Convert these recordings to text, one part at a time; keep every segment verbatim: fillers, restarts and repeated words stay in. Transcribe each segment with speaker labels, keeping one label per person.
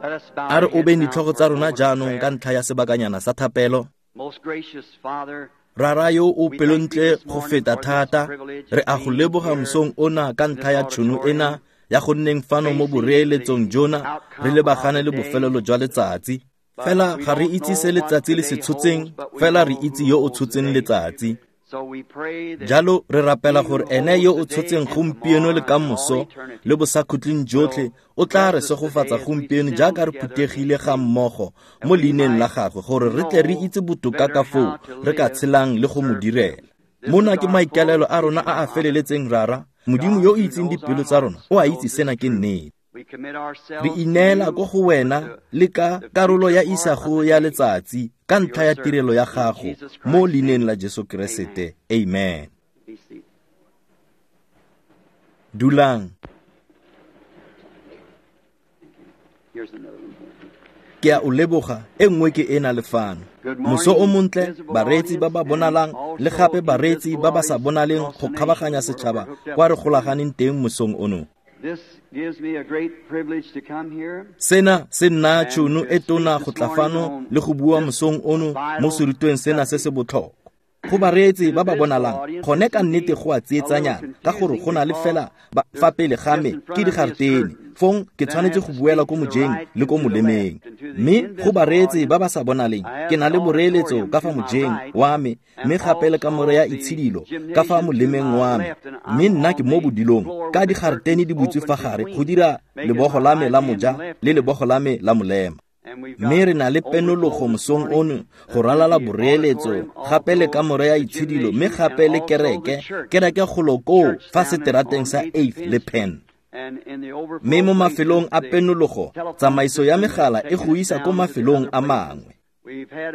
Speaker 1: A re obeng ditlhogo tsa rona jaanong ka ntlha ya sebakanyana sa thapelo. Rara yo o pelontle go feta thata, re a go leboga mosong ona ka ntlha ya tšhono ena ya go nneng fano mo boreeletsong jona re lebagane le bofelelo jwa letsatsi. Fela ga re itse se letsatsi le se tshotseng, fela re itse yo o tshotseng letsatsi. Jalo re rapela gore ene yo o tshotseng gompieno le kamoso le bosakhutleng jotlhe o tla re segofatsa gompieno jaaka re phuthegile ga mmogo mo leineng la gagwe gore re tle re itse botoka ka foo re ka tshelang le go mo direla. Mona ke maikaelelo a rona a a feleletseng, Rara. Modimo yo o itseng dipelo tsa rona o a itse sena ke nnete. Re ineela ko go wena le ka karolo ya isago ya letsatsi ka ntlha ya tirelo ya gago mo leineng la Jesu Keresete. Amen. Dulang. Ke a o leboga, e nngwe ke ena le fano. Moso o montle, bareetsi ba ba bonalang le gape bareetsi ba ba sa bonaleng go kgabaganya setšhaba kwa re golaganeng teng mosong ono. Sena se nna tšhono e tona go tla fano le go bua mosong ono mo serutweng sena se se botlhokwa. Go bareetsi ba ba bonalang, gone ka nnete go a tsietsanyana ka gore go na le fela fa pele ga me ke digaretene, fong ke tshwanetse go buela ko mojeng le ko molemeng. Mme go bareetsi ba ba sa bonaleng, ke na le boreeletso ka fa mojeng wa me, mme gape le kamore ya itshidilo ka fa molemeng wa me. Mme nna ke mo bodilong ka digaretene di butswe fa gare go dira lebogo la me la moja le lebogo la me la molema. Mme re na le penologo mosong ono go ralala boreeletso gape le kamore ya itshidilo, mme gape le kereke, kereke golo koo fa seterateng sa eighth le Penn. Mme mo mafelong a penologo, tsamaiso ya megala e go isa ko mafelong a mangwe.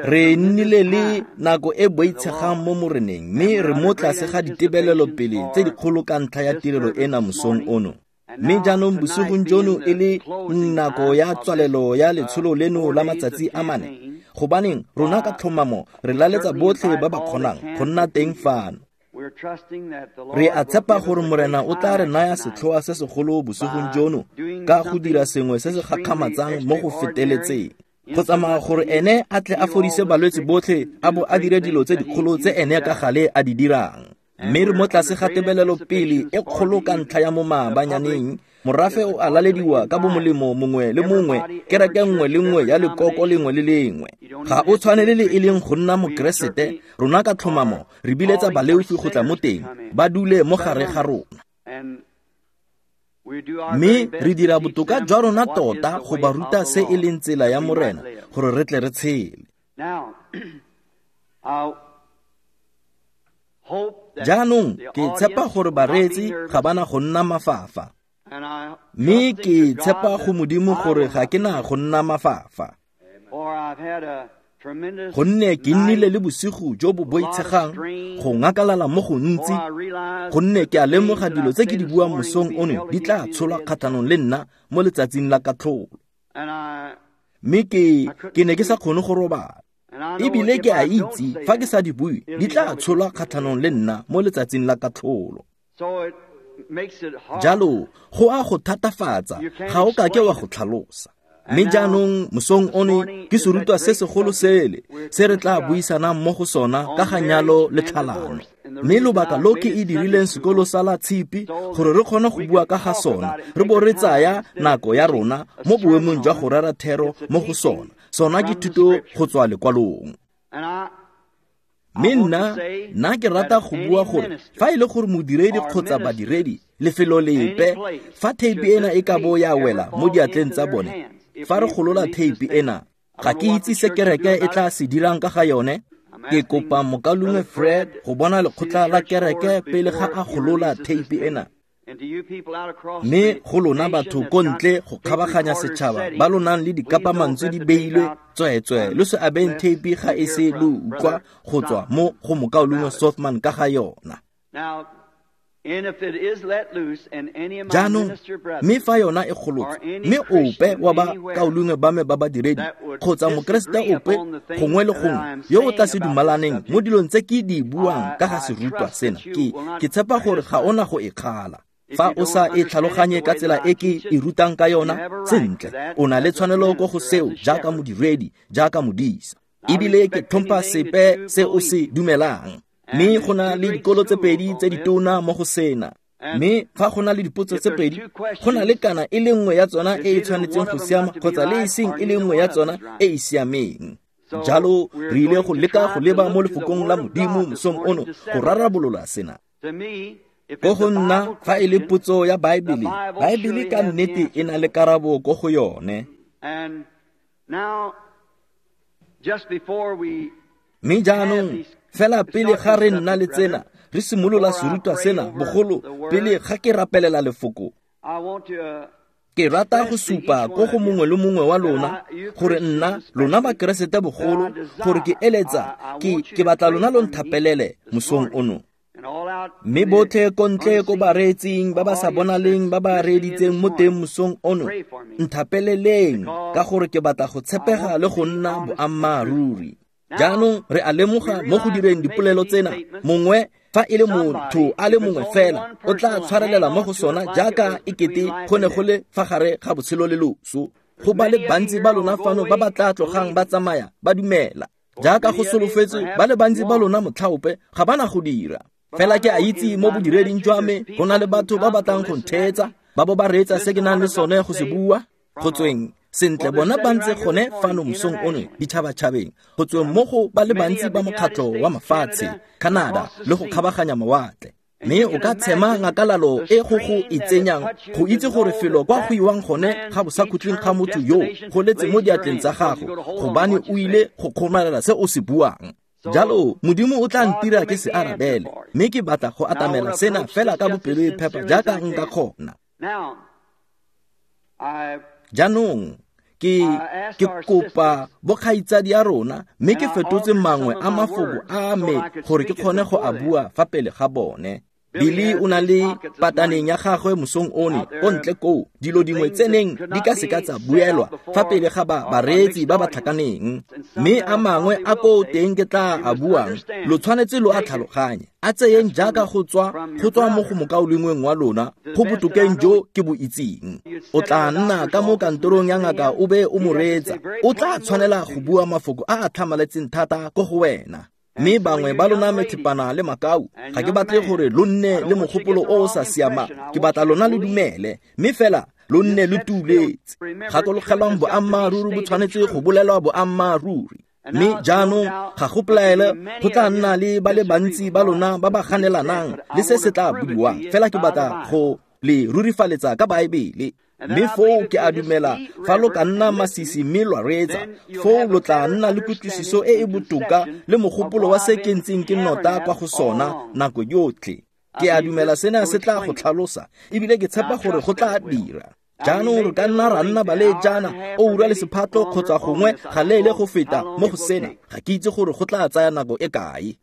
Speaker 1: Re nnile le nako e boitshegang mo moreneng, mme re mo tlase ga ditebelelo pele tse dikgolo ka ntlha ya tirelo ena mosong ono. Mme jaanong bosigong jono e le nako ya tswalelo ya letsholo leno la matsatsi a mane, gobaneng rona ka tlhomamo re laletsa botlhe ba ba kgonang go nna teng fano. Re a tshepa gore Morena o tla re naya setlhoa se segolo bosigong jono ka go dira sengwe se se gakgamatsang mo go feteletseng, go tsamaya gore ene a tle a fodise balwetse botlhe a bo a dire dilo tse dikgolo tse ene ka gale a di dirang. Mme re mo tlase ga tebelelo pele e kgolo ka ntlha ya mo maabanyaneng, morafe o a lalediwa ka bomolemo mongwe le mongwe, kereke nngwe le nngwe ya lekoko lengwe le lengwe. Ga o tshwanele le e leng go nna mokeresete, rona ka tlhomamo re biletsa baleofi go tla mo teng, ba dule mo gare ga rona. Mme re dira botoka jwa rona tota go ba ruta se e leng tsela ya Morena gore re tle re tshele. Jaanong ke tshepa gore bareetsi ga bana go nna mafafa, mme ke tshepa go Modimo gore ga ke na go nna mafafa, gonne ke nnile le bosigo jo bo boitshegang go ngakalala mo gontsi, gonne ke a lemoga dilo tse ke di buang mosong ono di tla tsholwa kgatlhanong le nna mo letsatsing la katlholo. Mme ke ke ne ke sa kgone go robala, ebile ke a itse fa ke sa di bue di tla tsholwa kgatlhanong le nna mo letsatsing la katlholo. Jalo go a go thatafatsa, ga o ka ke wa go tlhalosa. Mme jaanong mosong ono ke serutwa se segolo sele se re tla buisanang mo go sona ka ga nyalo le tlhalano. Mme lobaka lo ke e dirileng sekolo sa la tshipi gore re kgone go bua ka ga sona, re bo re tsaya nako ya rona mo boemong jwa go rera thero mo go sona. Sona ke thuto go tswa lekwalong. Mme nna, nna ke rata go bua gore fa e le gore modiredi kgotsa badiredi lefelo lepe, fa theipi ena e ka bo ya wela mo diatleng tsa bone, fa re golola theipi ena, ga ke itse se kereke e tla se dirang ka ga yone. Ke kopa mokaulengwe Fred go bona lekgotla la kereke pele ga a golola theipi ena. Mme go lona batho ko ntle go kgabaganya setšhaba ba lo nang le dikapamantswe di beilwe, tsweetswe lo se abeng theipi ga e se lo utlwa go tswa mo go mokaulengwe Sothmann ka ga yona. Jaanong, mme fa yona e golotswe, mme ope wa bakaulengwe ba me ba badiredi kgotsa mokeresete ope gongwe le gongwe yo o tla se dumalaneng mo dilong tse ke di buang ka ga serutwa sena, ke ke tshepa gore ga ona go e kgala. Fa o sa e tlhaloganye ka tsela e ke e rutang ka yona, sentle, o na le tshwanelo ko go seo jaaka modiredi, jaaka modisa. Ebile ke tlhompha sepe se o se dumelang. Mme go na le dikolo tse pedi tse ditona mo go sena. Mme fa go na le dipotso tse pedi, go na le kana e le nngwe ya tsona e e tshwanetseng go siama kgotsa le e seng e le nngwe ya tsona e e siameng. Jalo re ile go leka go leba mo lefokong la Modimo mosong ono go rarabolola sena. Ko go nna fa e le potso ya Baebele, Baebele ka nnete e na le karabo ko go yone. Mme jaanong fela pele ga re nna le tsena, re simolola serutwa sena bogolo pele ga ke rapelela lefoko. Ke rata go supa ko go mongwe le mongwe wa lona gore nna lona bakeresete bogolo gore ke eletsa ke ke batla lona lo nthapelele mosong ono. Mme botlhe ko ntle ko bareetsing ba ba sa bonaleng ba ba reeditseng mo teng mosong ono, nthapeleleng ka gore ke batla go tshepega le go nna boammaaruri. Jaanong re a lemoga mo go direng dipolelo tsena, mongwe fa e le motho a le mongwe fela o tla tshwarelela mo go sona jaaka e kete go ne go le fa gare ga botshelo le loso. Go ba le bantsi ba lona fano ba ba tla tlogang ba tsamaya ba dumela. Jaaka go solofetswe ba le bantsi ba lona motlhaope ga ba na go dira. Fela ke a itse mo bodireding jwa me go na le batho ba batlang go ntheetsa, ba bo ba reetsa se ke nang le sone go se bua. Go tsweng sentle bona ba ntse gone fano mosong ono ditšhabatšhabeng, go tsweng mo go ba le bantsi ba mokgatlho wa mafatshe, Canada le go kgabaganya mawatle. Mme o ka tshema ngakalalo e go go e tsenyang go itse gore felo kwa go iwang gone ga bosakhutleng ga motho yo go letse mo diatleng tsa gago, gobane o ile go kgomarela se o se buang. Jalo Modimo o tla ntira ke se arabele, mme ke batla go atamela sena fela ka bopelo e phepa jaaka nka kgona. Jaanong ke ke kopa bokgaitsadi ya rona, mme ke fetotse mangwe a mafoko a me gore ke kgone go a bua fa pele ga bone. Billy o na le pataneng ya gagwe mosong one ko ntle koo, dilo dingwe tse neng di ka seka tsa buelwa fa pele ga ba bareetsi ba ba tlhakaneng. Mme a mangwe a koo teng ke tla a buang, lo tshwanetse lo a tlhaloganye, a tseyeng jaaka go tswa go tswa mo go mokaulengweng wa lona go botokeng jo ke bo itseng. O tla nna ka mo kantorong ya ngaka o be o mo reetsa, o tla tshwanela go bua mafoko a a tlhamaletseng thata ko go wena. Mme bangwe ba lona methepana le makau, ga ke batle gore lo nne le mogopolo o o sa siamang, ke batla lona le dumele, mme fela lo nne lo tuletse. Gakologelwang boammaaruri bo tshwanetse go bolelwa boammaaruri. Mme jaanong ga go pelaelo go tla nna le ba le bantsi ba lona ba ba ganelanang le se se tla buiwang, fela ke batla go le rurifaletsa ka Baebele. Mme foo ke a dumela fa lo ka nna masisi mme lwa reetsa, foo lo tla nna le kutlwisiso e e botoka le mogopolo wa se ke ntseng ke nota kwa go sona nako yotlhe. Ke a dumela sena se tla go tlhalosa, ebile ke tshepa gore go tla dira. Jaanong re ka nna ra nna baleetsana oura le sephatlo kgotsa gongwe ga leele go feta mo go sena, ga ke itse gore go tla tsaya nako e kae.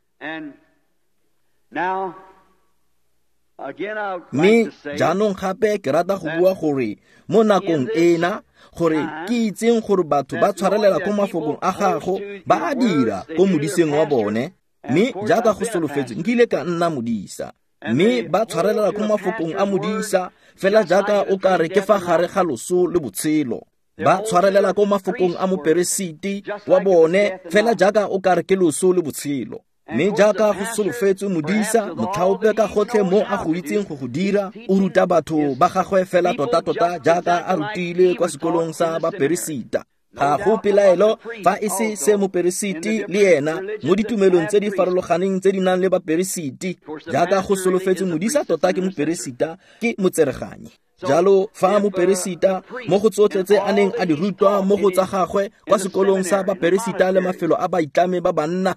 Speaker 1: Mme jaanong gape ke rata go bua gore mo nakong ena, gore ke itseng gore batho ba tshwarelela ko mafokong a gago ba a dira ko modiseng wa bone. Mme jaaka go solofetswe nkile ka nna modisa, mme ba tshwarelela ko mafokong a modisa fela jaaka o ka re ke fa gare ga loso le botshelo. Ba tshwarelela ko mafokong a moperesiti wa bone fela jaaka o ka re ke loso le botshelo. Mme jaaka go solofetswe modisa motlhaope ka gotlhe mo a go itseng go go dira, o ruta batho ba gagwe fela tota-tota jaaka a rutile kwa sekolong sa baperesita. Ga go pelaelo fa e se se moperesiti le ena mo ditumelong tse di farologaneng tse di nang le baperesiti. Jaaka go solofetswe modisa tota ke moperesita, ke motsereganyi. Jalo fa moperesita mo go tsotlhe tse a neng a di rutwa mo go tsa gagwe kwa sekolong sa baperesita le mafelo a baitlame ba banna,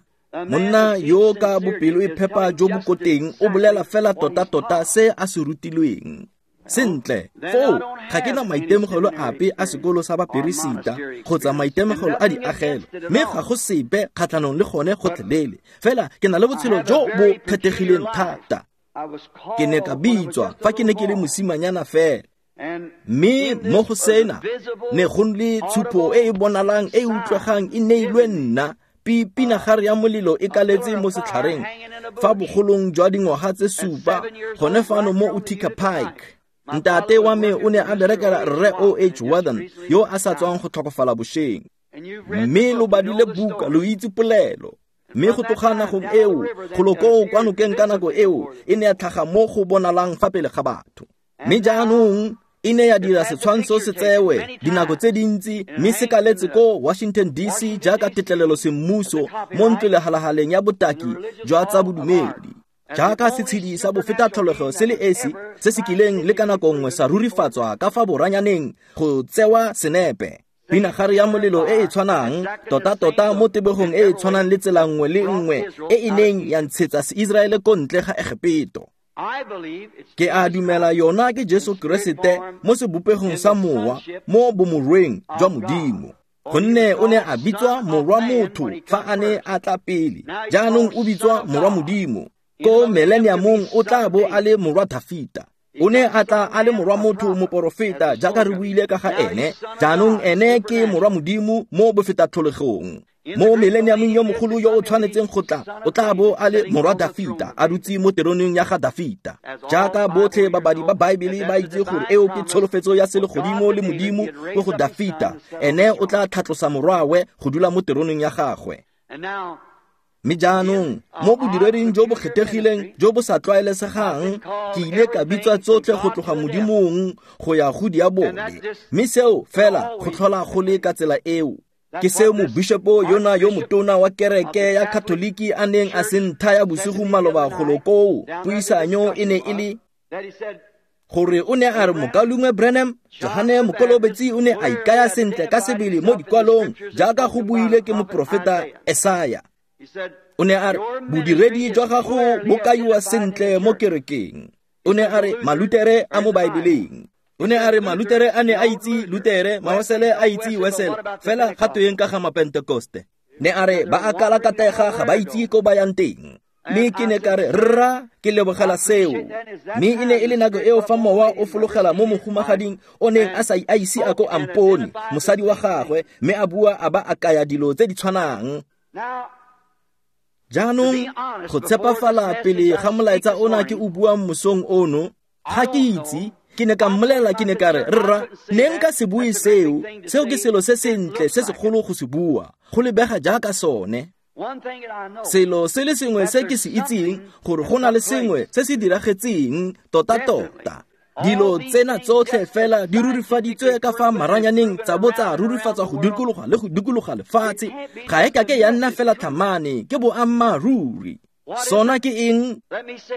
Speaker 1: monna yo ka bopelo e phepa jo bo koteng o bolela fela tota-tota se a se rutilweng. Sentle, foo ga ke na maitemogelo ape a sekolo sa baperesita kgotsa maitemogelo a diagelo, mme ga go sepe kgatlhanong le gone gotlhelele. Fela ke na le botshelo jo bo kgethegileng thata. Ke ne ka bitswa fa ke ne ke le mosimanyana fela. Mme mo go sena ne go le tshupo e e bonalang e e utlwegang e neilwe nna Pi pinagare ya molelo e kaletse mo setlhareng fa bogolong jwa dingwaga tse supa gone fano mo Utica Pike. Ntate wa me o ne a berekela Rre O H Warden yo a sa tswang go tlhokofala bošeng. Mme lo badile buka, lo itse polelo. Mme go tloga nagong eo, golo koo kwa nokeng ka nako eo, e ne ya tlhaga mo go bonalang fa pele ga batho. Mme jaanong e ne ya dira setshwantsho se tsewe dinako tse dintsi, mme se kaletse ko Washington D C jaaka tetlelelo semmuso mo ntlolehalahaleng ya botaki jwa tsa bodumedi. Jaaka setshedi sa bofetatlholego se le esi se se kileng le ka nako nngwe sa rurifatswa ka fa boranyaneng go tsewa senepe. Pinagare ya molelo e e tshwanang tota-tota mo tebegong e e tshwanang le tsela nngwe le nngwe e e neng ya ntshetsa Seiseraele ko ntle ga Egepeto. Ke a dumela yona ke Jesu Keresete mo sebopegong sa mowa mo bomorweng jwa Modimo. Gonne o ne a bitswa morwa motho fa a ne a tla pele, jaanong o bitswa morwa Modimo. Ko millenniumong o tla bo a le morwa Dafita. O ne a tla a le morwa motho moporofeta jaaka re buile ka ga ene, jaanong ene ke morwa Modimo mo bofetatlholegong. Mo millenniumong yo mogolo yo o tshwanetseng go tla, o tla bo a le morwa Dafita, a dutse mo teroneng ya ga Dafita. Jaaka botlhe babadi ba Baebele ba itse gore eo ke tsholofetso ya selegodimo le Modimo ko go Dafita, ene o tla tlhatlosa morwawe go dula mo teroneng ya gagwe. Mme jaanong mo bodireding jo bo kgethegileng jo bo sa tlwaelesegang, ke ile ka bitswa tsotlhe go tloga Modimong go ya go diabole. Mme seo fela go tlhola go le ka tsela eo. Ke seo mobishopo yona yo motona wa kereke ya Katoliki a neng a se nthaya bosigo maloba golo koo. Puisanyo e ne e le gore o ne a re mokaulengwe Branham, Johane Mokolobetsi o ne a ikaya sentle ka sebele mo dikwalong jaaka go buile ke moprofeta Esaya. O ne a re bodiredi jwa gago bo kaiwa sentle mo kerekeng. O ne a re Malutere a mo Baebeleng. O ne a re Malutere a ne a itse Lutere, Mawesele a itse Wesele, fela ga tweng ka ga Mapentekoste. Ne a re ba a kalakatega ga ba itse ko ba yang teng. Mme ke ne ka re rra ke lebogela seo. Mme e ne e le nako eo fa mowa o fologela mo mohumagading o neng a sa a ise a ko ampone, mosadi wa gagwe, mme a bua a ba a kaya dilo tse di tshwanang. Jaanong go tshepafala pele ga molaetsa ona ke o buang mosong ono, ga ke itse, ke ne ka mmolelela, ke ne ka re rra ne nka se bue seo, seo ke selo se sentle se segolo go se bua, go lebega jaaka sone. Selo se le sengwe se ke se itseng, gore go na le sengwe se se diragetseng tota-tota. Dilo tsena tsotlhe fela di rurifaditswe ka fa maranyaneng tsa bo tsa rurifatswa go dikologa le go dikologa lefatshe. Ga e kake ya nna fela tlhamane, ke boammaaruri. Sona ke eng?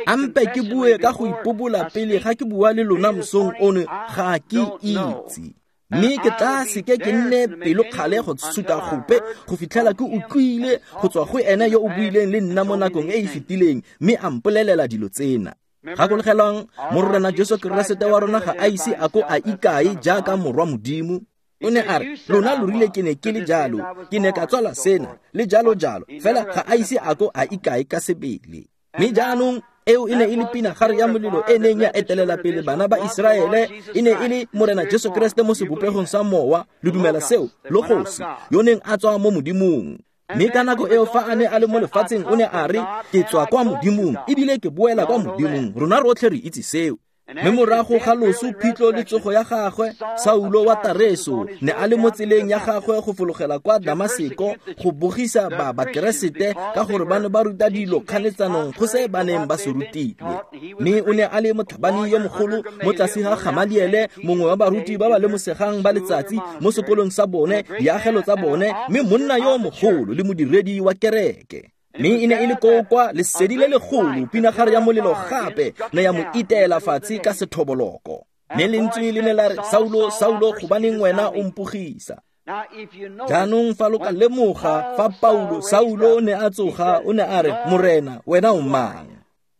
Speaker 1: Ampe ke bue ka go ipobola pele ga ke bua le lona mosong ono, ga ke itse. Mme ke tla seke ke nne pelokgale go suta gope go fitlhela ke utlwile go tswa go ene yo o buileng le nna mo nakong e e fetileng, mme a mpolelela dilo tsena. Gakologelwang, Morena Jesu Keresete wa rona ga a ise a ko a ikae jaaka morwa Modimo. O ne a re, lona lo rile ke ne ke le jalo, ke ne ka tswala sena, le jalo jalo, fela ga a ise a ko a ikae ka sebele. Mme jaanong eo e ne e le pinagare ya molelo e neng ya etelela pele bana ba Iseraele, e ne e le Morena Jesu Keresete mo sebopegong sa mowa, lo dumela seo, Logos, yo neng a tswa mo Modimong. Mme ka nako eo fa a ne a le mo lefatsheng o ne a re, ke tswa kwa Modimong, ebile ke boela kwa Modimong. Rona rotlhe re itse seo. Mme morago ga loso, phitlho le tsogo ya gagwe, Saulo wa Tareso ne a le mo tseleng ya gagwe go fologela kwa Damaseko go bogisa ba Bakeresete ka gore ba ne ba ruta dilo kganetsanong go se ba neng ba se rutile. Mme o ne a le motlhabani yo mogolo mo tlase ga Gamaliele, mongwe wa baruti ba ba lemosegang ba letsatsi mo sekolong sa bone, diagelo tsa bone, mme monna yo mogolo le modiredi wa kereke. Mme e ne e le koo kwa lesedi le legolo, pinagare ya molelo gape ne ya mo iteela fatshe ka sethoboloko. Mme lentswe le ne la re, Saulo, Saulo, gobaneng wena o mpogisa? Jaanong fa lo ka lemoga fa Paulo, Saulo ne a tsoga, o ne a re, Morena, wena o mang?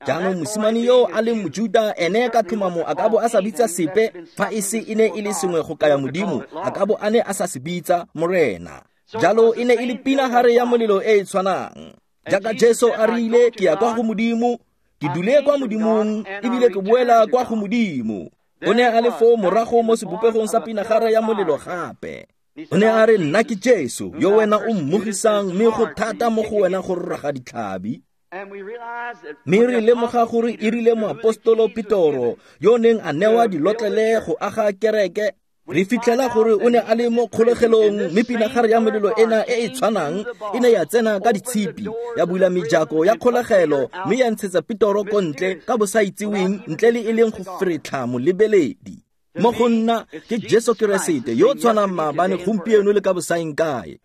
Speaker 1: Jaanong mosimane yo a leng Mojuda, ene ka tlhomamo a ka bo a sa bitsa sepe fa e se e ne e le sengwe go kaya Modimo, a ka bo a ne a sa se bitsa Morena. Jalo e ne e le pinagare ya molelo e e tshwanang. Jaaka Jesu a rile, ke ya kwa go Modimo, ke dule kwa Modimong, ebile ke boela kwa go Modimo. O ne a le foo morago mo sebopegong sa pinagare ya molelo gape. O ne a re nna ke Jesu yo wena o mmogisang mme go thata mo go wena go raga ditlhabi. Mme re lemoga gore e rile moapostolo Petoro yo neng a newa dilotlele go aga kereke, re fitlhela gore o ne a le mo kgolegelong mme pinagare ya molelo ena e e tshwanang e ne ya tsena ka ditshipi ya bula mejako ya kgolegelo mme ya ntshetsa Petoro ko ntle ka bosaitseweng ntle le e leng go feretlha molebeledi. Mo go nna ke Jesu Keresete yo tshwanang maabane gompieno le ka bosaeng kae.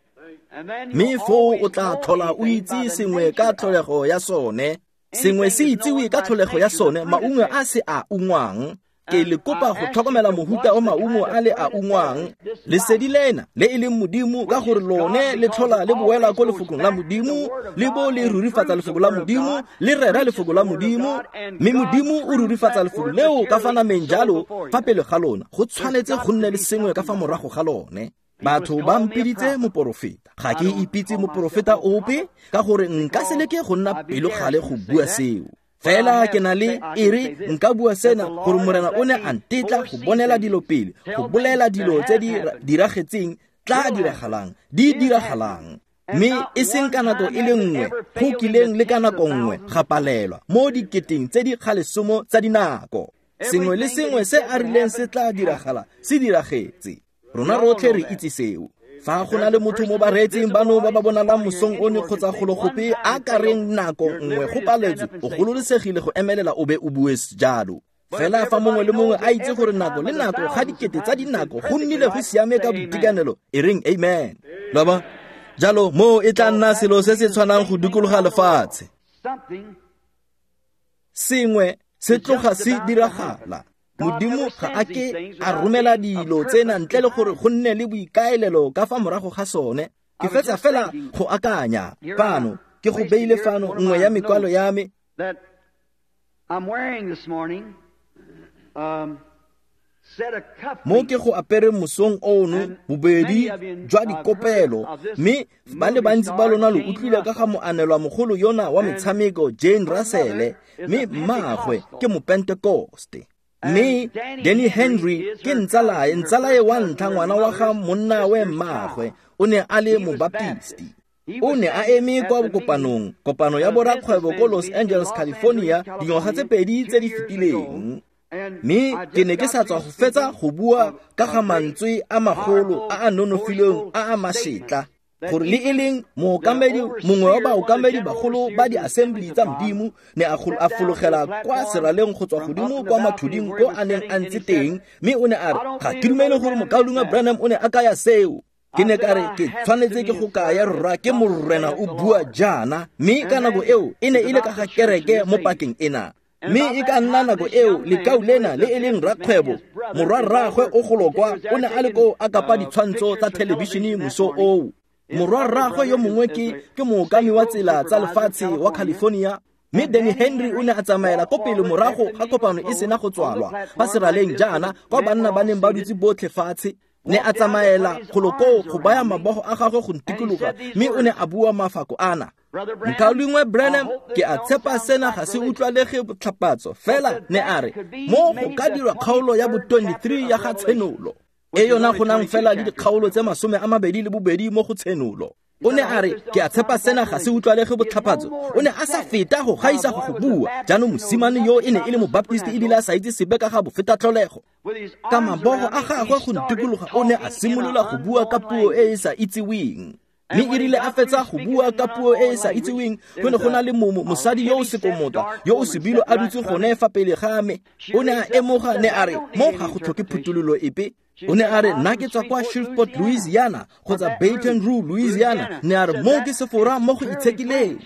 Speaker 1: Mme foo o tla tlhola o itse sengwe ka tlholego ya sone, sengwe se itsewe ka tlholego ya sone, maungo a se a ungwang. Ke le kopa go tlhokomela mohuta o maungo a le a ungwang. Lesedi lena le e leng Modimo, ka gore lone le tlhola le boela ko lefokong la Modimo, le bo le rurifatsa lefoko la Modimo, le rera lefoko la Modimo, mme Modimo o rurifatsa lefoko leo ka fa nameng jalo fa pele ga lona. Go tshwanetse go nne le sengwe ka fa morago ga lone. Batho ba mpiditse moporofeta. Ga ke ipitse moporofeta ope ka gore nka se leke go nna pelokgale go bua seo. Fela ke na le e re nka bua sena gore Morena o ne a ntetla go bonela dilo pele, go bolela dilo tse di diragetseng tla diragalang, di diragalang. Mme e seng ka nako e le nngwe go kileng le ka nako nngwe ga palelwa mo diketeng tse di kgalesomo tsa dinako. Sengwe le sengwe se a rileng se tla diragala se diragetse. Rona rotlhe re itse seo. Fa go na le motho mo bareetsing bano ba ba bonalang mosong ono kgotsa gologope a ka reng nako nngwe go paletswe, o gololesegile go emelela o be o bue jalo. Fela fa mongwe le mongwe a itse gore nako le nako ga dikete tsa dinako go nnile go siame ka boitekanelo, e reng amen. Lo bona? Jalo mo e tla nna selo se se tshwanang go dikologa lefatshe. Sengwe se tloga se diragala. Modimo ga a ke a romela dilo tsena ntle le gore go nne le boikaelelo ka fa morago ga sone. Ke fetsa fela go akanya fano, ke go beile fano nngwe ya mekwalo ya me. Mo ke go apere mosong ono bobedi jwa dikopelo, mme ba le bantsi ba lona lo utlwile ka ga moanelwa mogolo yona wa metshameko Jane Russell, mme mmaagwe ke Mopentekoste. Mme Danny Henry ke ntsalae, ntsalae wa ntlha ngwana wa ga monna we mmaagwe, o ne a le mobaptisti. O ne a eme kwa kopanong, kopano ya borakgwebo ko Los Angeles, California, dingwaga tse pedi tse di fetileng. Mme ke ne ke sa tswa go fetsa go bua ka ga mantswe a magolo a a nonofileng a a mašetla, gore le e leng mookamedi mongwe wa baokamedi bagolo ba di-assembly tsa Modimo ne a fologela kwa seraleng go tswa godimo kwa mathuding ko a neng a ntse teng, mme o ne a re ga ke dumele gore mokaulengwe Branham o ne a kaya seo. Ke ne ka re ke tshwanetse ke go kaya rra ke Morena o bua jaana, mme ka nako eo e ne e le ka ga kereke mo pakeng ena. Mme e ka nna nako eo lekau lena le e leng rakgwebo morwa rraagwe o golokwa o ne a le koo a kapa ditshwantsho tsa thelebišene moso oo. Morwa rraagwe yo mongwe ke ke mookami wa tsela tsa lefatshe wa California, mme Danny Henry o ne a tsamaela ko pele morago ga kopano e sena go tswalwa fa seraleng jaana kwa banna ba neng ba dutse botlhe fatshe. Ne a tsamaela golo koo go baya mabogo a gagwe go ntikologa, mme o ne a bua mafako ana: Mokaulengwe Branham, ke a tshepa sena ga se utlwalege botlhapatso, fela ne a re mo go ka dirwa kgaolo ya bo twenty-three ya ga Tshenolo, e yona go nang fela le dikgaolo tse masome a mabedi le bobedi mo go Tshenolo. O ne a re ke a tshepa sena ga se utlwalege botlhapatso. O ne a sa feta go gaisa go go bua. Jaanong mosimane yo e ne e le mobaptisti ebile a sa itse sepe ka ga bofetatlholego. Ka mabogo a gagwe go ntikologa o ne a simolola go bua ka puo e e sa itseweng. Mme e rile a fetsa go bua ka puo e e sa itseweng, go ne go na le mosadi yo o sekomota yo o sebilo a dutse gone fa pele ga me. O ne a emoga, ne a re mo ga go tlhoke phuthololo epe. O ne a re nna ke tswa kwa Shreveport, Louisiana, kgotsa Baton Rouge, Louisiana. Ne a re mo ke sefora mo go itshekileng.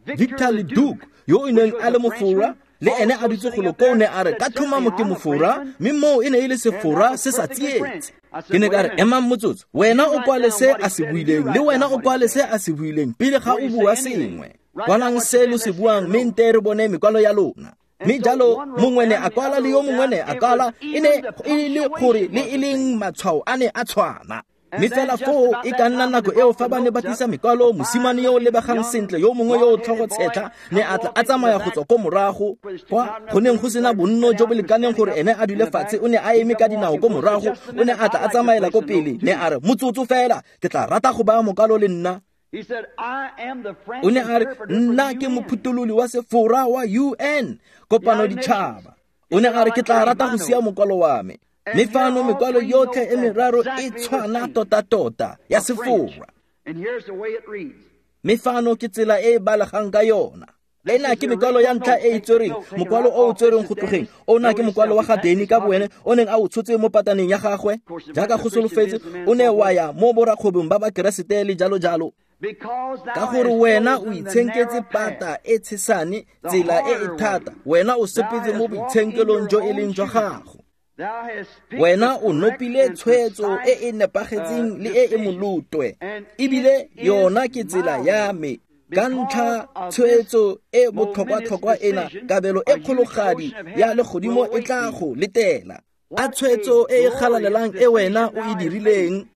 Speaker 1: Victor Leduc yo o neng a le mofora le ene a dutse golo koo, ne a re ka tlhomamo ke mofora, mme moo e ne e le sefora se sa tsietse. Ke ne ka re emang motsotso, wena o kwale se a se buileng le wena o kwale se a se buileng pele ga o bua sengwe. Kwalang se lo se buang mme nte re bone mekwalo ya lona. Mme jalo mongwe ne a kwala le yo mongwe ne a kwala, e ne e le gore le e leng matshwao a ne a tshwana. Mme fela foo e ka nna nako eo fa ba ne ba tlisa mekwalo, mosimane yo o lebegang sentle yo mongwe yo o tlhogo tshetlha ne a tla a tsamaya go tswa ko morago kwa go neng go sena bonno jo bo lekaneng gore ene a dule fatshe. O ne a eme ka dinao ko morago, o ne a tla a tsamaela ko pele, ne a re, motsotso fela, ke tla rata go baya mokwalo le nna. O ne a re, nna ke mophuthololi wa Sefora wa U N, kopano ditšhaba. O ne a re, ke tla rata go sia mokwalo wa me. Mme fano mekwalo yotlhe e meraro e tshwana tota-tota ya Sefora. Mme fano ke tsela e e balegang ka yona. Ena ke mekwalo ya ntlha e e tswereng, mokwalo o o tswereng go tlogeng. Ona ke mokwalo wa ga Danny ka boene, o neng a o tshotse mo pataneng ya gagwe. Jaaka go solofetse, o ne wa ya mo borakgwebong ba Bakeresete le jalo jalo. Ka gore wena o itshenketse pata e tshesane, tsela e e thata, wena o sepetse mo boitshenkelong jo e leng jwa gago. Wena o nopile tshwetso e e nepagetseng le e e molotwe, ebile yona ke tsela ya me. Ka ntlha tshwetso e botlhokwa-tlhokwa ena, kabelo e kgologadi ya legodimo e tla go letela. A tshwetso e e galalelang e wena o e dirileng.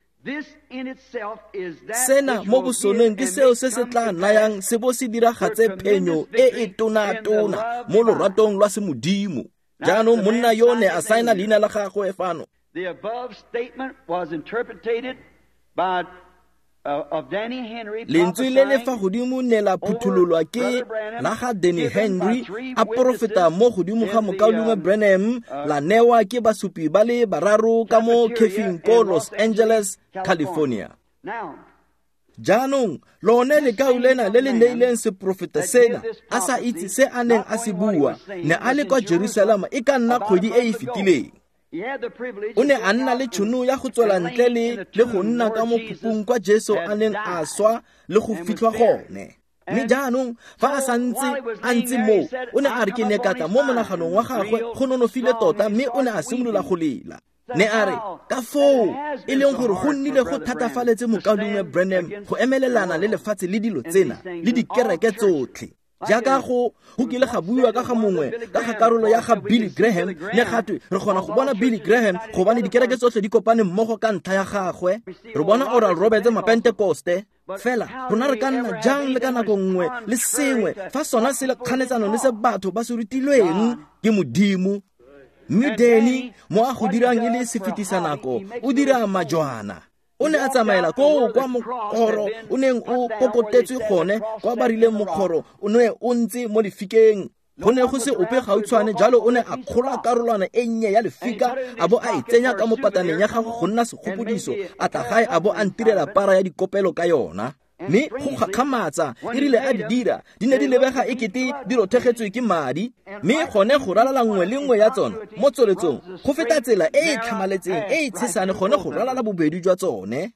Speaker 1: Sena mo bosoneng ke seo se se tla nayang se bo se diragatse phenyo e e tona-tona mo loratong lwa semodimo. Jaanong monna yo ne a saena leina la gagwe fano.
Speaker 2: The above statement was interpreted by of Danny Henry,
Speaker 1: Lentswe le le fa godimo ne la phuthololwa ke la ga Danny Henry, a porofeta mo godimo ga mokaulengwe Branham, la newa ke basupi ba le bararo ka mo khefing ko Los Angeles, California. Jaanong lone lekau lena le le neileng seprofeta sena, a sa itse se a neng a se bua, ne a le kwa Jerusalema e ka nna kgwedi e e fetileng. O ne a nna le tšhono ya go tswela ntle le le go nna ka mo phupung kwa Jesu a neng a swa le go fitlhwa gone. Mme jaanong fa a santse a ntse moo, o ne a re ke ne ka tla mo monaganong wa gagwe go nonofile tota, mme o ne a simolola go lela. Ne a re, ka foo e leng gore go nnile go thatafaletse mokaulengwe Branham go emelelana le lefatshe le dilo tsena le dikereke tsotlhe. Jaaka go go kile ga buiwa ka ga mongwe ka ga karolo ya ga Billy Graham, ne gatwe re kgona go bona Billy Graham gobane dikereke tsotlhe di kopane mmogo ka ntlha ya gagwe. Re bona Oral Roberts Mapentekoste. Fela rona re ka nna jang le ka nako nngwe le sengwe fa sona se le kganetsano le se batho ba se rutilweng ke Modimo. Mme Danny mo a go dirang e le sefetisa nako, o dira majwana. O ne a tsamaela koo kwa mokgoro o neng o kokotetswe gone, kwa ba rileng mokgoro o ne o ntse mo lefikeng. Go ne go se ope gautshwane, jalo o ne a kgola karolwana e nnye ya lefika a bo a e tsenya ka mo pataneng ya gagwe go nna segopodiso, a tla gae a bo a ntirela para ya dikopelo ka yona. Mme go gakgamatsa e rile a di dira, di ne di lebega e kete di rothegetswe ke madi, mme gone go ralala nngwe le nngwe ya tsona mo tsweletsong go feta tsela e e tlhamaletseng e e tshesane gone go ralala bobedi jwa tsone.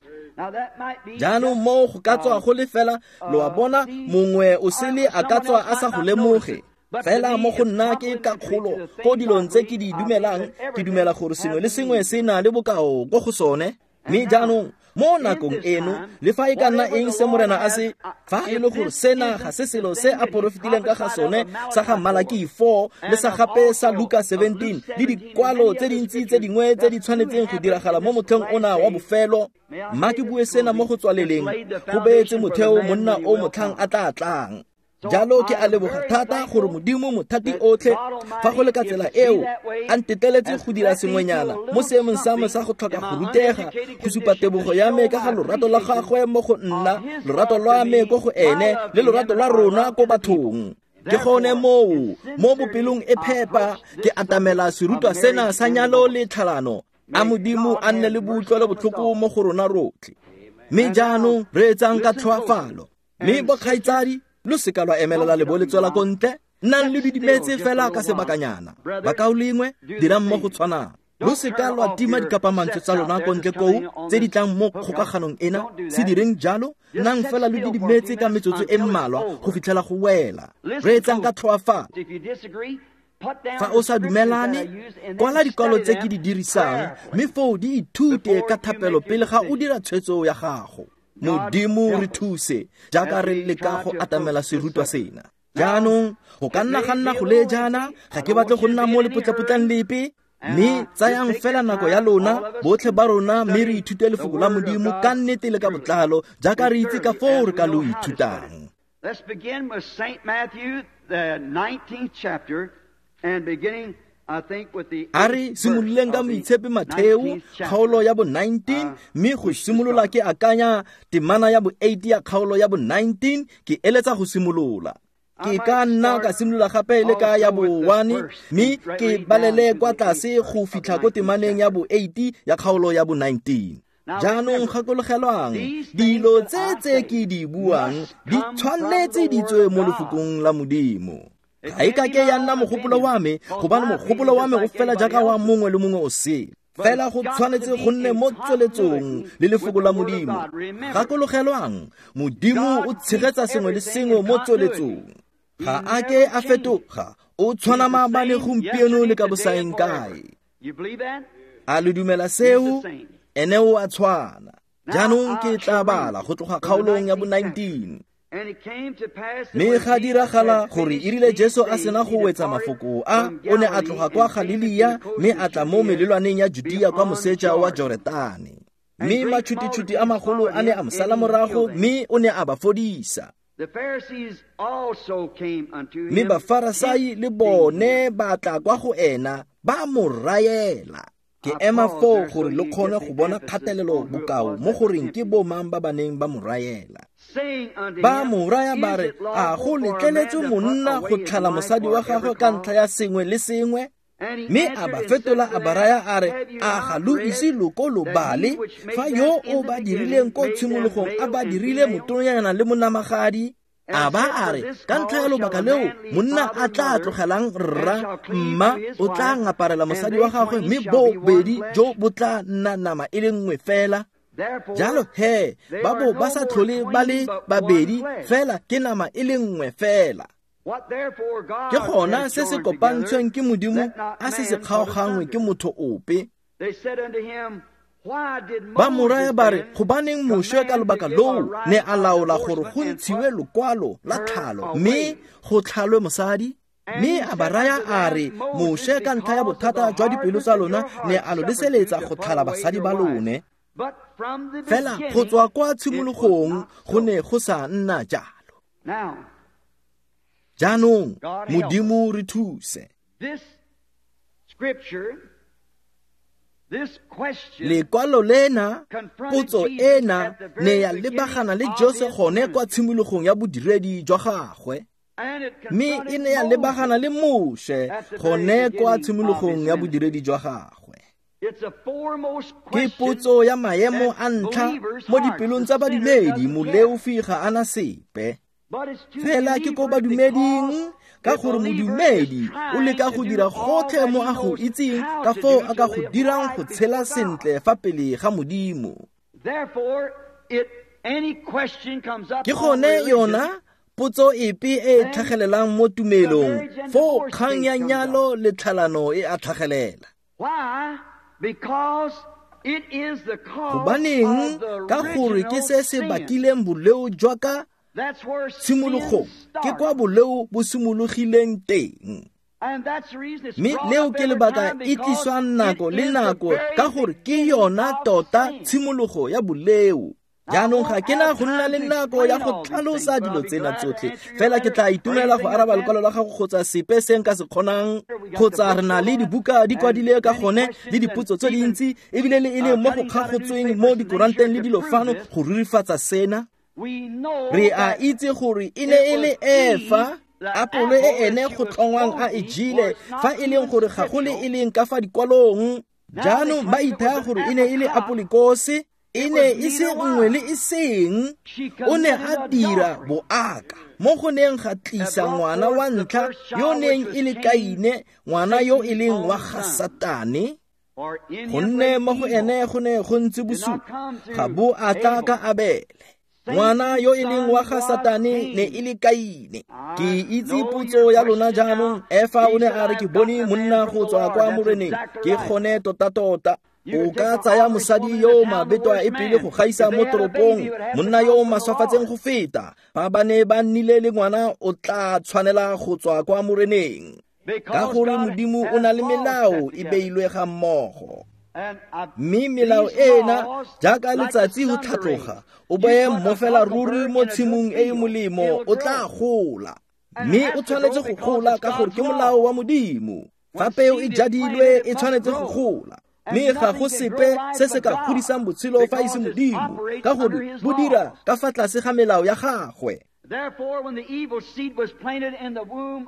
Speaker 1: Jaanong moo go ka tswa go le fela, lo a bona, mongwe o sele a ka tswa a sa go lemoge. Fela mo go nna ke ka kgolo ko dilong tse ke di dumelang, ke dumela gore sengwe le sengwe se na le bokao ko go sone. Mme jaanong mo nakong eno, le fa e ka nna eng se Morena a se, fa e le gore sena ga se selo se a porofetileng ka ga sone sa ga Malaki four le sa gape sa Luka seventeen le dikwalo tse dintsi tse dingwe tse di tshwanetseng go diragala mo motlheng ona wa bofelo, mma ke bue sena mo go tswaleleng, go beetse motheo monna o motlhang a tla tlang. Jalo ke a leboga thata gore Modimo mothati otlhe, fa go le ka tsela eo, a nteteletse go dira sengwenyana mo seemong sa me sa go tlhoka go rutega, go supa tebogo ya me ka ga lorato la gagwe mo go nna, lorato lwa me ko go ene, le lorato lwa rona ko bathong. Ke gone moo, mo bopelong e phepa, ke atamela serutwa sena sa nyalo le tlhalano. A Modimo a nne le boutlwelo botlhoko mo go rona rotlhe. Mme jaanong reetsang ka tlhoafalo. Mme bokgaitsadi, lo seka lwa emelela le bo le tswela ko ntle, nnang le didimetse fela ka sebakanyana. Bakaulengwe, dirang mo go tshwanang. Lo seka lwa tima dikapamantswe tsa lona ko ntle koo tse di tlang mo kgokaganong ena, se direng jalo, nnang fela lo didimetse ka metsotso e mmalwa go fitlhela go wela. Reetsang ka tlhoafalo. Fa o sa dumelane, kwala dikwalo tse ke di dirisang, mme foo di ithute ka thapelo pele ga o dira tshwetso ya gago. Modimo re thuse jaaka re leka go atamela serutwa sena. Jaanong go ka nna ga nna go le jaana, ga ke batle go nna mo lepotlapotlang lepe. Mme tsayang fela nako ya lona botlhe ba rona mme re ithute lefoko la Modimo ka nnete le ka botlalo jaaka re itse ka foo re ka lo ithutang.
Speaker 2: Let's begin with Saint Matthew, the nineteenth chapter, and beginning, I think, with the
Speaker 1: A re simololeng ka Moitshepi Matheo kgaolo ya bo nineteen, mme go simolola ke akanya temana ya bo eight ya kgaolo ya bo nineteen, ke eletsa go simolola. Ke ka nna ka simolola gape le ka ya bo one, mme ke balele kwa tlase go fitlha ko temaneng ya bo eight ya kgaolo ya bo nineteen. Jaanong gakologelwang, dilo tse tse ke di buang di tshwanetse di tswe mo lefokong la Modimo. Ga e ka ke ya nna mogopolo wa me, gobane mogopolo wa me o fela jaaka wa mongwe le mongwe o sele. Fela go tshwanetse go nne mo tsweletsong le lefoko la Modimo. Gakologelwang, Modimo o tshegetsa sengwe le sengwe mo tsweletsong. Ga a ke a fetoga, o tshwana maabane gompieno le ka bosaeng kae. A le dumela seo? Ene o a tshwana. Jaanong ke tla bala go tloga kgaolong ya bo nineteen. Mme ga diragala gore e rile Jesu a sena go wetsa mafoko a, o ne a tloga kwa Galilea mme a tla mo melelwaneng ya Judea kwa moseja wa Joretane. Mme matšhutitšhuti a magolo a ne a mo sala morago mme o ne a ba fodisa. Mme Bafarasai le bone ba tla kwa go ena ba mo raela. Ke ema foo gore le kgone go bona kgatelelo bokao mo goreng ke bo mang ba ba neng ba mo raela. Ba mo raya ba re, a go letleletswe monna go tlhala mosadi wa gagwe ka ntlha ya sengwe le sengwe? Mme a ba fetola a ba raya a re, a ga lo ise lo ko lo bale fa yo o ba dirileng ko tshimologong a ba dirile motonanyana le monamagadi? A ba a re, ka ntlha ya lobaka leo monna a tla tlogelang rra mma, o tla ngaparela mosadi wa gagwe, mme bobedi jo bo tla nna nama e le nngwe fela. Jalo he, ba bo ba sa tlhole ba le babedi fela, ke nama e le nngwe fela. Ke gona se se kopantshweng ke Modimo a se se kgaogangwe ke motho ope. Ba mo raya ba re, gobaneng Moshe ka lobaka loo ne a laola gore go ntshiwe lokwalo la tlhalo mme go tlhalwe mosadi? Mme a ba raya a re, Moshe ka ntlha ya bothata jwa dipelo tsa lona ne a lo leseletsa go tlhala basadi ba lone. Fela go tswa kwa tshimologong go ne go sa nna jalo. Jaanong Modimo re thuse. Lekwalo lena, potso ena ne ya lebagana le Jesu gone kwa tshimologong ya bodiredi jwa gagwe, mme e ne ya lebagana le Moshe gone kwa tshimologong ya bodiredi jwa gagwe. Ke potso ya maemo a ntlha mo dipelong tsa badumedi, moleofi ga ana sepe. Fela ke ko badumeding, ka gore modumedi o leka go dira gotlhe mo a go itseng ka foo a ka go dirang go tshela sentle fa pele ga Modimo. Ke gone yona potso epe e e tlhagelelang mo tumelong, foo kgang ya nyalo le tlhalano e a tlhagelela. Gobaneng? Ka gore ke se se bakileng boleo jwa ka tshimologong, ke kwa boleo bo simologileng teng. Mme leo ke lebaka e tliswang nako le nako, ka gore ke yona tota tshimologo ya boleo. Jaanong ga ke na go nna le nako ya go tlhalosa dilo tsena tsotlhe, fela ke tla itumela go araba lekwalo la gago kgotsa sepe se nka se kgonang, kgotsa re na le dibuka di kwadile ka gone le dipotso tse dintsi, ebile le e leng mo go kgagotsweng mo dikoranteng le dilo fano go rurifatsa sena. Re a itse gore e ne e le Efa, apole e ene go tlhongwang a e jele, fa e leng gore ga go le e leng ka fa dikwalong. Jaanong ba ithaya gore e ne e le apolikose, e ne e se nngwe le e seng. O ne a dira boaka mo go neng ga tlisa ngwana wa ntlha yo neng e le Kaine, ngwana yo e leng wa ga Satane, gonne mo go ene go ne go ntse bosupa, ga bo a tla ka Abele. Ngwana yo e leng wa ga Satane ne e le Kaine. Ke itse potso ya lona jaanong. Efa o ne a re, ke bone monna go tswa kwa Moreneng. Ke gone tota-tota. O ka tsaya mosadi yo mabetwa e pele go gaisa mo toropong, monna yo o maswafatseng go feta. Fa ba ne ba nnile le ngwana, o tla tshwanela go tswa kwa Moreneng. Ka gore Modimo o na le melao e beilwe ga mmogo. Mme melao ena jaaka letsatsi go tlhatloga, o beye mmofela ruri mo tshimong e e molemo, o tla gola. Mme o tshwanetse go gola ka gore ke molao wa Modimo. Fa peo e jadilwe e tshwanetse go gola. Mme ga go sepe se se ka godisang botshelo fa e se Modimo, ka gore bo dira ka fa tlase ga melao ya gagwe.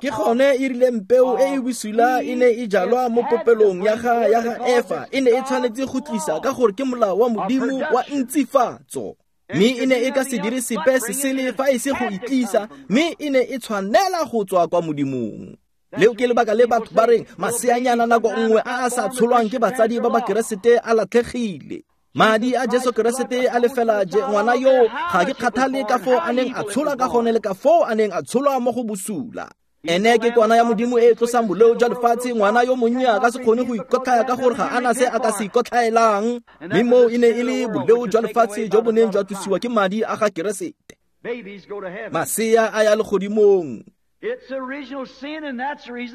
Speaker 1: Ke gone e rileng peo e e bosula e ne e jalwa mo popelong ya ga ya ga Efa, e ne e tshwanetse go tlisa ka gore ke molao wa Modimo wa ntsifatso. Mme e ne e ka se dire sepe se sele fa e se go itlisa, mme e ne e tshwanela go tswa kwa Modimong. Leo ke lebaka le batho ba reng maseanyana nako nngwe a a sa tsholwang ke batsadi ba Bakeresete a latlhegile. Madi a Jesu Keresete a lefela je ngwana yo ga ke kgathale ka foo a neng a tsholwa ka gone le ka foo a neng a tsholwa mo go bosula. Ene ke kwana ya Modimo e e tlosang boleo jwa lefatshe. Ngwana yo monnye a ka se kgone go ikotlhaya ka gore ga ana se a ka se ikotlhaelang. Mme moo e ne e le boleo jwa lefatshe jo bo neng jwa tlosiwa ke madi a ga Keresete. Masea a ya legodimong.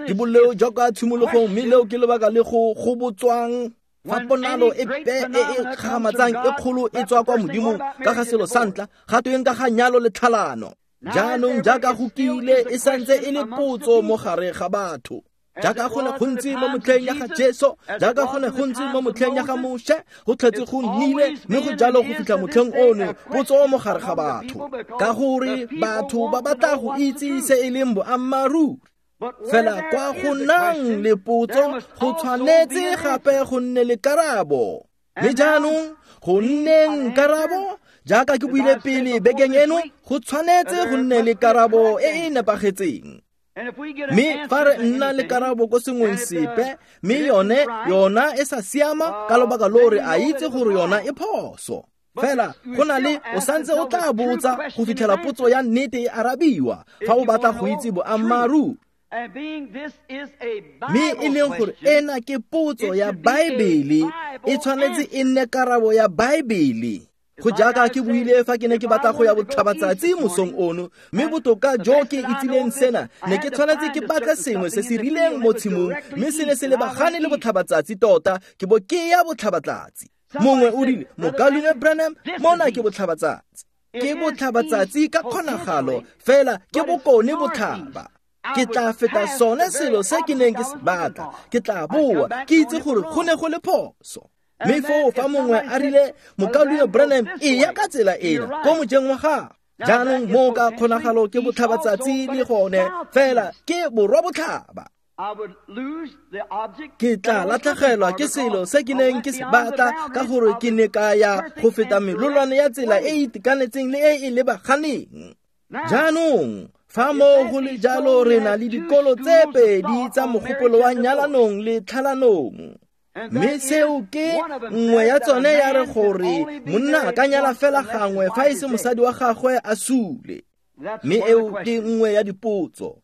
Speaker 1: Ke boleo jwa kwa tshimologong, mme leo ke lebaka le go go botswang. Fa ponalo epe e e kgamatsang e kgolo e tswa kwa Modimong ka ga selo sa ntlha, ga tweng ka ga nyalo le tlhalano. Jaanong jaaka go kile e santse e le potso mo gare ga batho. Jaaka go ne go ntse mo motlheng ya ga Jesu, jaaka go ne go ntse mo motlheng ya ga Moshe, go tlhetse go nnile mme go jalo go fitlha motlheng ono, potso mo gare ga batho. Ka gore batho ba batla go itse se e leng boammaaruri. Fela kwa go nang le potso go tshwanetse gape go nne le karabo. Mme jaanong go nneng karabo, jaaka ke buile pele bekeng eno, go tshwanetse go nne le karabo e e nepagetseng. Mme fa re nna le karabo ko sengweng sepe, mme yone yona e sa siama ka lobaka lo re a itse gore yona e phoso. Fela go na le o santse o tla botsa go fitlhela potso ya nnete e arabiwa fa o batla go itse boammaaruri. Mme e leng gore ena ke potso ya Baebele, e tshwanetse e nne karabo ya Baebele. Go jaaka ke buile fa ke ne ke batla go ya botlhabatsatsi mosong ono, mme botoka jo ke itsileng sena, ne ke tshwanetse ke batle sengwe se se rileng mo tshimong, mme se ne se lebagane le botlhabatsatsi tota, ke bo ke ya botlhabatsatsi. Mongwe o rile, Mokaulengwe Branham, mona ke botlhabatsatsi. Ke botlhabatsatsi ka kgonagalo, fela ke bokone botlhaba. Ke tla feta sone selo se ke neng ke se batla, ke tla boa, ke itse gore go ne go le phoso. Mme foo fa mongwe a rile, Mokaulengwe Branham, e ya ka tsela ena, ko mojeng wa gago. Jaanong mo ka kgonagalo ke botlhabatsatsi le gone, fela ke borwa botlhaba. Ke tla latlhegelwa ke selo se ke neng ke se batla ka gore ke ne ka ya go feta melolwane ya tsela e e itekanetseng le e e lebaganeng. Jaanong fa mo go le jalo re na le dikolo tse pedi tsa mogopolo wa nyalanong le tlhalanong. Mme seo ke nngwe ya tsone ya re gore monna a ka nyala fela gangwe fa e se mosadi wa gagwe a sule. Mme eo ke nngwe ya dipotso.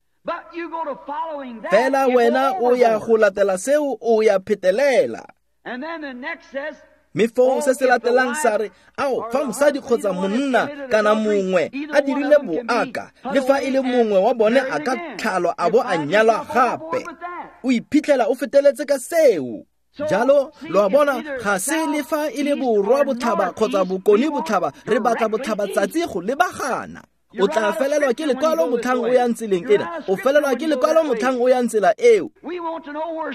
Speaker 1: Fela wena o ya go latela seo o ya phetelela. Mme foo se se latelang sa re, ao, fa mosadi kgotsa monna kana mongwe a dirile boaka, le fa e le mongwe wa bone a ka tlhalwa a bo a nyalwa gape. O iphitlhela o feteletse ka seo. Jalo, lo a bona, ga se le fa e le borwa botlhaba kgotsa bokone botlhaba, re batla botlhabatsatsi go lebagana. O tla felelwa ke lekwalo motlhang o yang tseleng ena, o felelwa ke lekwalo motlhang o yang tsela eo.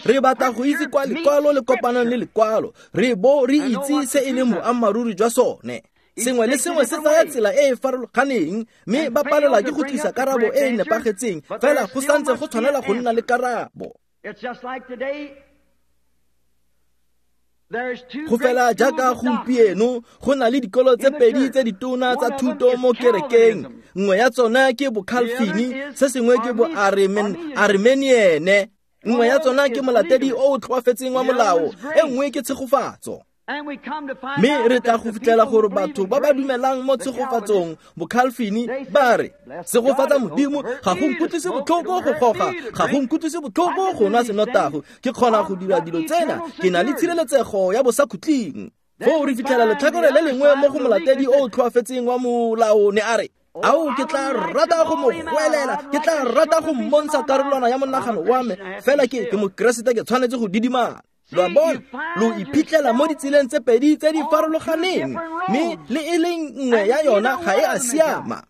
Speaker 1: Re batla go itse kwa lekwalo le kopanang le lekwalo, re bo re itse se e leng boammaaruri jwa sone. Sengwe le sengwe se tsaya tsela e e farologaneng, mme ba palelwa ke go tlisa karabo e e nepagetseng, fela go santse go tshwanela go nna le karabo. Go fela jaaka gompieno go na le dikolo tse pedi tse ditona tsa thuto mo kerekeng. Nngwe ya tsona ke boCalvini, se sengwe ke bo Armeniene. Nngwe ya tsona ke molatedi o o tlhoafetseng wa molao, e nngwe ke tshegofatso. Mme re tla go fitlhela gore batho ba ba dumelang mo tshegofatsong boCalvini ba re, segofatsa Modimo ga go nkutlwise botlhoko go goga, ga go nkutlwise botlhoko go nwa senotago, ke kgona go dira dilo tsena, ke na le tshireletsego ya bosakhutleng. Foo re fitlhela letlhakore le lengwe mo go molatedi o o tlhoafetseng wa molao ne a re, Ao, ke tla rata go mo goelela, ke tla rata go mmontsha karolwana ya monagano wa me, fela ke ke mokeresete, ke tshwanetse go didimala. Lo a bona, lo iphitlhela mo ditseleng tse pedi tse di farologaneng, mme le e leng nngwe ya yona ga e a siama.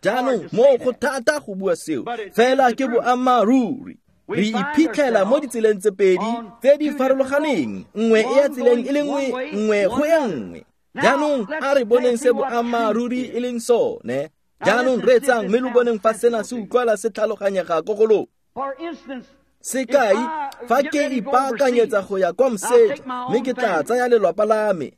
Speaker 1: Jaanong mo go thata go bua seo, fela ke boammaaruri. Re iphitlhela mo ditseleng tse pedi tse di farologaneng, nngwe e ya tseleng e le nngwe, nngwe go e nngwe. Jaanong a re boneng se boammaaruri e leng sone. Jaanong reetsang mme lo boneng fa sena se utlwala se tlhaloganyega ko go lona. Sekai, fa ke ipaakanyetsa go ya kwa moseja, mme ke tla tsaya lelwapa la me,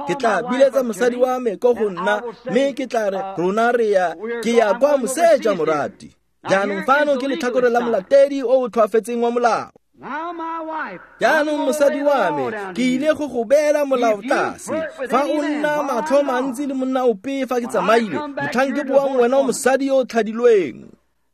Speaker 1: ke tla biletsa mosadi wa me ko go nna, mme ke tla re rona re ya ke ya kwa moseja morati. Jaanong fano ke letlhakore la molatedi o o tlhoafetseng wa molao. Jaanong mosadi wa me, ke ile go go beela molao tlase. Fa o nna matlho mantsi le monna ope fa ke tsamaile, motlhang ke boang wena o mosadi yo o tlhadilweng.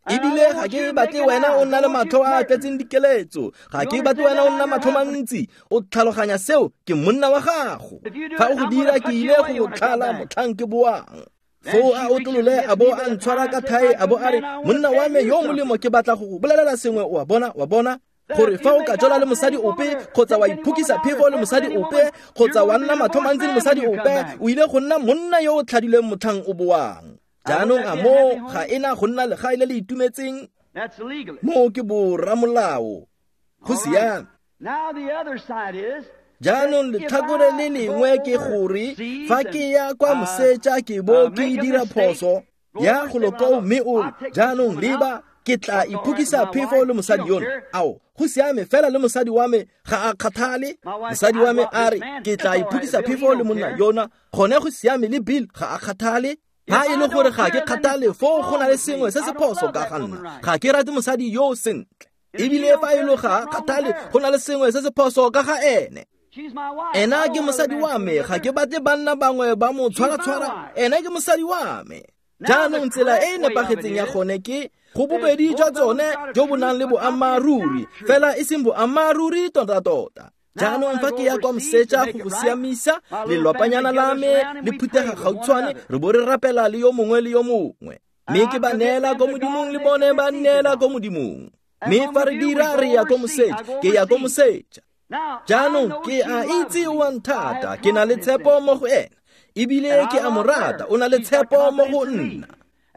Speaker 1: Ebile ga ke batle wena o nna le matlho a a tletseng dikeletso, ga ke batle wena o nna matlho mantsi. O tlhaloganya seo, ke monna wa gago. Fa o go dira, ke ile go go tlhala motlhang ke boang. Foo a otlolole a bo a ntshwara ka thae, a bo a re, monna wa me yo molemo, ke batla go go bolelela sengwe. O a bona, wa bona gore fa o ka jola le mosadi ope, kgotsa wa iphokisa phefo le mosadi ope, kgotsa wa nna matlho mantsi le mosadi ope, o ile go nna monna yo o tlhadilweng motlhang o boang. Jaanong a moo ga ena go nna legae le le itumetseng? Moo ke boramolao. Go siame. Jaanong letlhakore le lengwe ke gore fa ke ya kwa moseja ke bo ke dira phoso ya go lokoo, mme o re, jaanong leba, ke tla iphokisa phefo le mosadi yono. Ao, go siame, fela le mosadi wa me ga a kgathale. Mosadi wa me a re, ke tla iphokisa phefo le monna yona. Gone go siame, le Bill ga a kgathale. Ha e le gore ga ke kgathale, foo go na le sengwe se se phoso ka ga nna. Ga ke rate mosadi yo sentle. Ebile fa e le ga a kgathale, go na le sengwe se se phoso ka ga ene. Ena ke mosadi wa me, ga ke batle banna bangwe ba mo tshwara-tshwara. Ena ke mosadi wa me. Jaanong tsela e e nepagetseng ya gone ke go bobedi jwa tsone jo bo nang le boammaaruri, fela e seng boammaaruri tota-tota. Jaanong fa ke ya kwa moseja go go siamisa, lelwapanyana la me le phuthega gautshwane, re bo re rapela le yo mongwe le yo mongwe. Mme ke ba neela ko modimong, le bone ba nneela ko modimong. Mme fa re dira, re ya ko moseja, ke ya ko moseja. Jaanong ke a itse o a nthata, ke na le tshepo mo go ena, ebile ke a mo rata, o na le tshepo mo go nna.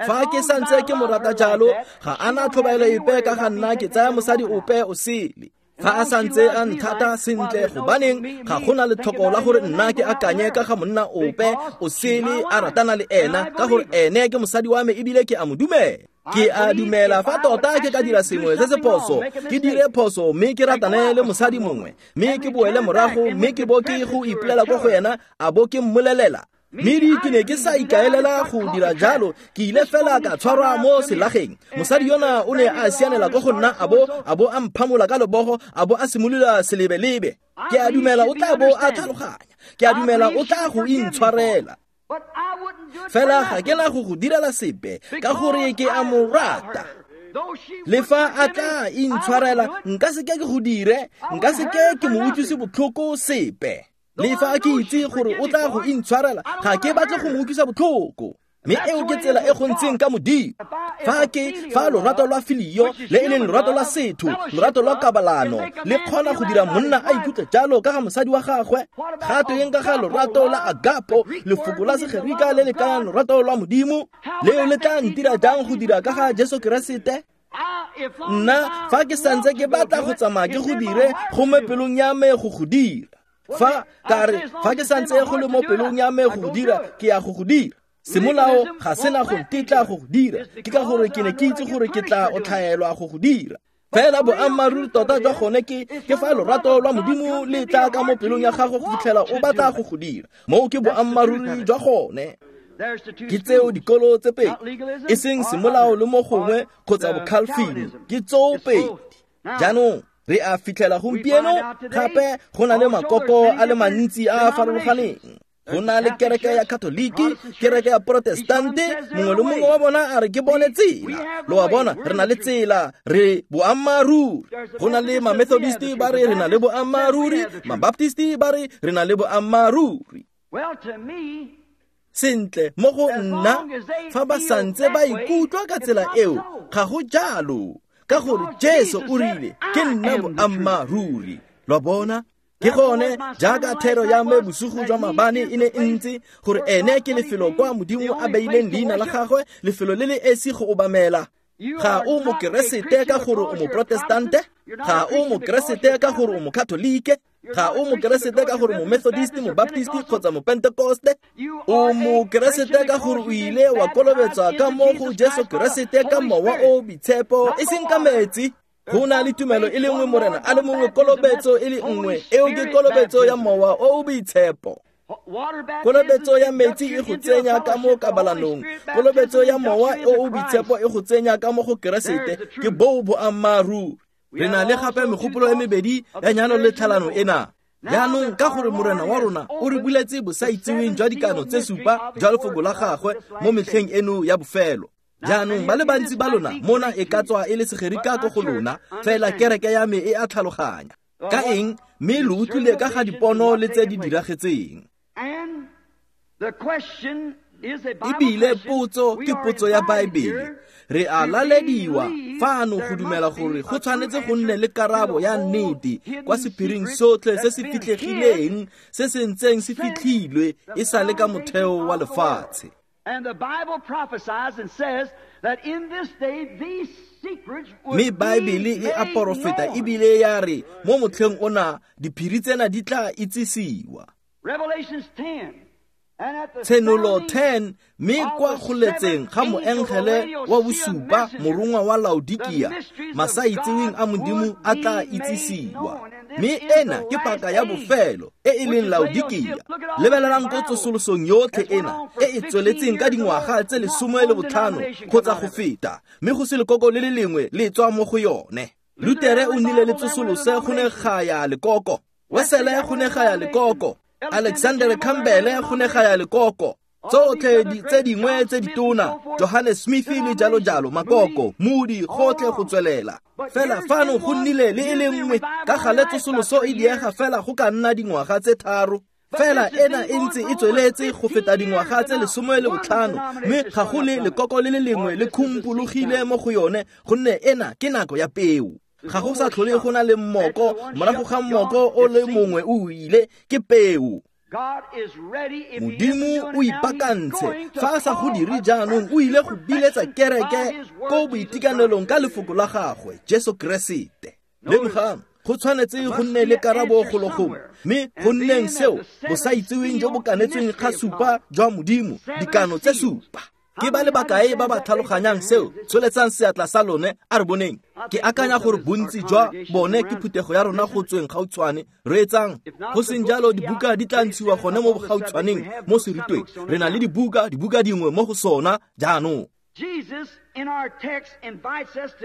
Speaker 1: Fa ke santse ke mo rata jalo, ga ana tlhobaelo epe ka ga nna ke tsaya mosadi ope o sele. Fa a santse a nthata sentle, gobaneng ga gona letlhoko la gore nna ke akanye ka ga monna ope o sele a ratana le ena, ka gore ene ke mosadi wa me ebile ke a mo dumela. Ke a dumela fa tota ke ka dira sengwe se se phoso, ke dire phoso mme ke ratane le mosadi mongwe, mme ke boele morago, mme ke bo ke go ipolela ko go ena, a bo ke mmolelela. Mme ke ne ke sa ikaelela go dira jalo, ke ile fela ka tshwarwa mo selageng. Mosadi yona o ne a sianela ko go nna, a bo a bo a mphamola ka lebogo, a bo a simolola selebelebe. Ke a dumela o tla bo a tlhaloganya, ke a dumela o tla go intshwarela. Fela ga ke na go go direla sepe, ka gore ke a mo rata. Le fa a tla intshwarela, nka seke ke go dire, nka seke ke mo utlwise botlhoko sepe. Le fa ke itse gore o tla go intshwarela, ga ke batle go mo utlwisa botlhoko. Mme eo ke tsela e go ntseng ka Modimo. Fa ke fa lorato lwa filio, le e leng lorato lwa setho, lorato lwa kabalano, le kgona go dira monna a ikutlwe jalo ka ga mosadi wa gagwe, ga tweng ka ga lorato la agapo, lefoko la Segerika le le kayang lorato lwa Modimo, leo le tla ntira jang go dira ka ga Jesu Keresete? Nna fa ke santse ke batla go tsamaya ke go dire, go mo pelong ya me go go dira. Fa ka re fa ke santse go le mo pelong ya me go go dira, ke ya go go dira. Semolao ga sena go ntetla go go dira, ke ka gore ke ne ke itse gore ke tla otlhaelwa go go dira. Fela boammaaruri tota jwa gone ke ke fa lorato lwa Modimo le tla ka mo pelong ya gago go fitlhela o batla go go dira. Moo ke boammaaruri jwa gone. Ke tseo dikolo tse pedi, e seng semolao le mo gongwe kgotsa bokhalfini, ke tseo pedi. Jaanong re a fitlhela gompieno gape go na le makoko a le mantsi a a farologaneng. Go na le kereke ya Katoliki, kereke ya Protestante, mongwe le mongwe wa bona a re ke bone tsela. Lo a bona, re na le tsela, re boammaaruri. Go na le ma-Methodist ba re re na le boammaaruri, ma-Baptist ba re re na le boammaaruri. Sentle mo go nna fa ba santse ba ikutlwa ka tsela eo, ga go jalo, ka gore Jesu o rile ke nna boammaaruri. Lo bona? Ke gone jaaka thero ya me bosigo jwa maabane e ne e ntse gore ene ke lefelo kwa Modimo a beileng leina la gagwe, lefelo le le esi go obamela. Ga o mokeresete ka gore o moprotestante, ga o mokeresete ka gore o mokatolike, ga o mokeresete ka gore momethodist, mobaptist kgotsa mopentekoste. O mokeresete ka gore o ile wa kolobetswa ka mo go Jesu Keresete ka Mowa o Boitshepo, e seng ka metsi. Go na le tumelo e le nngwe, Morena a le mongwe, kolobetso e le nngwe, eo ke kolobetso ya Mowa o o Boitshepo. Kolobetso ya metsi e go tsenya ka mo kabalanong, kolobetso ya Mowa o o Boitshepo e go tsenya ka mo go Keresete. Ke boo boammaaruri. Re na le gape megopolo e mebedi ya nyalo le tlhalano ena. Jaanong ka gore Morena wa rona o re buletse bosaitseweng jwa dikano tse supa jwa lefoko la gagwe mo metlheng eno ya bofelo. Jaanong ba le bantsi ba lona mona e ka tswa e le segerika ko go lona, fela kereke ya me e a tlhaloganya. Ka eng? Mme lo utlwile ka ga dipono le tse di diragetseng. Ebile potso ke potso ya Baebele. Re a lalediwa fano go dumela gore go tshwanetse go nne le karabo ya nnete kwa sephiring sotlhe se se fitlhegileng se se ntseng se fitlhilwe e sa le ka motheo wa lefatshe. Mme Baebele e a porofeta ebile ya re mo motlheng ona diphiri tsena di tla itsisiwa. Tshenolo ten, mme kwa go letseng ga moengele wa bosupa morongwa wa Laodikia, masaitseweng a Modimo a tla itsisiwa. Mme ena ke paka ya bofelo e e leng Laodikia. Lebelelang ko tsosolosong yotlhe ena e e tsweletseng ka dingwaga tse lesome le botlhano kgotsa go feta, mme go se lekoko le le lengwe le tswa mo go yone. Lutere o nnile le tsosolose go ne ga ya lekoko, Wesele go ne ga ya lekoko, Alexander Campbell go ne ga ya lekoko, tsotlhe tse dingwe tse ditona, Johannes Smith le jalo jalo, makoko, Moody, gotlhe go tswelela. Fela fano go nnile le e le nngwe ka gale tsosoloso e diega fela go ka nna dingwaga tse tharo. Fela ena e ntse e tsweletse go feta dingwaga tse lesome le botlhano, mme ga go le lekoko le le lengwe le khumpologile mo go yone, gonne ena ke nako ya peo. Ga go sa tlhole go na le mmoko, morago ga mmoko o le mongwe o ile, ke peo. Modimo o ipaakantse, fa a sa go dire jaanong o ile go biletsa kereke ko boitekanelong ka lefoko la gagwe, Jesu Keresete. Lemogang, go tshwanetse go nne le karabo golo gongwe, mme go nneng seo bosaitseweng jo bo kanetsweng ga supa jwa Modimo, dikano tse supa. Ke ba le bakae ba ba tlhaloganyang seo? Tsholetsang seatla sa lone, a re boneng. Ke akanya gore bontsi jwa bone ke phuthego ya rona go tsweng gautshwane. Reetsang, go seng jalo dibuka di tla ntshiwa gone mo gautshwaneng mo serutweng. Re na le dibuka, dibuka dingwe mo go sona jaanong.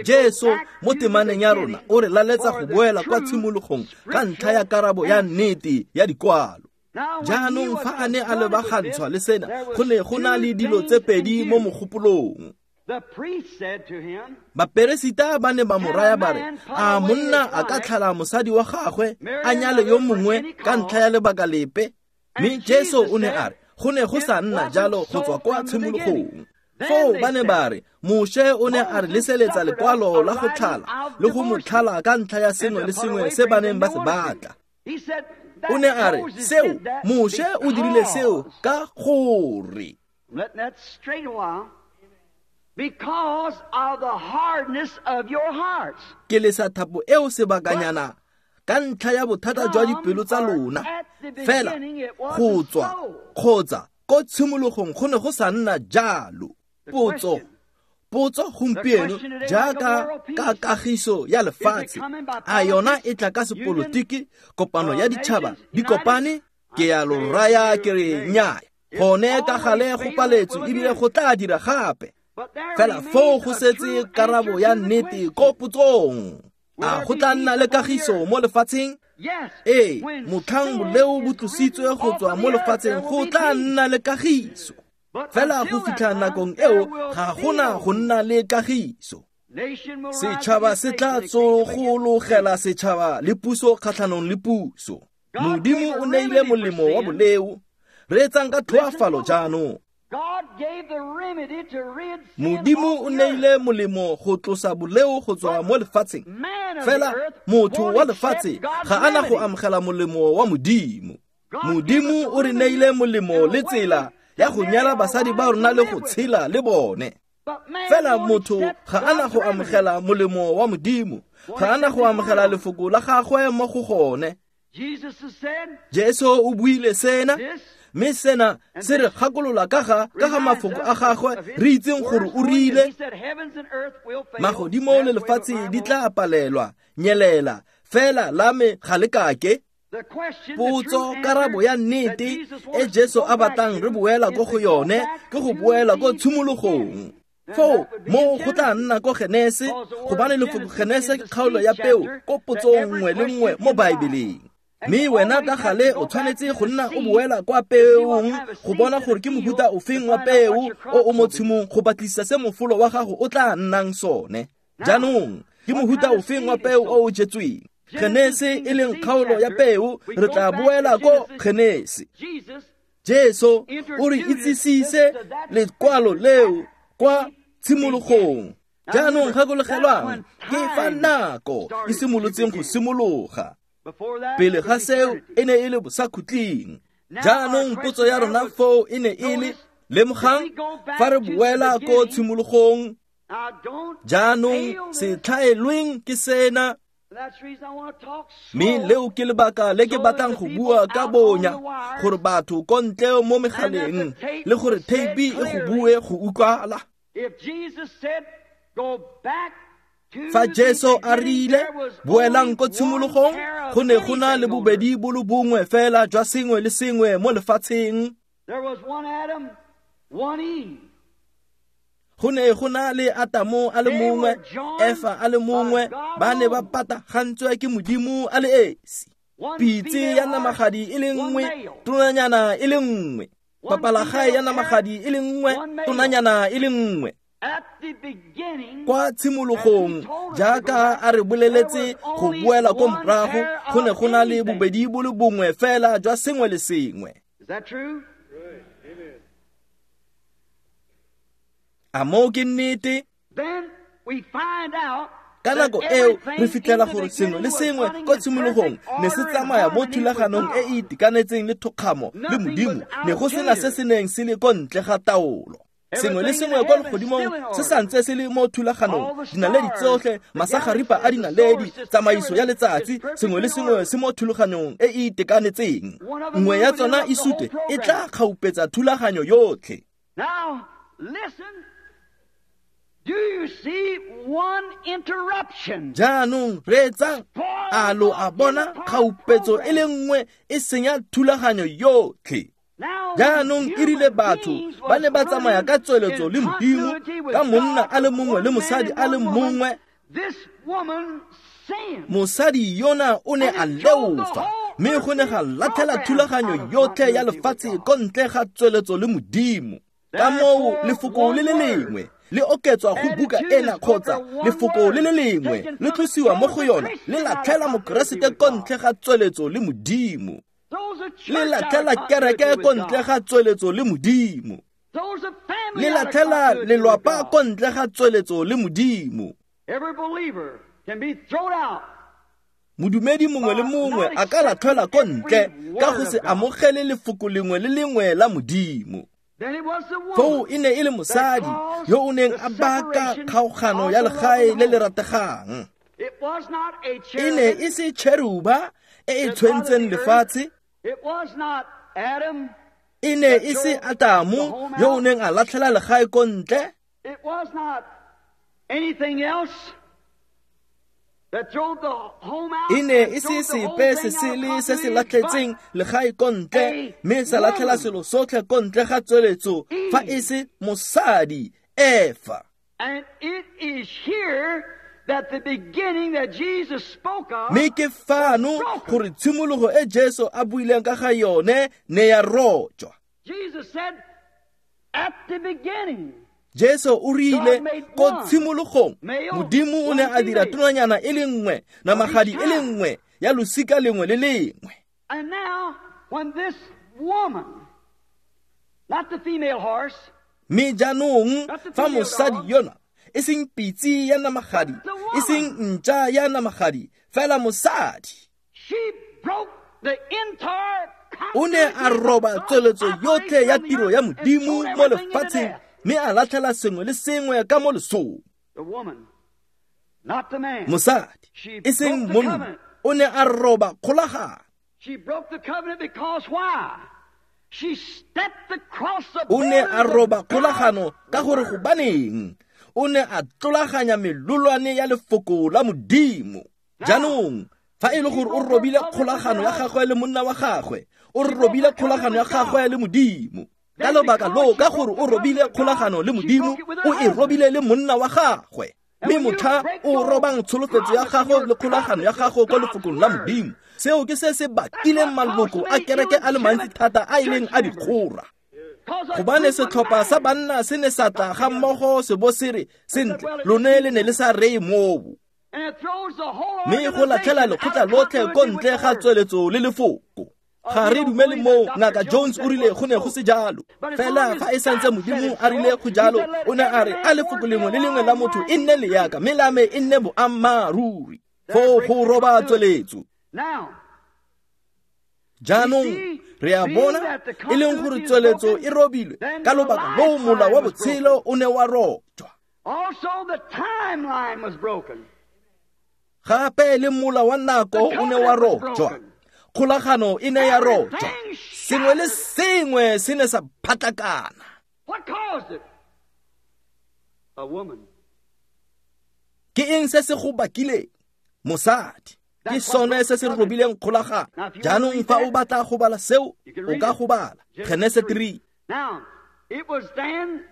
Speaker 1: Jesu mo temaneng ya rona o re laletsa go boela kwa tshimologong ka ntlha ya karabo ya nnete ya dikwalo. Jaanong fa a ne a lebagantshwa le sena, go ne go na le dilo tse pedi mo mogopolong. Baperesita ba ne ba mo raya ba re, a monna a ka tlhala mosadi wa gagwe a nyale yo mongwe ka ntlha ya lebaka lepe? Mme Jesu o ne a re, go ne go sa nna jalo go tswa kwa tshimologong. Foo ba ne ba re, Moshe o ne a re leseletsa lekwalo la go tlhala le go mo tlhala ka ntlha ya sengwe le sengwe se ba neng ba se batla. O ne a re, seo, Moshe o dirile seo ka gore. Ke lesa thapo eo sebakanyana ka ntlha ya bothata jwa dipelo tsa lona. Fela go tswa kgotsa ko tshimologong go ne go sa nna jalo. Potso, potso gompieno jaaka ka kagiso ya lefatshe, a yona e tla ka sepolotiki, kopano ya ditšhaba di kopane? Ke ya lo raya ke re nnyaa, gone ka gale go paletswe ebile go tla dira gape. Fela foo go setse karabo ya nnete ko potsong. A go tla nna le kagiso mo lefatsheng? Ee, motlhang boleo bo tlositswe go tswa mo lefatsheng go tla nna le kagiso. Fela go fitlha nakong eo ga gona go nna le kagiso. Setšhaba se tla tsogologela setšhaba le puso kgatlhanong le puso. Modimo o neile molemo wa boleo. Reetsang ka tlhoafalo jaanong. Modimo o neile molemo go tlosa boleo go tswa mo lefatsheng. Fela motho wa lefatshe ga ana go amogela molemo wa Modimo. Modimo o re neile molemo le tsela ya go nyala basadi ba rona le go tshela le bone. Fela motho ga ana go amogela molemo wa Modimo, ga ana go amogela lefoko la gagwe mo go gone. Jesu o buile sena, mme sena se re gakolola ka ga ka ga mafoko a gagwe re itseng gore o rile magodimo le lefatshe di tla palelwa nyelela, fela la me ga le kake. Potso karabo ya nnete e Jesu a batlang re boela ko go yone ke go boela ko tshimologong. Foo mo go tla nna ko Genese, gobane lefoko Genese ke kgaolo ya peo ko potsong nngwe le nngwe mo Baebeleng. Mme wena ka gale o tshwanetse go nna o boela kwa peong go bona gore ke mohuta ofeng wa peo o o mo tshimong go batlisisa se mofolo wa gago o tla nnang sone. Jaanong ke mohuta ofeng wa peo o o jetsweng? Genese e leng kgaolo ya peo, re tla boela ko Genese. Jesu o re itsisise lekwalo leo kwa tshimologong. Jaanong gakologelwang ke fa nako e simolotseng go simologa. Pele ga seo e ne e le bosakhutleng. Jaanong potso ya rona foo e ne e le, lemogang fa re boela ko tshimologong. Jaanong se tlhaelweng ke sena. Mme leo ke lebaka le ke batlang go bua ka bonya, gore batho ko ntle mo megaleng le gore theipi e go bue go utlwala. Fa Jesu a rile boelang ko tshimologong, go ne go na le bobedi bo le bongwe fela jwa sengwe le sengwe mo lefatsheng. Go ne go na le Atamo a le mongwe, Efa a le mongwe, ba ne ba patagantswe ke Modimo a le esi. Pitse ya namagadi e le nngwe, tonanyana e le nngwe. Papalagae ya namagadi e le nngwe, tonanyana e le nngwe. Kwa tshimologong, jaaka a re boleletse go boela ko morago, go ne go na le bobedi bo le bongwe fela jwa sengwe le sengwe. A moo ke nnete? Ka nako eo re fitlhela gore sengwe le sengwe ko tshimologong ne se tsamaya mo thulaganong e e itekanetseng le thokgamo le Modimo, ne go sena se se neng se le ko ntle ga taolo. Sengwe le sengwe kwa legodimong se santse se le mo thulaganong, dinaledi tsotlhe, masagaripa a dinaledi, tsamaiso ya letsatsi, sengwe le sengwe se mo thulaganong e e itekanetseng. Nngwe ya tsona e sute e tla kgaupetsa thulaganyo yotlhe.
Speaker 2: Do you see one interruption?
Speaker 1: Jaanong reetsang, a lo a bona kgaupetso e le nngwe e senya thulaganyo yotlhe. Jaanong e rile batho ba ne ba tsamaya ka tsweletso le Modimo, ka monna a le mongwe le mosadi a le mongwe. Mosadi yona o ne a leofa, mme go ne ga latlhela thulaganyo yotlhe ya lefatshe ko ntle ga tsweletso le Modimo. Ka moo lefoko le le lengwe le oketswa go buka ena kgotsa lefoko le le lengwe le tlosiwa mo go yona le latlhela Mokeresete ko ntle ga tsweletso le Modimo. Le latlhela kereke ko ntle ga tsweletso le Modimo. Le latlhela lelwapa ko ntle ga tsweletso le Modimo. Modumedi mongwe le mongwe a ka latlhela ko ntle ka go se amogele lefoko lengwe le lengwe la Modimo. Foo e ne e le mosadi yo o neng a baka kgaogano ya legae le le rategang. E ne e se cheruba e e tshwentseng lefatshe. E ne e se Atamo yo o neng a latlhela legae ko ntle. E ne e se sepe se sele se se latlhetseng legae ko ntle, mme sa latlhela selo sotlhe ko ntle ga tsweletso fa e se mosadi Efa. Mme ke fano gore tshimologo e Jesu a buileng ka ga yone ne ya rojwa. Jesu o rile ko tshimologong Modimo o ne a dira tonanyana e le nngwe, namagadi e le nngwe ya losika lengwe le lengwe.
Speaker 2: And now, when this woman Not the female horse.
Speaker 1: Mme jaanong fa mosadi yona e seng pitse ya namagadi, e seng ntša ya namagadi, fela mosadi.
Speaker 2: She broke the entire
Speaker 1: O ne a roba tsweletso yotlhe ya tiro ya Modimo mo lefatsheng mme a latlhela sengwe le sengwe ka mo lesong.
Speaker 2: The woman, not the man.
Speaker 1: Mosadi, e seng monna, o ne a roba kgolagano.
Speaker 2: She broke the covenant because why? She stepped across the
Speaker 1: O ne a roba
Speaker 2: borders of
Speaker 1: kgolagano ka gore
Speaker 2: God's word.
Speaker 1: gobaneng o ne a tlolaganya melolwane ya lefoko la Modimo. Jaanong fa e le gore o robile kgolagano ya gagwe le monna wa gagwe, o robile kgolagano ya gagwe le Modimo. Ka lobaka loo, ka gore o robile kgolagano le Modimo, o e robile le monna wa gagwe. Mme motlha o robang tsholofetso ya gago le kgolagano ya gago kwa lefokong la Modimo, seo ke se se bakileng maloko a kereke a le mantsi thata a e leng a dikgora.
Speaker 2: Because a
Speaker 1: Gobane
Speaker 2: group of
Speaker 1: setlhopha sa
Speaker 2: men
Speaker 1: banna se ne sa tla ga mmogo se bo se re, sentle, lone le ne le sa reye moo.
Speaker 2: and it throws the whole
Speaker 1: Mme go latlhela
Speaker 2: organization out
Speaker 1: lekgotla
Speaker 2: of
Speaker 1: lotlhe ko
Speaker 2: continuity with
Speaker 1: ntle
Speaker 2: the
Speaker 1: ga
Speaker 2: word.
Speaker 1: tsweletso le lefoko. Ga re dumele moo, Ngaka Jones o rile go ne go se jalo. Fela fa e santse Modimo a rile go jalo, o ne a re a lefoko lengwe le lengwe la motho e nne leaka, mme la me e nne boammaaruri. Foo go roba tsweletso.
Speaker 2: Now,
Speaker 1: Jaanong re a bona e leng gore tsweletso e robilwe ka lobaka loo mola wa botshelo o ne wa rojwa.
Speaker 2: also the timeline was broken.
Speaker 1: Gape le mola wa nako o ne wa rojwa. Kgolagano e ne ya rojwa. Sengwe le sengwe se ne sa phatlakana.
Speaker 2: What caused it? A woman.
Speaker 1: Ke eng se se go bakileng? Mosadi. Ke sone se se robileng kgolagano. Jaanong fa o batla go bala seo, o ka go bala Genese three.
Speaker 2: Now, it was then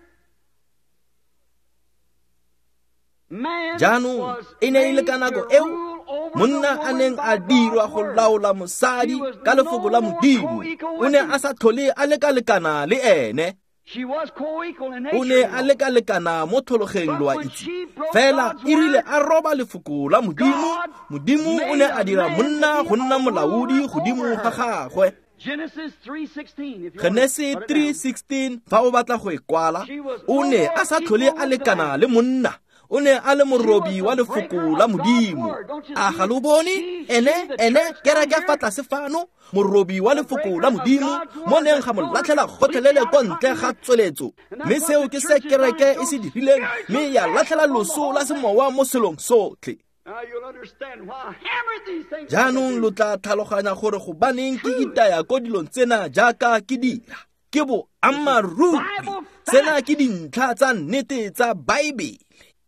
Speaker 2: man
Speaker 1: Jaanong
Speaker 2: was
Speaker 1: e ne e le ka
Speaker 2: made
Speaker 1: nako
Speaker 2: to
Speaker 1: eo
Speaker 2: rule over the
Speaker 1: monna a
Speaker 2: woman
Speaker 1: neng
Speaker 2: by
Speaker 1: a dirwa
Speaker 2: God's
Speaker 1: go
Speaker 2: word.
Speaker 1: laola mosadi
Speaker 2: She was
Speaker 1: ka lefoko la
Speaker 2: no more
Speaker 1: Modimo.
Speaker 2: co-equal
Speaker 1: O
Speaker 2: with
Speaker 1: ne
Speaker 2: him.
Speaker 1: a sa tlhole a lekalekana le ene.
Speaker 2: She was co-equal in nature.
Speaker 1: O ne
Speaker 2: you
Speaker 1: a
Speaker 2: know.
Speaker 1: lekalekana mo tlhologeng
Speaker 2: But
Speaker 1: lo a
Speaker 2: when
Speaker 1: itse.
Speaker 2: she broke
Speaker 1: Fela
Speaker 2: God's
Speaker 1: e rile
Speaker 2: word,
Speaker 1: a roba lefoko la Modimo,
Speaker 2: God
Speaker 1: Modimo o ne
Speaker 2: made
Speaker 1: a
Speaker 2: a
Speaker 1: dira
Speaker 2: man
Speaker 1: monna
Speaker 2: to be
Speaker 1: go nna
Speaker 2: a
Speaker 1: molaodi
Speaker 2: ruler
Speaker 1: godimo
Speaker 2: over
Speaker 1: ga
Speaker 2: her.
Speaker 1: gagwe.
Speaker 2: Genesis three sixteen. If you want to
Speaker 1: Genese
Speaker 2: put it
Speaker 1: three
Speaker 2: down.
Speaker 1: sixteen, fa o batla go e kwala,
Speaker 2: She was
Speaker 1: o
Speaker 2: no
Speaker 1: ne
Speaker 2: more
Speaker 1: a sa tlhole
Speaker 2: equal
Speaker 1: a
Speaker 2: with the
Speaker 1: lekana
Speaker 2: man.
Speaker 1: le monna. O ne a le
Speaker 2: She
Speaker 1: morobi
Speaker 2: was
Speaker 1: wa
Speaker 2: the
Speaker 1: lefoko
Speaker 2: breaker
Speaker 1: la
Speaker 2: of God's
Speaker 1: Modimo.
Speaker 2: word. Don't you
Speaker 1: A
Speaker 2: see?
Speaker 1: ga lo bone?
Speaker 2: She,
Speaker 1: Ene,
Speaker 2: she, the
Speaker 1: ene,
Speaker 2: church down
Speaker 1: kereke
Speaker 2: here,
Speaker 1: fa tlase fano, morobi wa
Speaker 2: the
Speaker 1: lefoko
Speaker 2: breaker
Speaker 1: la
Speaker 2: of
Speaker 1: Modimo,
Speaker 2: God's
Speaker 1: mo
Speaker 2: word
Speaker 1: neng
Speaker 2: that
Speaker 1: ga mo
Speaker 2: throws
Speaker 1: latlhela
Speaker 2: completely
Speaker 1: gotlhelele
Speaker 2: out
Speaker 1: ko
Speaker 2: of
Speaker 1: ntle ga
Speaker 2: continuity.
Speaker 1: tsweletso.
Speaker 2: And
Speaker 1: Mme
Speaker 2: that's what
Speaker 1: seo
Speaker 2: the
Speaker 1: ke se
Speaker 2: church has done.
Speaker 1: kereke
Speaker 2: It
Speaker 1: e se
Speaker 2: throws
Speaker 1: dirileng,
Speaker 2: spiritual
Speaker 1: mme ya
Speaker 2: death
Speaker 1: latlhela
Speaker 2: upon the
Speaker 1: loso
Speaker 2: whole
Speaker 1: la
Speaker 2: thing.
Speaker 1: semowa mo selong sotlhe.
Speaker 2: Now you'll understand why I hammered these things like I
Speaker 1: Jaanong lo
Speaker 2: do.
Speaker 1: tla tlhaloganya gore gobaneng ke
Speaker 2: Truly.
Speaker 1: itaya ko dilong tsena jaaka ke dira. Ke boammaaruri.
Speaker 2: Bible
Speaker 1: Sena
Speaker 2: facts.
Speaker 1: ke dintlha tsa nnete tsa Baebele.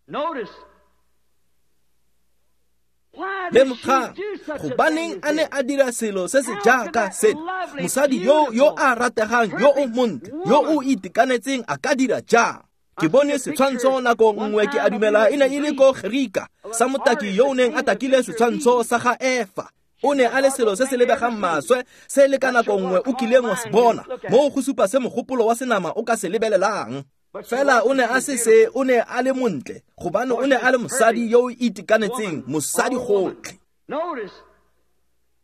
Speaker 2: Notice. Why did she
Speaker 1: Lemogang,
Speaker 2: do such a thing
Speaker 1: gobaneng
Speaker 2: as
Speaker 1: a ne
Speaker 2: this?
Speaker 1: a dira selo se se
Speaker 2: How could
Speaker 1: jaaka
Speaker 2: that
Speaker 1: sena?
Speaker 2: lovely,
Speaker 1: Mosadi yo yo
Speaker 2: beautiful,
Speaker 1: a rategang, yo o
Speaker 2: perfect
Speaker 1: montle, yo o
Speaker 2: woman
Speaker 1: itekanetseng a ka dira jang?
Speaker 2: I
Speaker 1: Ke bone
Speaker 2: see a picture
Speaker 1: setshwantsho nako
Speaker 2: one
Speaker 1: nngwe ke a
Speaker 2: time, I
Speaker 1: dumela
Speaker 2: believe
Speaker 1: e ne
Speaker 2: it
Speaker 1: e
Speaker 2: was
Speaker 1: le
Speaker 2: in
Speaker 1: ko
Speaker 2: Greece,
Speaker 1: Gerika,
Speaker 2: of
Speaker 1: sa
Speaker 2: an
Speaker 1: motaki
Speaker 2: artist
Speaker 1: yo o
Speaker 2: that
Speaker 1: neng a
Speaker 2: painted a
Speaker 1: takile
Speaker 2: picture of
Speaker 1: setshwantsho
Speaker 2: Eve.
Speaker 1: sa ga Efa.
Speaker 2: She
Speaker 1: O ne
Speaker 2: said,
Speaker 1: a le
Speaker 2: God
Speaker 1: selo
Speaker 2: will
Speaker 1: se se
Speaker 2: make
Speaker 1: lebegang
Speaker 2: everything.
Speaker 1: maswe se le ka
Speaker 2: That
Speaker 1: nako
Speaker 2: show
Speaker 1: nngwe
Speaker 2: what
Speaker 1: o
Speaker 2: carnal
Speaker 1: kileng wa se
Speaker 2: mind can
Speaker 1: bona.
Speaker 2: look at.
Speaker 1: Moo go supa se mogopolo wa senama o ka se lebelelang.
Speaker 2: But she
Speaker 1: Fela o
Speaker 2: wasn't.
Speaker 1: ne
Speaker 2: She
Speaker 1: a
Speaker 2: was
Speaker 1: se se,
Speaker 2: beautiful.
Speaker 1: o ne a le montle, gobane
Speaker 2: For
Speaker 1: o ne
Speaker 2: she
Speaker 1: a le
Speaker 2: was
Speaker 1: mosadi
Speaker 2: perfect
Speaker 1: yo o itekanetseng,
Speaker 2: woman,
Speaker 1: mosadi
Speaker 2: all woman.
Speaker 1: gotlhe.
Speaker 2: Notice,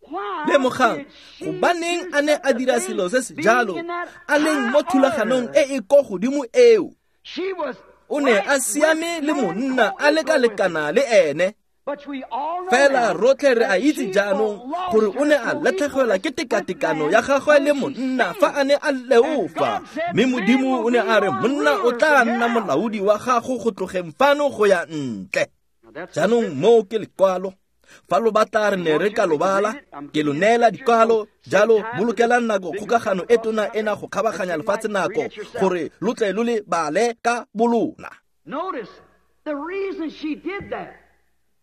Speaker 2: why
Speaker 1: Lemogang,
Speaker 2: did she
Speaker 1: gobaneng
Speaker 2: do
Speaker 1: a ne
Speaker 2: such
Speaker 1: a
Speaker 2: a
Speaker 1: dira
Speaker 2: thing,
Speaker 1: selo se se
Speaker 2: being
Speaker 1: jalo,
Speaker 2: in that
Speaker 1: a leng
Speaker 2: high
Speaker 1: mo thulaganong
Speaker 2: order?
Speaker 1: e e ko godimo eo?
Speaker 2: She was
Speaker 1: O ne
Speaker 2: right
Speaker 1: a
Speaker 2: with
Speaker 1: siame le
Speaker 2: man,
Speaker 1: monna, a
Speaker 2: co-equal with him.
Speaker 1: lekalekana le ene.
Speaker 2: But we all know
Speaker 1: Fela
Speaker 2: now
Speaker 1: rotlhe re a
Speaker 2: that
Speaker 1: itse
Speaker 2: she
Speaker 1: jaanong gore
Speaker 2: lost
Speaker 1: o ne
Speaker 2: her
Speaker 1: a latlhegelwa ke
Speaker 2: co-equalness with
Speaker 1: tekatekano
Speaker 2: man
Speaker 1: ya gagwe le
Speaker 2: when she
Speaker 1: monna fa
Speaker 2: sinned.
Speaker 1: a ne a
Speaker 2: And
Speaker 1: leofa.
Speaker 2: God said,
Speaker 1: Mme
Speaker 2: Man
Speaker 1: Modimo
Speaker 2: will
Speaker 1: o ne
Speaker 2: be
Speaker 1: a re
Speaker 2: your
Speaker 1: monna o
Speaker 2: ruler
Speaker 1: tla
Speaker 2: from
Speaker 1: nna
Speaker 2: here out.
Speaker 1: molaodi wa gago go tlogeng fano go ya ntle.
Speaker 2: Now that's the
Speaker 1: Jaanong
Speaker 2: scripture.
Speaker 1: moo ke lekwalo. Fa lo batla re
Speaker 2: You
Speaker 1: ne
Speaker 2: want
Speaker 1: re
Speaker 2: to,
Speaker 1: ka
Speaker 2: we
Speaker 1: lo
Speaker 2: can
Speaker 1: bala,
Speaker 2: read it. I'm
Speaker 1: ke lo
Speaker 2: giving you the
Speaker 1: neela
Speaker 2: scripture, so
Speaker 1: dikwalo,
Speaker 2: save
Speaker 1: jalo
Speaker 2: time for this
Speaker 1: bolokelang nako
Speaker 2: big
Speaker 1: kgokagano e
Speaker 2: across the
Speaker 1: tona
Speaker 2: country
Speaker 1: ena go
Speaker 2: that
Speaker 1: kgabaganya
Speaker 2: you
Speaker 1: lefatshe
Speaker 2: might read
Speaker 1: nako
Speaker 2: it yourself.
Speaker 1: gore lo tle lo le bale ka bolona.
Speaker 2: Notice the reason she did that.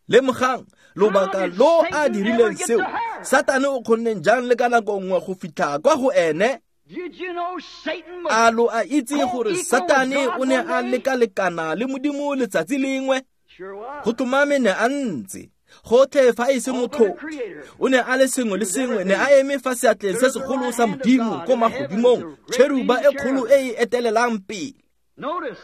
Speaker 1: Lemogang,
Speaker 2: How
Speaker 1: lobaka
Speaker 2: did
Speaker 1: lo a
Speaker 2: Satan ever
Speaker 1: dirileng
Speaker 2: get
Speaker 1: seo,
Speaker 2: to her?
Speaker 1: Satane o kgonneng jang le ka nako nngwe go fitlha kwa go ene?
Speaker 2: Did you know Satan was
Speaker 1: A lo a itse gore
Speaker 2: co-equal with
Speaker 1: Satane
Speaker 2: God
Speaker 1: o ne
Speaker 2: one
Speaker 1: a
Speaker 2: day?
Speaker 1: lekalekana le Modimo letsatsi lengwe?
Speaker 2: Sure was.
Speaker 1: Go tlhomame ne a ntse gotlhe fa e se
Speaker 2: All but
Speaker 1: motho.
Speaker 2: the Creator.
Speaker 1: O ne a le sengwe
Speaker 2: He
Speaker 1: le
Speaker 2: was
Speaker 1: sengwe, ne a
Speaker 2: everything.
Speaker 1: eme fa seatleng
Speaker 2: Stood
Speaker 1: se
Speaker 2: at the
Speaker 1: segolo
Speaker 2: right
Speaker 1: sa
Speaker 2: hand of
Speaker 1: Modimo
Speaker 2: God
Speaker 1: ko
Speaker 2: in the heavens,
Speaker 1: magodimong,
Speaker 2: the great
Speaker 1: tšheruba
Speaker 2: leading
Speaker 1: e kgolo
Speaker 2: cherub.
Speaker 1: e e etelelang pele.
Speaker 2: Notice,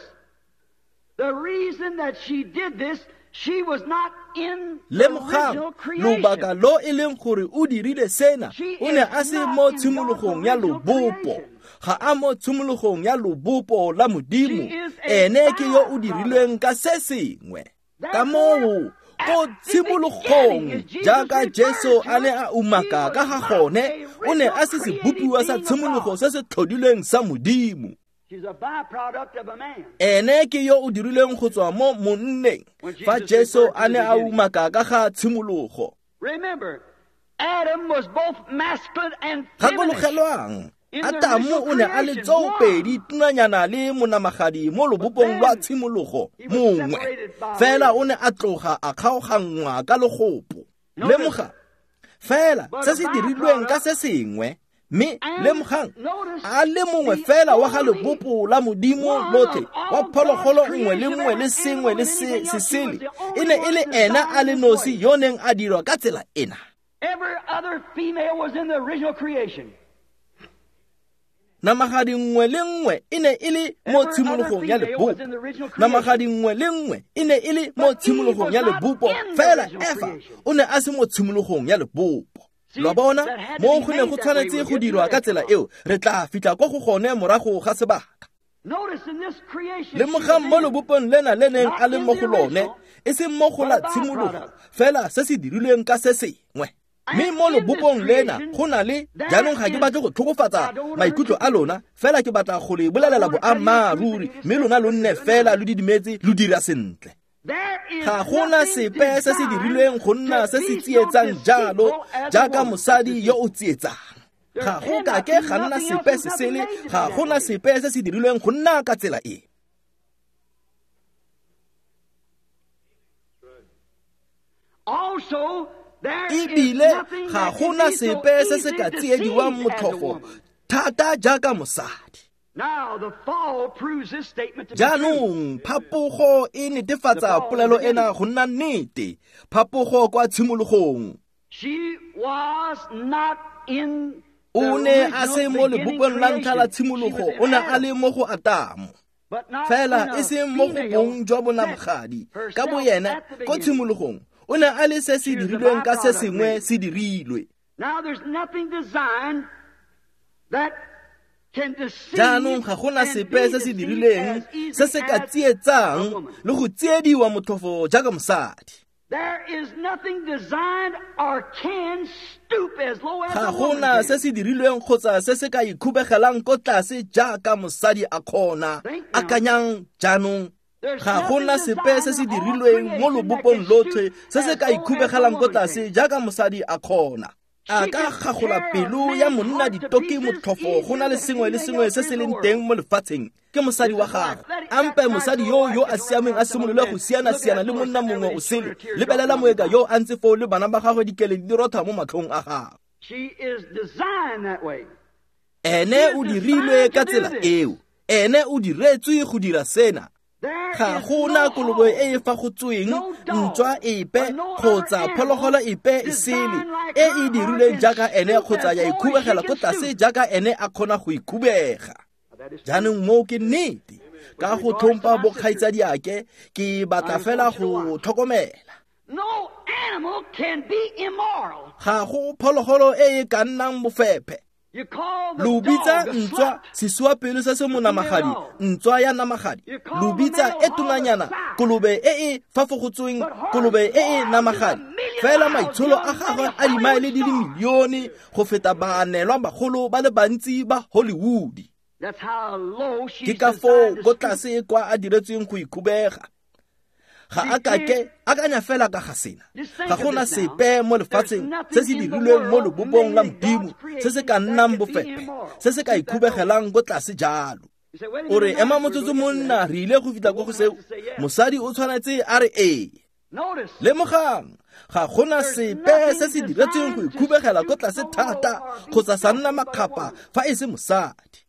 Speaker 2: the reason that she did this, she was not in the
Speaker 1: Lemogang,
Speaker 2: original creation.
Speaker 1: lobaka lo e leng gore o dirile sena,
Speaker 2: She
Speaker 1: o ne
Speaker 2: is
Speaker 1: a se
Speaker 2: not
Speaker 1: mo
Speaker 2: in God's
Speaker 1: tshimologong ya
Speaker 2: original
Speaker 1: lobopo.
Speaker 2: creation.
Speaker 1: ga a mo tshimologong ya lobopo la Modimo. Ene ke yo o dirilweng ka se sengwe. Ka moo ko tshimologong jaaka Jesu a ne a umaka ka ga gone, o ne a se sebopiwa sa tshimologo se se tlhodilweng sa Modimo. Ene ke yo o dirilweng go tswa mo monneng fa Jesu a ne a umaka ka ga tshimologo. Gakologelwang, Atamo o ne a le tsoopedi tunanyana le monamagadi mo lobopong lwa tshimologo mongwe, fela o ne a tloga a kgaoganngwa ka logopo. Lemoga fela se se dirilweng ka se sengwe, mme lemogang a le mongwe fela wa ga lebopo la Modimo lotlhe wa phologolo nngwe le nngwe le sengwe le se sele e ne e le ena a le nosi yo neng a dirwa ka tsela ena.
Speaker 2: Every other female was in the original creation.
Speaker 1: Namagadi nngwe le nngwe e ne e le mo tshimologong ya lebopo. Namagadi nngwe le nngwe e ne e le mo tshimologong ya lebopo, fela Efa o ne a se mo tshimologong ya lebopo. Lo bona, mo go ne go tshwanetse go dirwa ka tsela eo, re tla fitlha kwa go gone morago ga sebaka. Lemogang mo lobopong lena le neng a le mo go lone, e seng mo go la tshimologo, fela se se dirilweng ka se sengwe. Mme mo lobopong lena go na le, jaanong ga ke batle go tlhokofatsa maikutlo a lona, fela ke batla go le bolelela boammaaruri, mme lona lo nne fela lo didimetse lo dira sentle. Ga gona sepe se se dirilweng go nna se se tsietsang jalo jaaka mosadi yo o tsietsang. Ga go kake ga nna sepe se sele, ga gona sepe se se dirilweng go nna ka tsela e. Ebile ga gona sepe se se ka tsiediwang motlhofo thata jaaka mosadi. Jaanong phapogo e netefatsa polelo ena go nna nnete. Phapogo kwa tshimologong. O ne a se mo lebopong la ntlha la tshimologo, o ne a le mo go Atamo, fela e seng mo go bong jwa bonamagadi ka boyena. Ko tshimologong o ne a le se se dirilweng ka se sengwe se dirilwe. Jaanong ga gona sepe se se dirilweng se se ka tsietsang le go tsiediwa motlhofo jaaka mosadi. Ga gona se se dirilweng kgotsa se se ka ikhubegelang ko tlase jaaka mosadi a kgona. Akanyang jaanong, ga gona sepe se se dirilweng mo lobopong lotlhe se se ka ikhubegelang ko tlase jaaka mosadi a kgona. A ka gagola pelo ya monna ditoki motlhofo go na le sengwe le sengwe se se leng teng mo lefatsheng ke mosadi wa gagwe. Ampe mosadi yo yo a siameng a simolole go siana-siana le monna mongwe o sele. Lebelela moeka yo a ntse foo le bana ba gagwe dikeledi di rotha mo matlhong a gagwe. Ene o dirilwe ka tsela eo. Ene o diretswe go dira sena. Ga gona kolobe e e fa go tsweng, ntswa epe kgotsa phologolo epe e sele e e dirilweng jaaka ene kgotsa ya ikhubegela ko tlase jaaka ene a kgona go ikhubega. Jaanong moo ke nnete. Ka go tlhompha bokgaitsadiake, ke batla fela go tlhokomela. Ga go phologolo e e ka nnang bofephe. Lo bitsa ntswa sesuapelo se se monamagadi, ntswa ya namagadi. Lo bitsa e tonanyana kolobe e e fafogotsweng, kolobe e e namagadi. Fela maitsholo a gagwe a dimaele di le milione go feta baanelwa bagolo ba le bantsi ba Hollywood. Ke ka foo ko tlase kwa a diretsweng go ikhubega. Ga a kake akanya fela ka ga sena. Ga gona sepe mo lefatsheng se se dirilweng mo lobopong la Modimo se se ka nnang bofephe, se se ka ikhubegelang ko tlase jalo. O re ema motsotso monna, re ile go fitlha ko go seo. Mosadi o tshwanetse a re ee. Lemogang, ga gona sepe se se diretsweng go ikhubegela ko tlase thata kgotsa sa nna makgapa fa e se mosadi.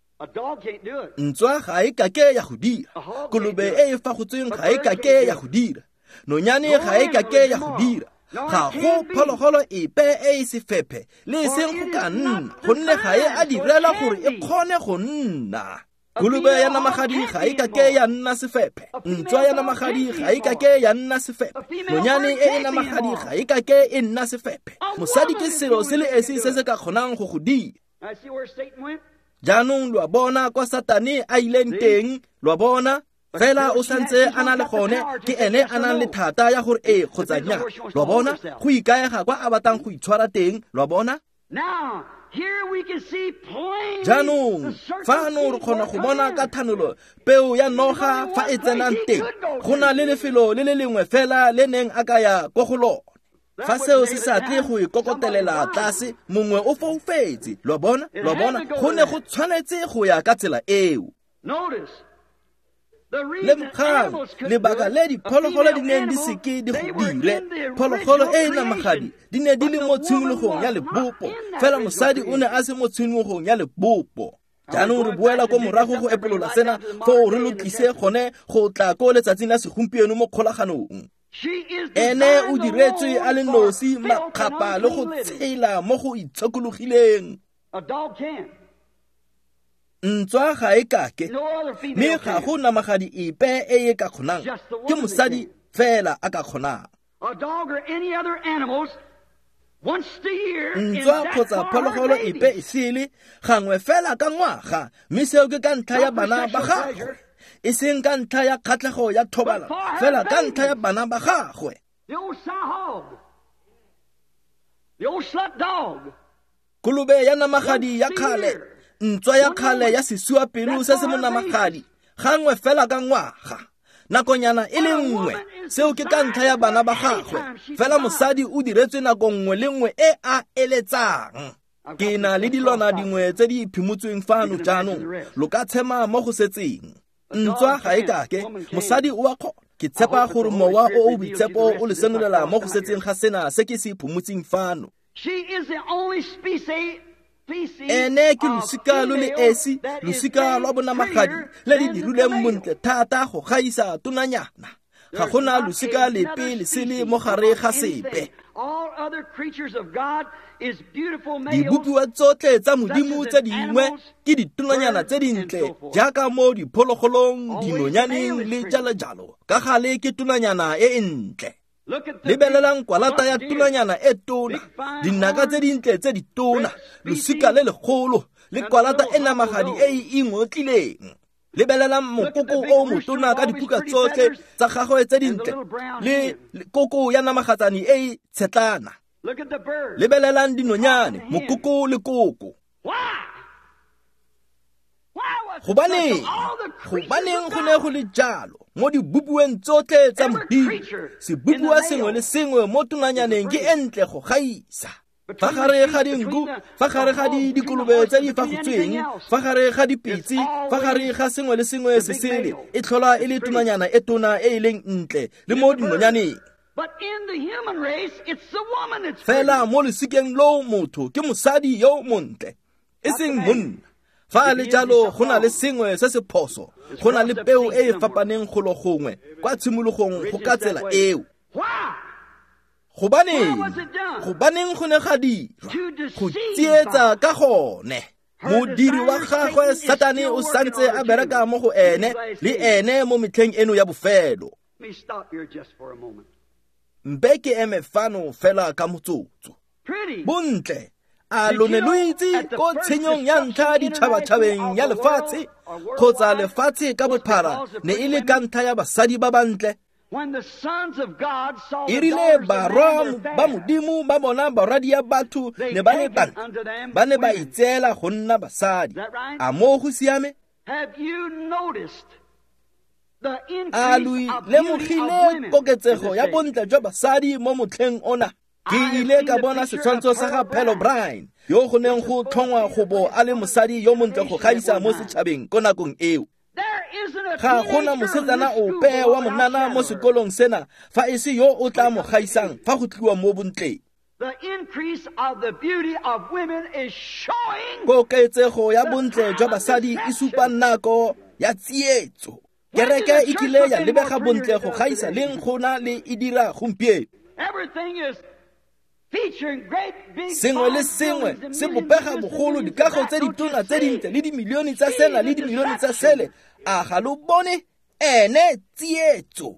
Speaker 1: Ntswa ga e kake ya go dira, kolobe e e fa go tsweng ga e kake ya go dira, nonyane ga e kake ya go dira. Ga go phologolo epe e e sefephe le e seng go ka nna, gonne ga e a direla gore e kgone go nna. Kolobe ya namagadi ga e kake ya nna sefephe, ntswa ya namagadi ga e kake ya nna sefephe, nonyane e e namagadi ga e kake e nna sefephe. Mosadi ke selo se le esi se se ka kgonang go go dira. Jaanong lo a bona kwa Satane a ileng teng, lo a bona? Fela o santse a na le gone, ke ene a nang le thata ya gore ee kgotsa nnyaa. Lo a bona? Go ikaega kwa a batlang go itshwara teng, lo a bona? Jaanong fano re kgona go bona ka thanolo peo ya noga fa e tsenang teng. Go na le lefelo le le lengwe fela le neng a ka ya ko go lone. Fa seo se sa tle go ikokotelela tlase, mongwe o foufetse. Lo a bona? Lo a bona? Go ne go tshwanetse go ya ka tsela eo. Lemogang lebaka le diphologolo di neng di seke di go dire. Phologolo e e namagadi di ne di le mo tshimologong ya lebopo, fela mosadi o ne a se mo tshimologong ya lebopo. Jaanong re boela ko morago go epolola sena, foo re lo tlise gone go tla ko letsatsing la segompieno mo kgolaganong. Ene o diretswe a le nosi makgapa le go tshela mo go itshokologileng. Ntswa ga e kake, mme ga go namagadi epe e e ka kgonang, ke mosadi fela a ka kgonang. Ntswa kgotsa phologolo epe e sele gangwe fela ka ngwaga, mme seo ke ka ntlha ya bana ba gagwe, e seng ka ntlha ya kgatlhego ya thobalano, fela ka ntlha ya bana ba gagwe. Kolobe ya namagadi ya kgale, ntswa ya kgale ya sesuapelo se se mo namagadi, gangwe fela ka ngwaga, nakonyana e le nngwe, seo ke ka ntlha ya bana ba gagwe. Fela mosadi o diretswe nako nngwe le nngwe e a eletsang. Ke na le dilwana dingwe tse di phimotsweng fano jaanong, lo ka tshema mo go setseng. Ntswa ga e kake, mosadi o a kgona. Ke tshepa gore mowa o o boitshepo o le senolela mo go setseng ga sena se ke se phomotseng fano. Ene ke losika lo le esi, losika lwa bonamagadi le le dirilweng montle thata go gaisa tonanyana. Ga gona losika lepe le sele mo gare ga sepe. Dibopiwa tsotlhe tsa Modimo tse dingwe ke ditonanyana tse dintle, jaaka mo diphologolong, dinonyaneng le jalo jalo. Ka gale ke tonanyana e e ntle. Lebelelang kwalata ya tonanyana e tona, dinaka tse dintle tse ditona, losika le legolo, le kwalata e namagadi e e ingotlileng. Lebelelang mokoko o motona ka diphuka tsotlhe tsa gagwe tse dintle, le koko ya namagatsane e e tshetlana. Lebelelang dinonyane, mokoko le koko. Gobaneng? Gobaneng go ne go le jalo mo dibopiweng tsotlhe tsa Modimo? Sebopiwa sengwe le sengwe mo tonanyaneng ke e ntle go gaisa. Fa gare ga dinku, fa gare ga dikolobe tse di fagotsweng, fa gare ga dipitse, fa gare ga sengwe le sengwe se sele, e tlhola e le tonanyana e tona e e leng ntle le mo dinonyaneng. Fela mo losikeng loo motho ke mosadi yo montle, e seng monna. Fa le jalo go na le sengwe se se phoso, go na le peo e e fapaneng golo gongwe kwa tshimologong go ka tsela eo. Gobaneng? Gobaneng go ne ga dirwa? Go tsietsa ka gone. Modiri wa gagwe Satane o santse a bereka mo go ene le ene mo metlheng eno ya bofelo. Mpe ke eme fano fela ka motsotso. Bontle, a lo ne lo itse ko tshenyong ya ntlha ditšhabatšhabeng ya lefatshe kgotsa lefatshe ka bophara ne e le ka ntlha ya basadi ba bantle? E rile barwa ba Modimo ba bona barwadia batho ne ba le bantle, ba ne ba itseela go nna basadi. A moo go siame? A lo lemogile koketsego ya bontle jwa basadi mo motlheng ona? Ke ile ka bona setshwantsho sa ga Pearl O'Brien, yo go neng go tlhongwa go bo a le mosadi yo montle go gaisa mo setšhabeng ko nakong eo. Ga gona mosetsana ope wa monana mo sekolong sena fa e se yo o tla mo gaisang fa go tliwa mo bontleng. Koketsego ya bontle jwa basadi e supa nako ya tsietso. Kereke e kile ya lebega bontle go gaisa leng gona le e dira gompieno. Sengwe le sengwe se bopega bogolo, dikago tse ditona tse dintle le dimilione tsa sena le dimilione tsa sele. A ga lo bone? Ene tsietso.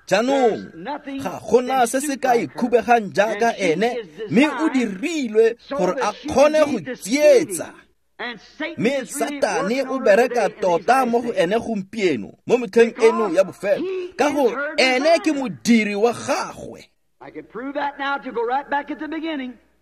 Speaker 1: Jaanong ga gona se se ka ikhubegang jaaka ene, mme o dirilwe gore a kgone go tsietsa. Mme Satane o bereka tota mo go ene gompieno mo metlheng eno ya bofelo, ka gore ene ke modiri wa gagwe.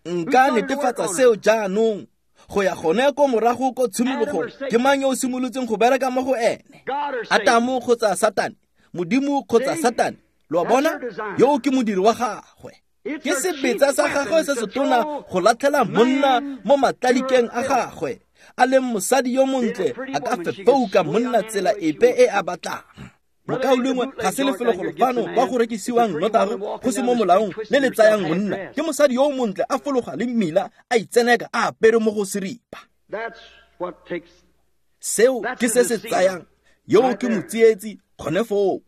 Speaker 1: Nka netefatsa seo jaanong go ya gone ko morago ko tshimologong. Ke mang yo o simolotseng go bereka mo go ene? Atamo kgotsa Satane? Modimo kgotsa Satane? Lo a bona? Yo ke modiri wa gagwe. Ke sebetsa sa gagwe se se tona go latlhela monna mo matlalikeng a gagwe. A leng mosadi yo montle a ka fefouka monna tsela epe e a batlang. Mokaulengwe ga se lefelo golo fano kwa go rekisiwang nnotagi go se mo molaong le le tsayang monna. Ke mosadi yo montle a fologa le mmila a itseneka a apere mo go seripa. Seo ke se se tsayang. Yo ke motsietsi gone foo.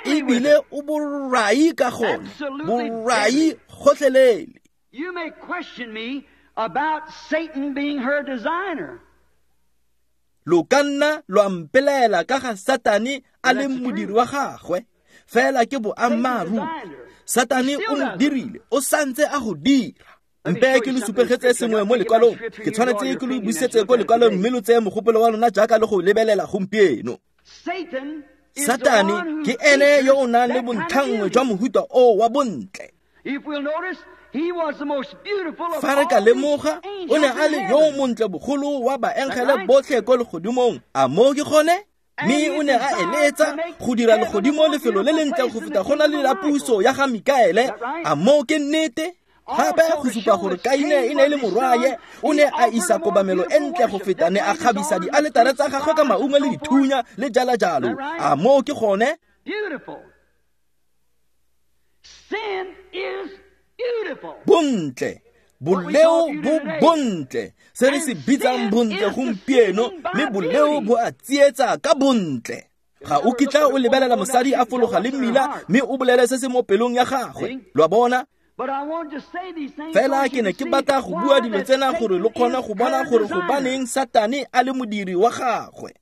Speaker 1: Ebile o borai ka gone, borai gotlhelele.
Speaker 2: You may question me about Satan being her designer.
Speaker 1: Lo ka nna lwa mpelaela ka ga Satane a leng modiri wa gagwe, fela ke boammaaruri. Satane o mo dirile, o santse a go dira. Mpe ke lo supegetse sengwe mo lekwalong. Ke tshwanetse ke lo busetse ko lekwalong mme lo tseye mogopolo wa lona jaaka le go lebelela gompieno. Satane ke ene yo o nang le bontlhanngwe jwa mohuta o wa bontle. Fa re ka lemoga, o ne a le yo montle bogolo wa baengele botlhe ko legodimong. A moo ke gone? Mme o ne a eletsa go dira legodimo lefelo le lentle go feta go na le la puso ya ga Mikaele. A moo ke nnete? Gape go supa gore Kaine e ne e le morwaye, o ne a isa kobamelo e ntle go feta, ne a kgabisa dialetare tsa gagwe ka maungo le dithunya le jalo jalo. A moo ke gone? Bontle, boleo bo bontle, se re se bitsang bontle gompieno, mme boleo bo a tsietsa ka bontle. Ga o kitla o lebelela mosadi a fologa le mmila mme o bolele se se mo pelong ya gagwe. Lo a bona? Fela ke ne ke batla go bua dilo tsena gore lo kgone go bona gore gobaneng Satane a le modiri wa gagwe.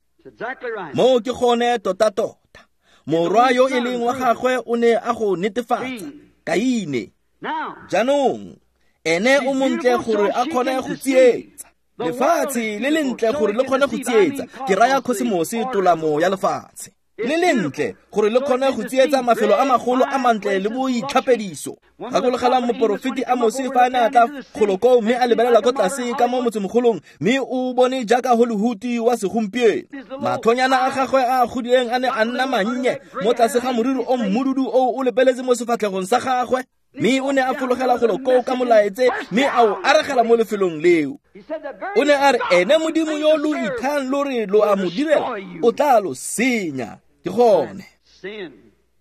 Speaker 1: Moo ke gone tota-tota. Morwa yo e leng wa gagwe o ne a go netefatsa, Kaine. Jaanong, ene o montle gore a kgone go tsietsa. Lefatshe le lentle gore le kgone go tsietsa. Ke raya khosemose tolamo ya lefatshe. Le lentle gore le kgone go tsietsa mafelo a magolo a mantle le boitlhapediso. Gakologelang moporofeti Amose fa a ne a tla golo koo mme a lebelela ko tlase ka mo motsemogolong, mme o bone jaaka Hollywood wa segompieno. Matlhonyana a gagwe a a godileng a ne a nna mannye mo tlase ga moriri o mmududu o o lepeletse mo sefatlhegong sa gagwe. Mme o ne a fologela golo koo ka molaetse mme a o aregela mo lefelong leo. O ne a re ene Modimo yo lo ithang lo re lo a mo direla o tla lo senya. Ke gone.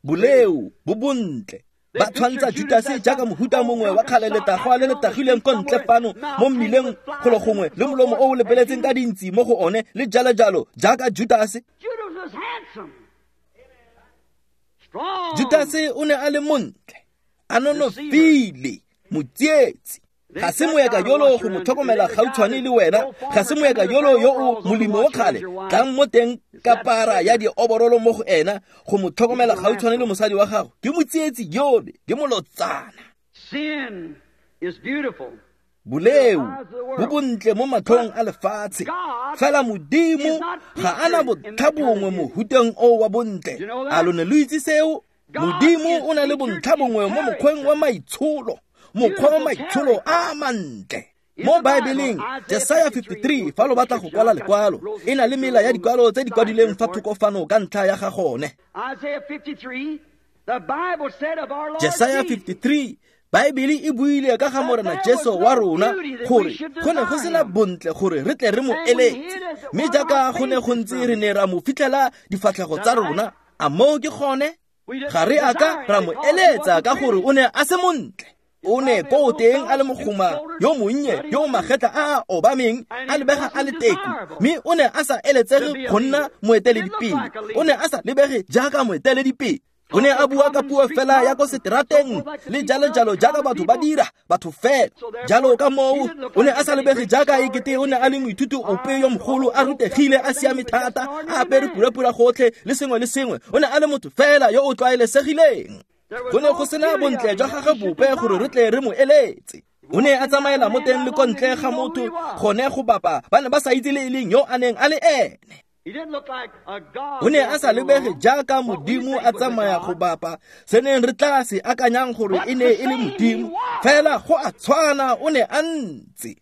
Speaker 1: Boleo bo bontle. Ba tshwantsha Judase jaaka mohuta mongwe wa kgale letagwa le le tagileng ko ntle fano mo mmileng golo gongwe le molomo o o lepeletseng ka dintsi mo go one le jalo jalo jaaka Judase. Judase o ne a le montle, a nonofile, motsietsi. Ga se moeka yolo go mo tlhokomela gautshwane le wena, ga se moeka yolo yo o molemo wa kgale tlang mo teng ka para ya dioborolo mo go ena go mo tlhokomela gautshwane le mosadi wa gago. Ke motsietsi yole, ke molotsana. Boleo bo bontle mo matlhong a lefatshe, fela Modimo ga a na bontlhabongwe mohuteng o wa bontle. A lo ne lo itse seo? Modimo o na le bontlhabongwe mo mokgweng wa maitsholo, mokgwa wa maitsholo a mantle. Mo Baebeleng, Jesaya fifty-three, fa lo batla go kwala lekwalo, e na le mela ya dikwalo tse di kwadileng fa thoko fano ka ntlha ya ga gone. Jesaya fifty-three, Baebele e buile ka ga Morena Jesu wa rona gore go ne go sena bontle gore re tle re mo eletse, mme jaaka go ne go ntse re ne ra mo fitlhela difatlhego tsa rona. A moo ke gone? Ga re a ka ra mo eletsa ka gore o ne a se montle. O ne ko teng a le mogoma yo monnye yo magetla a a obameng a lebega a le teku, mme o ne a sa eletsege go nna moeteledipele. O ne a sa lebege jaaka moeteledipele. O ne a bua ka puo fela ya ko seterateng le jalo jalo jaaka batho ba dira, batho fela. Jalo ka moo o ne a sa lebege jaaka ekete o ne a le moithuti ope yo mogolo, a rutegile, a siame thata, a apere purapura gotlhe le sengwe le sengwe. O ne a le motho fela yo o tlwaelesegileng. Go ne go sena bontle jwa gagwe bope gore re tle re mo eletse. O ne a tsamaela mo teng le ko ntle ga motho gone go bapa, ba ne ba sa itse le e leng yo a neng a le ene. O ne a sa lebege jaaka Modimo a tsamaya go bapa, se neng re tla se akanyang gore e ne e le Modimo, fela go a tshwana o ne a ntse.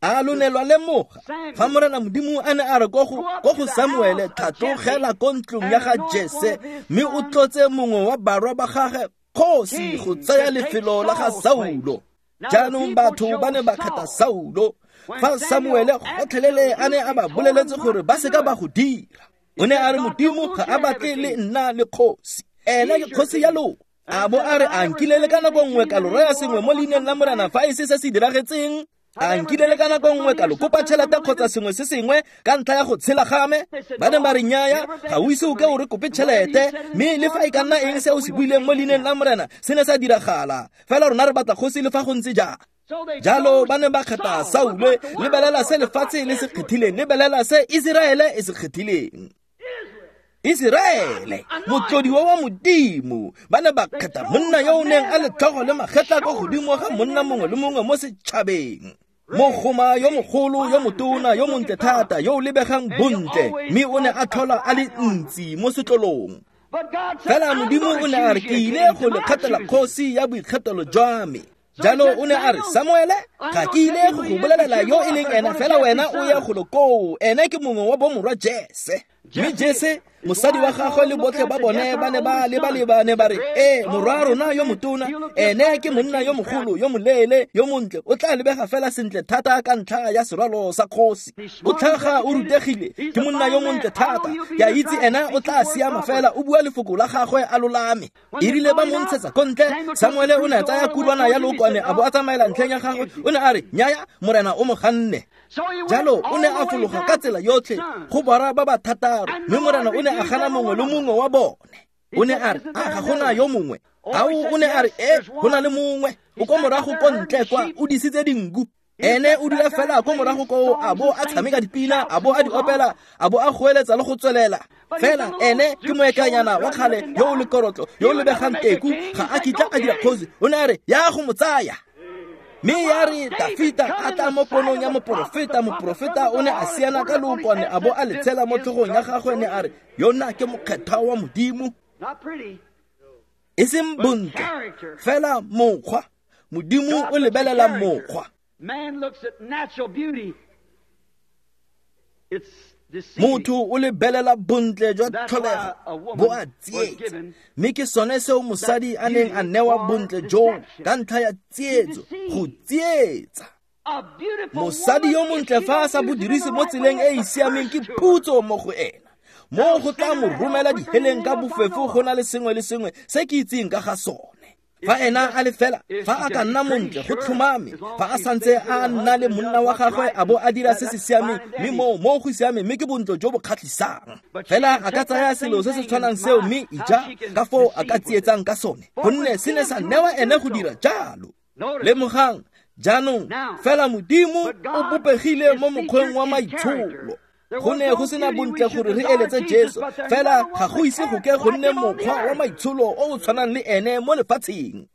Speaker 1: A lo ne lwa lemoga fa Morena Modimo a ne a re ko go ko go Samuele, tlhatlogela ko ntlong ya ga Jese mme o tlotse mongwe wa barwa ba gagwe kgosi go tsaya lefelo la ga Saulo. Jaanong batho ba ne ba kgetha Saulo fa Samuele gotlhelele a ne a ba boleletse gore ba seka ba go dira. O ne a re Modimo ga a batle le nna le kgosi, ene ke kgosi ya lona. A bo a re a nkile le ka nako nngwe ka lo raya sengwe mo leineng la Morena fa e se se se diragetseng? A nkile le ka nako nngwe ka lo kopa tšhelete kgotsa sengwe se sengwe ka ntlha ya go tshela ga me? Ba ne ba re nnyaya, ga o ise o ke o re kope tšhelete, mme le fa e ka nna eng se o se buileng mo leineng la Morena se ne sa diragala, fela rona re batla kgosi le fa go ntse jang. Jalo ba ne ba kgetha Saule. Lebelela se lefatshe le se kgethileng, lebelela se Iseraele e se kgethileng. Iseraele, motlodiwa wa Modimo, ba ne ba kgetha monna yo o neng a le tlhogo le magetla ko godimo ga monna mongwe le mongwe mo setšhabeng. Mogoma yo mogolo, yo motona, yo montle thata, yo o lebegang bontle, mme o ne a tlhola a le ntsi mo setlolong. Fela Modimo o ne a re ke ile go le kgethela kgosi ya boikgethelo jwa me. Jalo o ne a re, Samuele, ga ke ile go go bolelela yo e leng ena, fela wena o ya golo koo, ene ke mongwe wa bomorwa Jese. Mme Jese, mosadi wa gagwe le botlhe ba bone ba ne ba leba-leba ne ba re, ee, morwa rona yo motona, ene ke monna yo mogolo, yo moleele, yo montle, o tla lebega fela sentle thata ka ntlha ya serwalo sa kgosi. O tlhaga o rutegile, ke monna yo montle thata, ke a itse ena o tla siama fela, o bua lefoko la gagwe a lolame. E rile ba mo ntshetsa ko ntle, Samuele o ne a tsaya kurwana ya lookwane a bo a tsamaela ntlheng ya gagwe, o ne a re, nnyaya, Morena o mo ganne. Jalo o ne a fologa ka tsela yotlhe go borwa ba ba thataro, mme Morena o ne a gana mongwe le mongwe wa bone. O ne a re, a ga gona yo mongwe? Ao, o ne a re, e, go na le mongwe, o ko morago ko ntle kwa, o disitse dinku. Ene o dula fela ko morago koo, a bo a tshameka dipina, a bo a di opela, a bo a goeletsa le go tswelela. Fela ene ke moekanyana wa kgale yo o lekorotlo, yo o lebegang teku, ga a kitla a dira kgosi. O ne a re, ya go mo tsaya. Mme ya re Dafita a tla mo ponong ya moporofeta, moporofeta o ne a siana ka lookwane a bo a le tshela mo tlhogong ya gagwe, ne a re, yona ke mokgethwa wa Modimo. E seng bontle, fela mokgwa. Modimo o lebelela mokgwa. Motho o lebelela bontle jwa tlholego, bo a tsietsa. Mme ke sone seo mosadi a neng a newa bontle joo ka ntlha ya tsietso, go tsietsa. Mosadi yo montle fa a sa bo dirise mo tseleng e e siameng ke phutso mo go ena. Mo go tla mo romela diheleng ka bofefo go na le sengwe le sengwe se ke itseng ka ga sone. Fa ena a le fela, fa a ka nna montle go tlhomame, fa a santse a nna le monna wa gagwe a bo a dira se se siameng, mme moo mo go siameng, mme ke bontle jo bo kgatlhisang. Fela a ka tsaya selo se se tshwanang seo mme ija ka foo a ka tsietsang ka sone, gonne se ne sa newa ene go dira jalo. Lemogang jaanong, fela Modimo o bopegile mo mokgweng wa maitsholo. Go ne go sena bontle gore re eletse Jesu, fela ga go ise go ke go nne mokgwa wa maitsholo o o tshwanang le ene mo lefatsheng.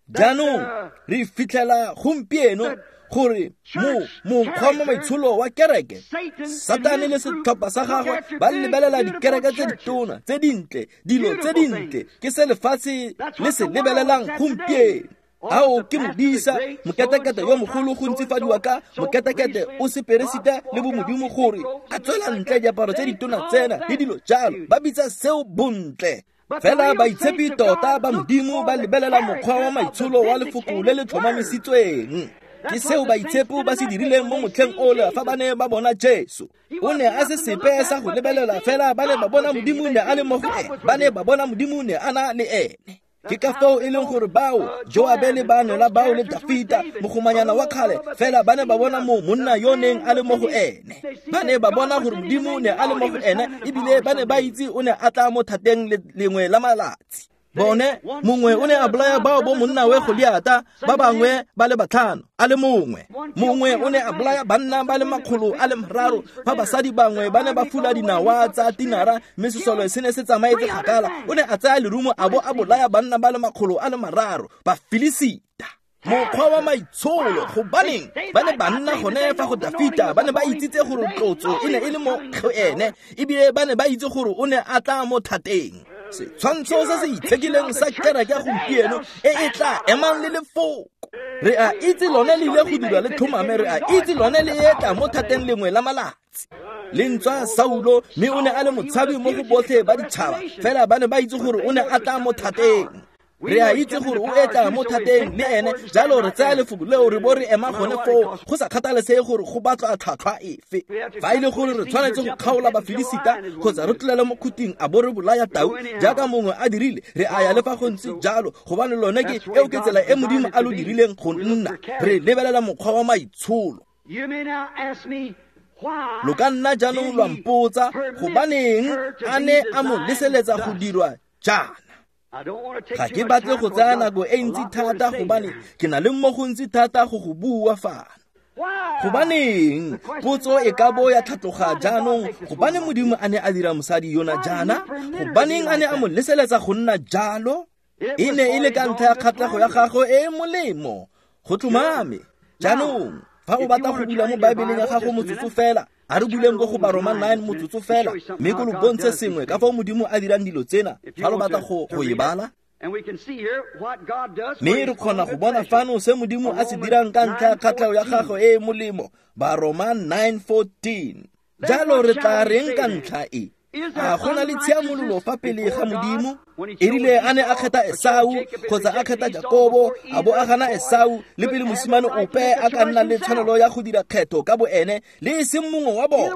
Speaker 1: Jaanong re fitlhela gompieno gore mo mokgwa mo maitsholo wa kereke, Satane le setlhopha sa gagwe ba lebelela dikereke tse ditona, tse dintle, dilo tse dintle, ke se lefatshe le se lebelelang gompieno. Ao ke modisa, moketekete yo mogolo go ntsifadiwa ka moketekete o seperesita le bomodimo gore a tswela ntle diaparo tse ditona tsena le dilo jalo, ba bitsa seo bontle. Fela baitshepi tota ba Modimo ba lebelela mokgwa wa maitsholo wa lefoko le le tlhomamisitsweng. Ke seo baitshepo ba se dirileng mo motlheng ole fa ba ne ba bona Jesu. O ne a se sepe sa go lebelela, fela ba ne ba bona Modimo ne a le mo go ene, ba ne ba bona Modimo ne a na le ene. Ke ka foo e leng gore bao Joabe le bano la bao le Dafita mogomanyana wa kgale, fela ba ne ba bona mo monna yo neng a le mo go ene. Ba ne ba bona gore Modimo ne a le mo go ene, ebile ba ne ba itse o ne a tla mo thateng lengwe la malatsi. Bone mongwe o ne a bolaya bao bo monna we Goliata ba bangwe ba le batlhano a le mongwe. Mongwe o ne a bolaya banna ba le makgolo a le mararo fa basadi bangwe ba ne ba fula dinawa tsa tinara mme sesole se ne se tsamaetse kgakala. O ne a tsaya lerumo a bo a bolaya banna ba le makgolo a le mararo ba Filisita. Mokgwa wa maitsholo, gobaneng ba ne ba nna gone fa go Dafita, ba ne ba itsitse gore tlotso e ne e le mo go ene, ebile ba ne ba itse gore o ne a tla mo thateng. Setshwantsho se se itshekileng sa kereke gompieno e e tla emang le lefoko. Re a itse lone le ile go dirwa le tlhomame, re a itse lone le etla mo thateng lengwe la malatsi. Le ntswa Saulo, mme o ne a le motshabi mo go botlhe ba ditšhaba, fela ba ne ba itse gore o ne a tla mo thateng. Re a itse gore o etla mo thateng le ene, jalo re tsaya lefoko leo re bo re ema gone foo, go sa kgathalesege gore go batlwa tlhwatlhwa efe. Fa e le gore re tshwanetse go kgaola Bafilisita kgotsa re tlolele mo khuting a bo re bolaya tau jaaka mongwe a dirile, re a ya le fa go ntse jalo, gobane lone ke eo ke tsela e Modimo a lo dirileng go nna. Re lebelela mokgwa wa maitsholo. Lo ka nna jaanong lwa mpotsa gobaneng a ne a mo leseletsa go dirwa jaana. Ga ke batle go tsaya nako e ntsi thata gobane ke na le mo go ntsi thata go go bua fano. Gobaneng potso e ka bo ya tlhatloga jaanong, gobane Modimo a ne a dira mosadi yona jaana? Gobaneng a ne a mo leseletsa go nna jalo? E ne e le ka ntlha ya kgatlhego ya gagwe e e molemo. Go tlhomame. Jaanong fa o batla go bula mo Baebeleng ya gago motsotso fela, a re buleng go go Baroma nine motsotso fela, mme ko lo bontshe sengwe ka fao Modimo a dirang dilo tsena fa lo batla go go e bala. Mme re kgona go bona fano se Modimo a se dirang ka ntlha ya kgatlhego ya gagwe e e molemo. Baroma nine fourteen. Jalo re tla reng ka ntlha e? A go na le tshiamololo fa pele ga Modimo? E rile a ne a kgetha Esau kgotsa a kgetha Jakobo, a bo a gana Esau le pele mosimane ope a ka nna le tshwanelo ya go dira kgetho ka boene, le e seng mongwe wa bone.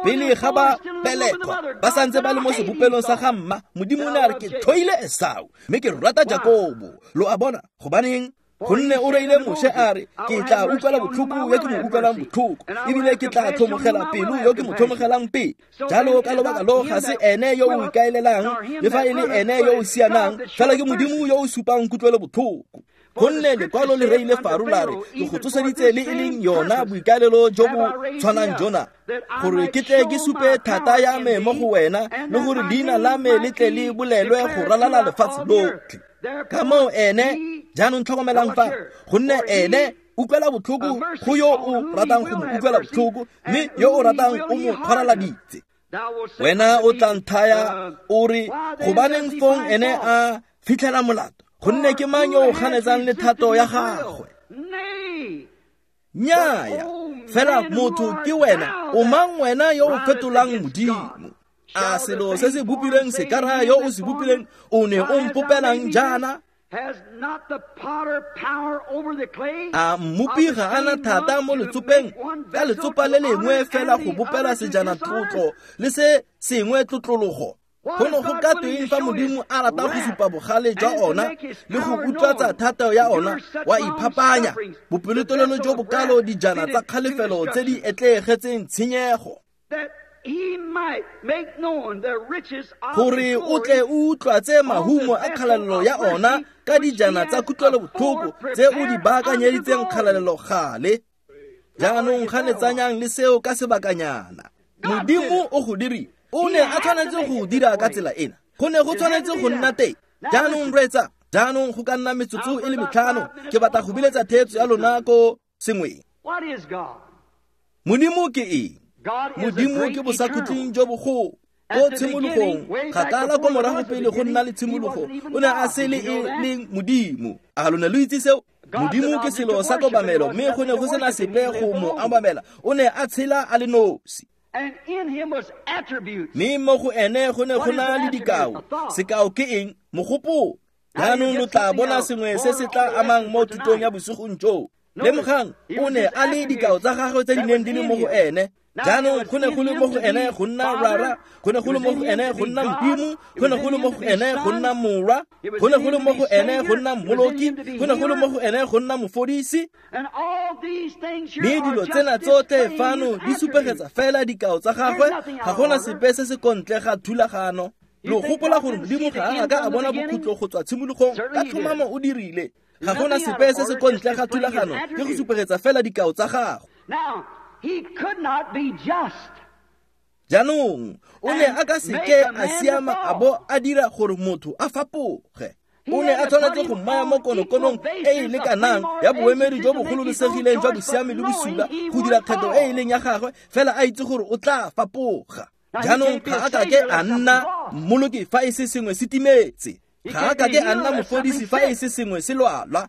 Speaker 1: Pele ga ba belegwa ba santse ba le mo sebopelong sa ga mma, Modimo o ne a re ke tlhoile Esau mme ke rata Jakobo. Lo a bona gobaneng? Gonne o reile Moshe a re, ke tla utlwela botlhoko yo ke mo utlwelang botlhoko, ebile ke tla tlhomogela pelo yo ke mo tlhomogelang pelo. Jalo ka lobaka lo ga se ene yo o ikaelelang, le fa e le ene yo o sianang, fela ke Modimo yo o supang kutlwelo botlhoko. Gonne lekwalo le reile Faro la re, ke go tsoseditse le e leng yona boikaelelo jo bo tshwanang jona, gore ke tle ke supe thata ya me mo go wena, le gore leina la me le tle le bolelwe go ralala lefatshe lotlhe. Ka moo ene, jaanong tlhokomelang fa, gonne ene utlwela botlhoko go yo o ratang go mo utlwela botlhoko, mme yo o ratang o mo kgwaraladitse. Wena o tla nthaya o re, gobaneng fong ene a fitlhela molato? Gonne ke mang yo o ganetsang le thato ya gagwe? Nnyaya, fela motho ke wena, o mang wena yo o fetolang Modimo? A selo se se bopilweng se ka raya yo o se bopileng, o ne o mpopelang jaana? A mmopi ga a na thata mo letsopeng ka letsopa le lengwe fela go bopela sejana tlotlo le se sengwe tlotlologo? Go ne go ka tweng fa Modimo a rata go supa bogale jwa ona le go utlwatsa thata ya ona, wa iphapanya bopelotelele jo bokalo dijana tsa kgalefelo tse di etleegetseng tshenyego, gore o tle o utlwatse mahumo a kgalalelo ya ona ka dijana tsa kutlwelo botlhoko tse o di baakanyeditseng kgalalelo gale? Jaanong ganetsanyang le seo ka sebakanyana. Modimo o go dirile, o ne a tshwanetse go dira ka tsela ena, go ne go tshwanetse go nna teng. Jaanong reetsa, jaanong go ka nna metsotso e le metlhano, ke batla go biletsa theetso ya lona ko sengweng. Modimo ke eng? Modimo ke bosakhutleng jo bogolo. Ko tshimologong, kgakala ko morago pele go nna le tshimologo, o ne a se le e leng Modimo. A lo ne lo itse seo? Modimo ke selo sa kobamelo, mme go ne go sena sepe go mo obamela. O ne a tshela a le nosi. Mme mo go ene go ne go na le dikao. Sekao ke eng? Mogopolo. Jaanong lo tla bona sengwe se se tla amang mo thutong ya bosigong joo. Lemogang, o ne a le dikao tsa gagwe tse di neng di le mo go ene. Jaanong go ne go le mo go ene go nna Rara, go ne go le mo go ene go nna Modimo, go ne go le mo go ene go nna Morwa, go ne go le mo go ene go nna Mmoloki, go ne go le mo go ene go nna Mofodisi. Mme dilo tsena tsotlhe fano di supegetsa fela dikao tsa gagwe, ga gona sepe se se kontle ga thulagano. Lo gopola gore Modimo ga a ka a bona bokhutlo go tswa tshimologong, ka tlhomamo o dirile. Ga gona sepe se se ko ntle ga thulagano, ke go supegetsa fela dikao tsa gago. Jaanong o ne a ka seke a siama a bo a dira gore motho a fapoge. O ne a tshwanetse go mmaya mo konokonong e e lekanang ya boemedi jo bo gololosegileng jwa bosiami le bosula go dira kgetho e e leng ya gagwe, fela a itse gore o tla fapoga. Jaanong ga a kake a nna mmoloki fa e se sengwe se timetse. Ga a kake a nna mofodisi fa e se sengwe se lwalwa.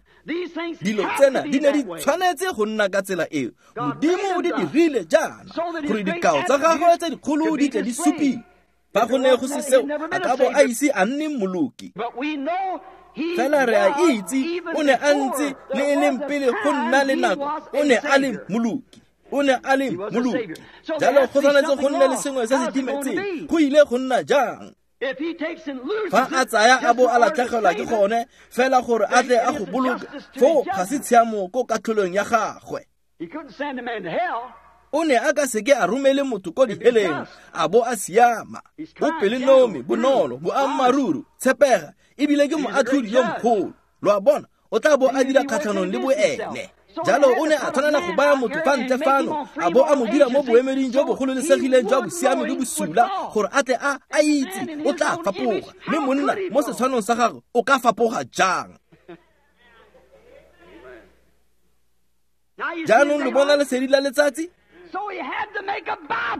Speaker 1: Dilo tsena di ne di tshwanetse go nna ka tsela eo. Modimo o di dirile jaana gore dikao tsa gagwe tse dikgolo di tle di supiwe. Fa go ne go se seo, a ka bo a ise a nne mmoloki. Fela re a itse o ne a ntse le e leng pele go nna le nako, o ne a le mmoloki. O ne a le mmoloki. Jalo go tshwanetse go nne le sengwe se se timetseng. Go ile go nna jang? Fa a tsaya a bo a latlhegelwa ke gone fela gore a tle a go boloke, foo ga se tshiamo ko katlholong ya gagwe. O ne a ka seke a romele motho ko diheleng a bo a siama. O pelonomi, bonolo, boammaaruri, tshepega, ebile ke moatlhodi yo mogolo. Lo a bona, o tla bo a dira kgatlhanong le boene. Jalo o ne a tshwanela go baya motho fa ntle fano a bo a mo dira mo boemeding jo bo gololosegileng jwa bosiami le bosula gore a tle a a itse o tla fapoga. Mme monna mo setshwanong sa gagwe o ka fapoga jang? Jaanong lo bona lesedi la letsatsi?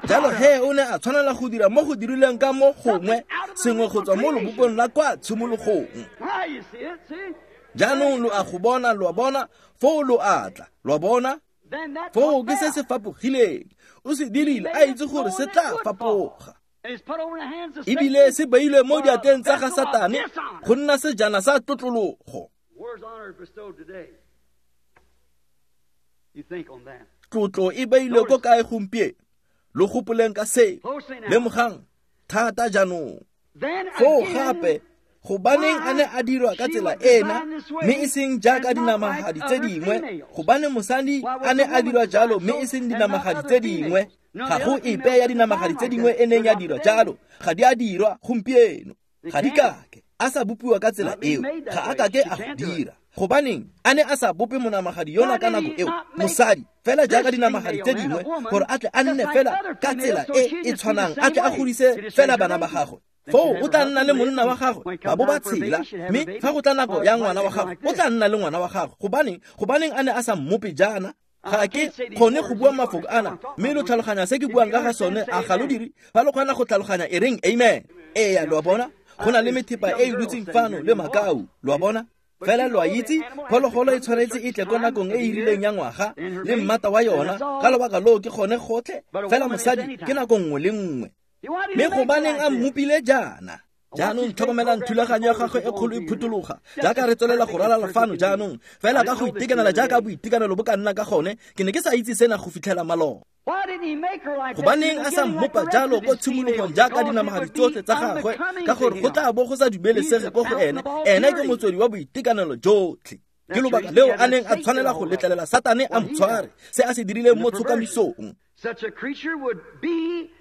Speaker 1: Jalo he o ne a tshwanela go dira mo go dirilweng ka mo gongwe sengwe go tswa mo lobopong la kwa tshimologong. Jaanong lo a go bona, lo a bona, foo lo a tla, lo a bona. Foo ke se se fapogileng. O se dirile a itse gore se tla fapoga. Ebile se beilwe mo diatleng tsa ga Satane go nna sejana sa tlotlologo. Tlotlo e beilwe ko kae gompieno? Lo gopoleng ka seo. Lemogang thata jaanong. Foo gape gobaneng a ne a dirwa ka tsela ena, mme e seng jaaka dinamagadi tse dingwe? Gobane mosadi a ne a dirwa jalo, mme e seng dinamagadi tse dingwe. Ga go epe ya dinamagadi tse dingwe e neng ya dirwa jalo. Ga di a dirwa gompieno. Ga di kake. A sa bopiwa ka tsela eo, ga a kake a go dira. Gobaneng a ne a sa bope monamagadi yona ka nako eo, mosadi, fela jaaka dinamagadi tse dingwe, gore a tle a nne fela ka tsela e e tshwanang, a tle a godise fela bana ba gagwe. Foo o tla nna le monna wa gagwe, ba bo ba tshela, mme fa go tla nako ya ngwana wa gagwe, o tla nna le ngwana wa gagwe. Gobaneng gobaneng a ne a sa mmope jaana? Ga ke kgone go bua mafoko ana, mme lo tlhaloganya se ke buang ka ga sone, a ga lo dire? Fa lo kgona go tlhaloganya, e reng amen. Eya, lo a bona? Go na le methepa e e dutseng fano le makau, lo a bona? Fela lo a itse, phologolo e tshwanetse e tle ko nakong e e rileng ya ngwaga le mmata wa yona, ka lobaka loo ke gone gotlhe. Fela mosadi ke nako nngwe le nngwe. Mme gobaneng a mmopile jaana? Jaanong tlhokomelang thulaganyo ya gagwe e kgolo e phutologa jaaka re tswelela go ralala fano jaanong, fela ka go itekanela jaaka boitekanelo bo ka nna ka gone. Ke ne ke sa itse sena go fitlhela maloba. Gobaneng a sa mmopa jalo ko tshimologong jaaka dinamagadi tsotlhe tsa gagwe? Ka gore go tla bo go sa dumelesege ko go ene. Ene ke motswedi wa boitekanelo jotlhe. Ke lobaka leo a neng a tshwanela go letlelela Satane a mo tshware, se a se dirileng mo tshokamisong.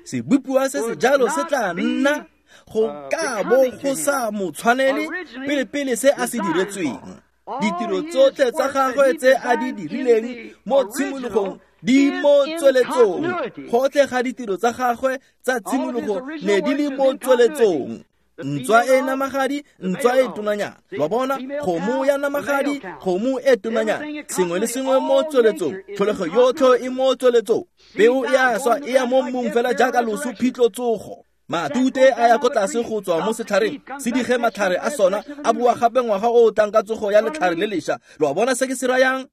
Speaker 1: Sebopiwa se se jalo se tla nna go ka bo go sa mo tshwanele pele-pele se a se diretsweng. Ditiro tsotlhe tsa gagwe tse a di dirileng mo tshimologong di mo tsweletsong. Gotlhe ga ditiro tsa gagwe tsa tshimologo ne di le mo tsweletsong. Ntswa e namagadi, ntswa e tonanyana. Lo bona, kgomo ya namagadi, kgomo e tonanyana. Sengwe le sengwe mo tsweletsong. Tlholego yotlhe e mo tsweletsong. Peo e a swa, e ya mo mmung fela jaaka loso, phitlho, tsogo. Matute a ya ko tlase go tswa mo setlhareng, se dige matlhare a sona, a bua gape ngwaga o o tlang ka tsogo ya letlhare le lešwa. Lo a bona se ke se rayang?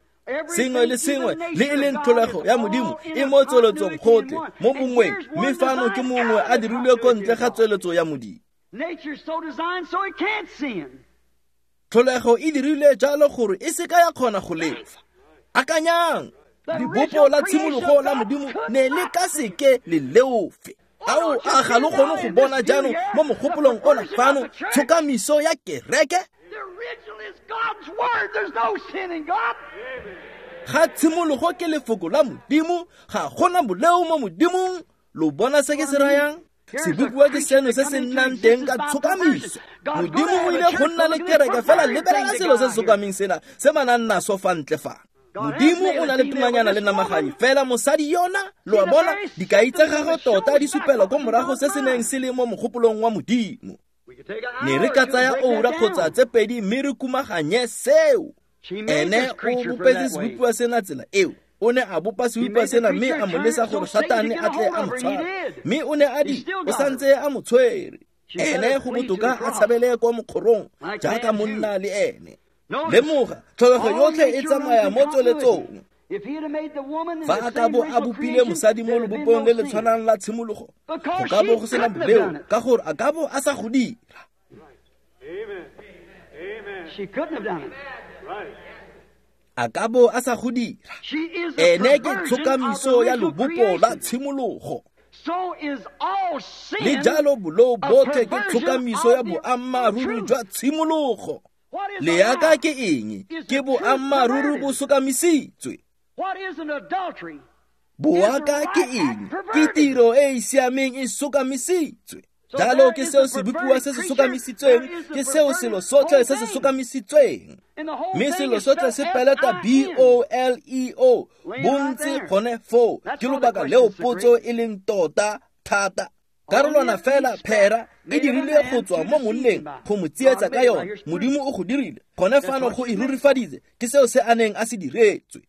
Speaker 1: Sengwe le sengwe le e leng tlholego ya Modimo e mo tsweletsong gotlhe mo bongweng, mme fano ke mongwe a dirilwe ko ntle ga tsweletso ya Modimo. Tlholego e dirilwe jalo gore e seka ya kgona go lefa. Akanyang, lebopo la tshimologo la Modimo ne le ka seke le leofe. Ao, a ga lo kgone go bona jaanong mo mogopolong ona fano tshokamiso ya kereke? Ga tshimologo ke lefoko la Modimo, ga gona boleo mo Modimong. Lo bona se ke se rayang? Sebopiwa ke seno se se nnang teng ka tshokamiso. Modimo o ile go nna le kereke fela lebelela selo se se sokameng sena se ba nang naso fa ntle fa. Modimo o na le tumanyana le namagadi fela mosadi yona lo a bona dikai tsa gagwe tota di supela ko morago se se neng se le mo mogopolong wa Modimo. Ne re ka tsaya oura kgotsa tse pedi mme re kumaganye seo. Ene o bopetse sebopiwa sena tsela eo. O ne a bopa sebopiwa sena mme a mo lesa gore Satane a tle a mo tshware. Mme o ne a di o santse a mo tshwere. Ene go botoka a tshabele kwa mokgorong jaaka monna le ene. Lemoga tlholego yotlhe e tsamaya mo tsweletsong. Fa a ka bo a bopile mosadi mo lobopong le le tshwanang la tshimologo, go ka bo go sena boleo ka gore a ka bo a sa go dira. A ka bo a sa go dira. Ene ke tshokamiso ya lobopo la tshimologo. Le jalo boleo botlhe ke tshokamiso ya boammaaruri jwa tshimologo. Leaka ke eng? Ke boammaaruri bo sokamisitswe. Boaka ke eng? Ke tiro e e siameng e sokamisitswe. Jalo ke seo sebopiwa se se sokamisitsweng, ke seo selo sotlhe se se sokamisitsweng. Mme selo sotlhe se peleta B O L E O bontsi gone foo. Ke lobaka leo potso e leng tota thata. Karolwana fela phera e dirile go tswa mo monneng go mo tsietsa ka yone. Modimo o go dirile gone fano go e rurifaditse. Ke seo se a neng a se diretswe.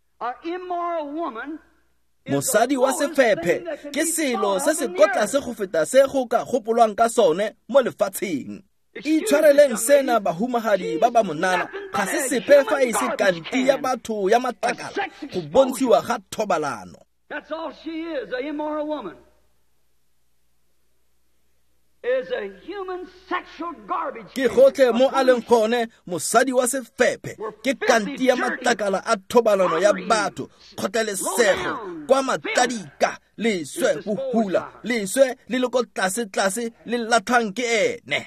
Speaker 1: Mosadi wa sefephe ke selo se se ko tlase go feta se go ka gopolwang ka sone mo lefatsheng. Itshwareleng sena bahumagadi ba ba monana, ga se sepe fa e se kanti ya batho ya matlakala go bontshiwa ga thobalano.
Speaker 2: That's all she is, a immoral woman. Is a human sexual garbage.
Speaker 1: Ke gotlhe mo a leng gone mosadi wa sefephe ke kanti ya matlakala a thobalano ya batho, kgotlelesego kwa matladika, leswe bohula, leswe le le ko tlase tlase le latlhwang ke ene.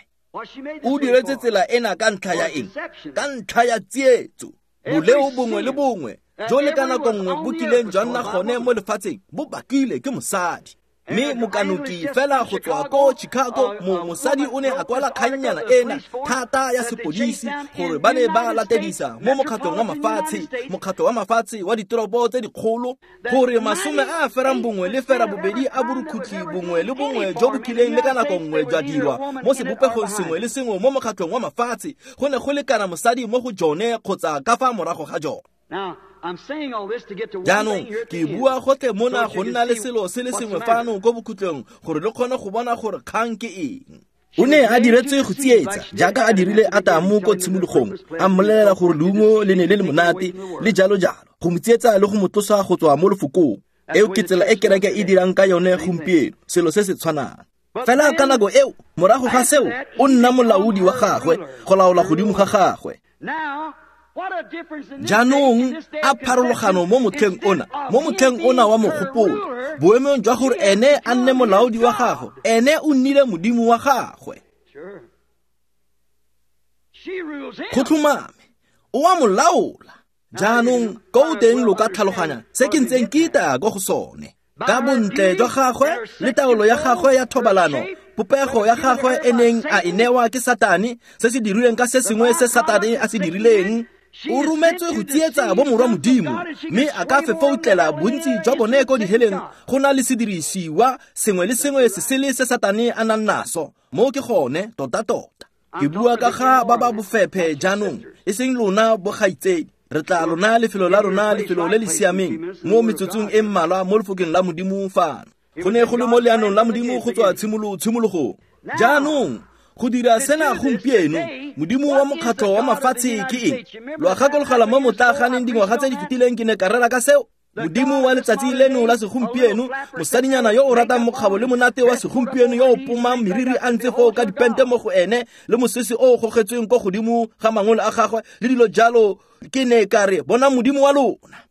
Speaker 1: O diretse tsela ena ka ntlha ya eng? Ka ntlha ya tsietso. Boleo bongwe le bongwe jo le ka nako nngwe bo kileng jwa nna gone mo lefatsheng bo bakile ke mosadi. Mme mokanoki fela go tswa ko Chicago, mo mosadi o ne a kwala kgannyana ena thata ya sepodisi gore ba ne ba latedisa mo mokgatlhong wa mafatshe, mokgatlho wa mafatshe wa ditoropo tse dikgolo, gore masome a a ferang bongwe le fera bobedi a borukhutlhi bongwe le bongwe jo bo kileng le ka nako nngwe jwa dirwa mo sebopegong sengwe le sengwe mo mokgatlhong wa mafatshe go ne go lekana mosadi mo go jone kgotsa ka fa morago ga jone. Jaanong ke bua gotlhe mona go nna le selo se le sengwe fano ko bokhutlong gore le kgone go bona gore kgang ke eng. O ne a diretswe go tsietsa jaaka a dirile Atamo ko tshimologong, a mmolelela gore leungo le ne le le monate le jalo jalo, go mo tsietsa le go mo tlosa go tswa mo lefokong. Eo ke tsela e kereke e dirang ka yone gompieno, selo se se tshwanang. Fela ka nako eo, morago ga seo, o nna molaodi wa gagwe, go laola godimo ga gagwe. Jaanong a pharologano mo motlheng ona, mo motlheng ona wa mogopolo, boemong jwa gore ene a nne molaodi wa gagwe, ene o nnile modimo wa gagwe. Go tlhomame, o a mo laola. Jaanong ko teng lo ka tlhaloganya se ke ntseng ke itaya ko go sone. Ka bontle jwa gagwe le taolo ya gagwe ya thobalano, popego ya gagwe e neng a e newa ke Satane, se se dirilweng ka se sengwe se Satane a se dirileng, o rometswe go tsietsa bo morwa Modimo, mme a ka fefoutlela bontsi jwa bone ko diheleng go na le sedirisiwa sengwe le sengwe se sele se Satane a nang naso. Mo ke gone tota-tota. Ke bua ka ga ba ba bofephe jaanong, e seng lona bogaitsedi. Re tla lona lefelo la rona, lefelo le le siameng mo metsotsong e mmalwa mo lefokeng la Modimo fano. Go ne go le mo leanong la Modimo go tswa tshimolo tshimologong. Jaanong go dira sena gompieno, Modimo wa mokgatlho wa mafatshe ke eng? Lo a gakologela mo motlaganeng dingwaga tse di fetileng ke ne ka rera ka seo. Modimo wa letsatsi leno la segompieno, mosadinyana yo o ratang mokgabo le monate wa segompieno yo o pomang meriri a ntse foo ka dipente mo go ene le mosese o o gogetsweng ko godimo ga mangole a gagwe le dilo jalo, ke ne ka re bona Modimo wa lona.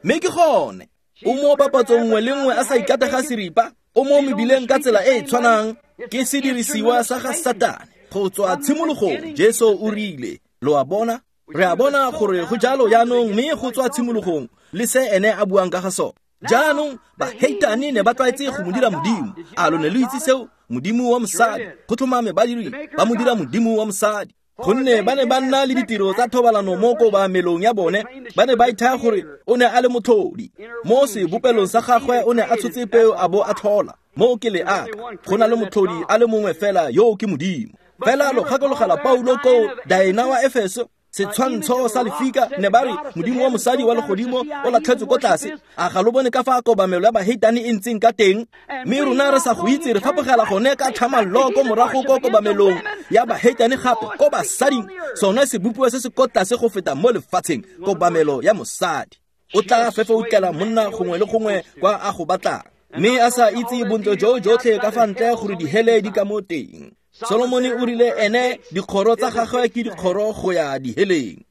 Speaker 1: Mme ke gone o mo papatsong nngwe le nngwe a sa ikatega seripa, o mo mebileng ka tsela e e tshwanang, ke sedirisiwa sa ga Satane. Go tswa tshimologong Jesu o rile, lo a bona? Re a bona gore go jalo jaanong, mme go tswa tshimologong le se ene a buang ka ga sone. Jaanong baheitane ne ba tlwaetse go mo dira modimo. A lo ne lo itse seo? Modimo wa mosadi. Go tlhomame ba dirile, ba mo dira modimo wa mosadi. Gonne ba ne ba nna le ditiro tsa thobalano mo kobamelong ya bone, ba ne ba ithaya gore o ne a le motlhodi. Mo sebopelong sa gagwe o ne a tshotse peo a bo a tlhola. Mo ke leaka, go na le motlhodi a le mongwe fela, yo ke Modimo. Fela lo gakologela Paulo ko Daena wa Efeso, setshwantsho sa lefika, ne ba re modimo wa mosadi wa legodimo o latlhetswe ko tlase. A ga lo bone ka fa kobamelo ya baheitane e ntseng ka teng? Mme rona re sa go itse, re fapogela gone ka tlhamallo ko morago ko kobamelong ya baheitane gape ko basading, sone sebopiwa se se ko tlase go feta mo lefatsheng, kobamelo ya mosadi. O tla fefoutlela monna gongwe le gongwe kwa a go batlang, mme a sa itse bontle jo jotlhe ka fa ntle gore dihele di ka mo teng. Solomone o rile ene dikgoro tsa gagwe ke dikgoro go ya diheleng.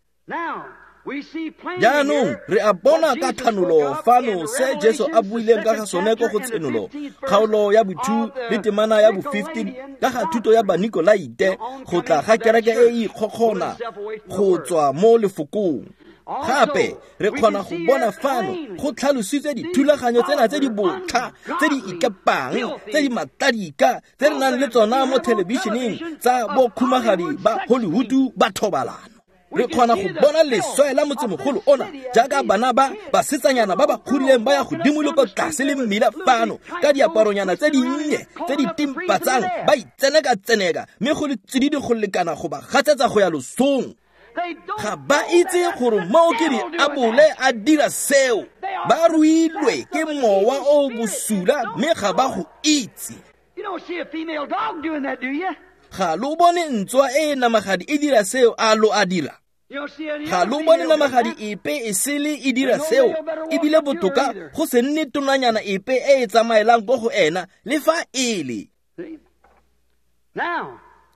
Speaker 1: Jaanong re a bona ka thanolo fano se Jesu a buileng ka ga sone ko go Tshenolo, kgaolo ya bo two le temana ya bo fifteen, ka ga thuto ya Banikolaite, go tla ga kereke e e ikgokgona go tswa mo lefokong. Gape re kgona go bona fano go tlhalositswe dithulaganyo tsena tse di botlha, tse di ikepang, tse di matladika, tse re nang le tsona mo thelebišeneng tsa bokhumagadi ba Hollywood ba thobalano. Re kgona go bona leswe la motsemogolo ona, jaaka bana ba basetsanyana ba ba godileng ba ya godimo le ko tlase le mmila fano ka diaparonyana tse dinnye tse di timpatsang, ba itseneka-tseneka, mme go le tsididi go lekana go ba gatsetsa go ya losong. Ga ba itse gore moo ke diabole a dira seo. Ba ruilwe ke mowa o bosula, mme ga ba go itse. Ga lo bone ntswa e e namagadi e dira seo, a lo a dira? Ga lo bone namagadi epe e sele e dira seo, ebile botoka go se nne tonanyana epe e e tsamaelang ko go ena le fa e le.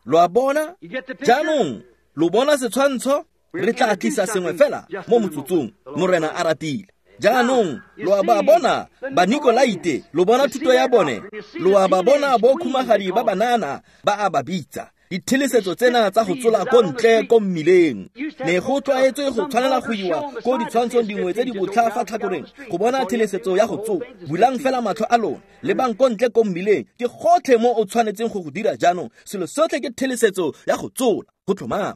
Speaker 1: Lo a bona? Jaanong lo bona setshwantsho? Re tla tlisa sengwe fela mo motsotsong, Morena a ratile. Jaanong lo a ba bona Banikolaite, lo bona thuto ya bone, lo a ba bona bokhumagadi ba banana ba a ba bitsa dithelesetso tsena tsa go tsola ko ntle ko mmileng. Ne go tlwaetswe go tshwanela go iwa ko ditshwantshong dingwe tse di botlha fa tlhakoreng go bona thelesetso ya go tsola. Bulang fela matlho a lona, lebang ko ntle ko mmileng, ke gotlhe mo o tshwanetseng go go dira jaanong. Selo sotlhe ke thelesetso ya go tsola, go tlhomama.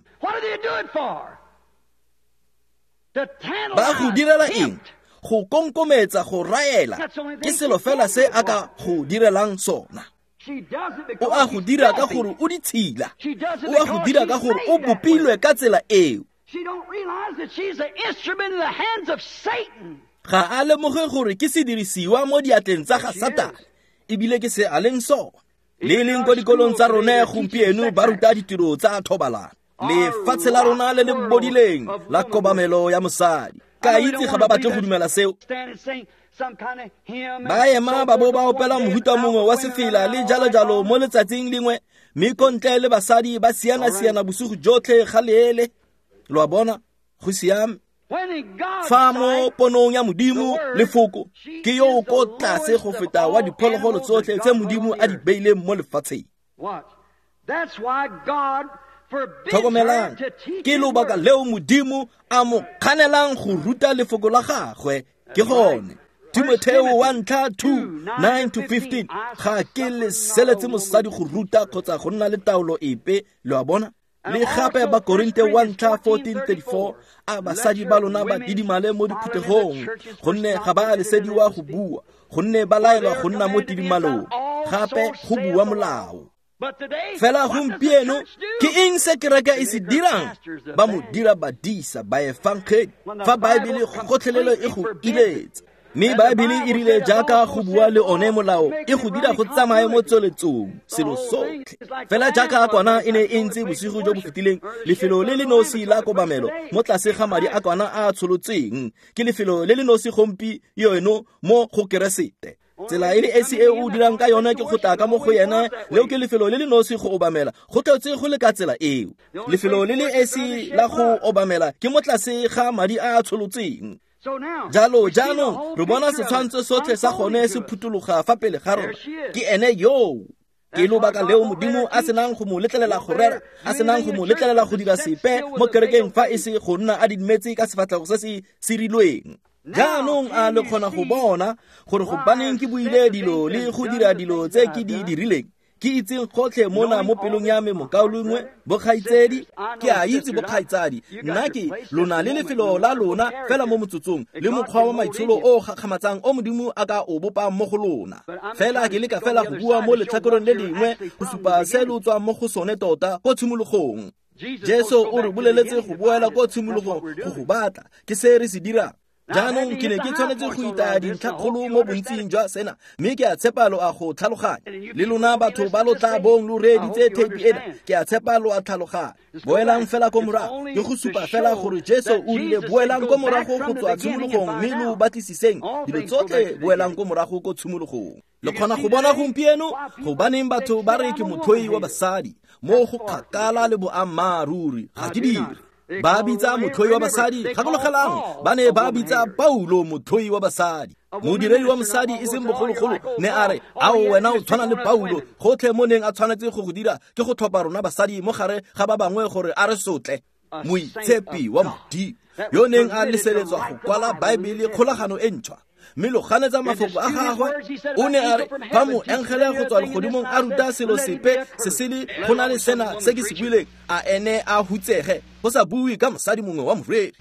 Speaker 1: Ba go direla eng? Go konkometsa, go raela. Ke selo fela se a ka go direlang sona. O a go dira ka gore o ditshila, o a go dira ka gore o bopilwe ka tsela eo. Ga a lemoge gore ke sedirisiwa mo diatleng tsa ga Satane, ebile ke se a leng sona. Le leng ko dikolong tsa rone gompieno ba ruta ditiro tsa thobalano. Lefatshe la rona le le bodileng la kobamelo ya mosadi. Ka itse ga ba batle go dumela seo. Ba ema ba bo ba opela mohuta mongwe wa sefela le jalo-jalo mo letsatsing lengwe, mme ko ntle le basadi ba siana-siana bosigo jotlhe ga leele. Lo a bona? Go siame. Fa mo ponong ya Modimo, lefoko ke yo o ko tlase go feta wa diphologolo tsotlhe tse Modimo a di beileng mo lefatsheng. Tlhokomelang, ke lobaka leo Modimo a mo kganelang go ruta lefoko la gagwe. Ke gone. Timotheo wa ntlha two nine to fifteen, ga ke leseletse mosadi go ruta kgotsa go nna le taolo epe. Lo a bona? Le gape Bakorinte wa ntlha fourteen thirty-four, a basadi ba lona ba didimale mo diphuthegong, gonne ga ba lesediwa go bua, gonne ba laelwa go nna mo tidimalong. Gape go bua molao. Fela gompieno ke eng se kereke e se dirang? Ba mo dira badisa ba efangedi, fa Baebele gotlhelelo e go iletsa. Mme Baebele e rile jaaka go bua le one molao e go dira go tsamaye mo tsweletsong, selo sotlhe. Fela jaaka kwana e ne e ntse bosigo jo bo fetileng, lefelo le le nosi la kobamelo mo tlase ga madi a kwana a tsholotsweng ke lefelo le le nosi gompieno mo go Keresete. Tsela e le esi e o dirang ka yone ke go tla ka mo go yena, leo ke lefelo le le nosi go obamela. Go tletse go le ka tsela eo. Lefelo le le esi la go obamela ke mo tlase ga madi a a tsholotsweng. Jalo jaanong re bona setshwantsho sotlhe sa gone se phutologa fa pele ga rona. Ke ene yoo. Ke lobaka leo Modimo a senang go mo letlelela go rera, a senang go mo letlelela go dira sepe mo kerekeng fa e se go nna a didimetse ka sefatlhego se se sirilweng. Jaanong a le kgona go bona gore gobaneng ke buile dilo le go dira dilo tse ke di dirileng? Ke itseng gotlhe mona mo pelong ya me, mokaulengwe, bokgaitsedi, ke a itse bokgaitsadi, nna ke lona le lefelo la lona fela mo motsotsong le mokgwa wa maitsholo o gakgamatsang o Modimo a ka o bopang mo go lona. Fela ke leka fela go bua mo letlhakoreng le lengwe go supa se lo tswang mo go sone tota ko tshimologong. Jesu o re boleletse go boela ko tshimologong go go batla, ke se re se dirang. Jaanong ke ne ke tshwanetse go itaya dintlhakgolo mo bontsing jwa sena, mme ke a tshepa lo a go tlhaloganya. Le lona batho ba lo tla bong lo reeditse theipi ena, ke a tshepa lo a tlhaloganya. Boelang fela ko morago, ke go supa fela gore Jesu o rile boelang ko morago go tswa tshimologong, mme lo batlisiseng dilo tsotlhe, boelang ko morago ko tshimologong. Le kgona go bona gompieno gobaneng batho ba re ke motlhoi wa basadi, mo go kgakala le boammaaruri, ga ke dire. Ba bitsa motlhoi wa basadi, gakologelang, ba ne ba bitsa Paulo motlhoi wa basadi. Modiredi wa mosadi e seng bogologolo ne a re, ao wena o tshwana le Paulo, gotlhe mo neng a tshwanetse go go dira ke go tlhopha rona basadi mo gare ga ba bangwe gore a re sotle. Moitshepi wa Modimo yo neng a leseletswa go kwala Baebele kgolagano e ntšhwa, mme lo ganetsa mafoko a gagwe. O ne a re fa moengele go tswa legodimong a ruta selo sepe se sele go na le sena se ke se buileng, a ene a hutsege, go sa bue ka mosadi mongwe wa moreri.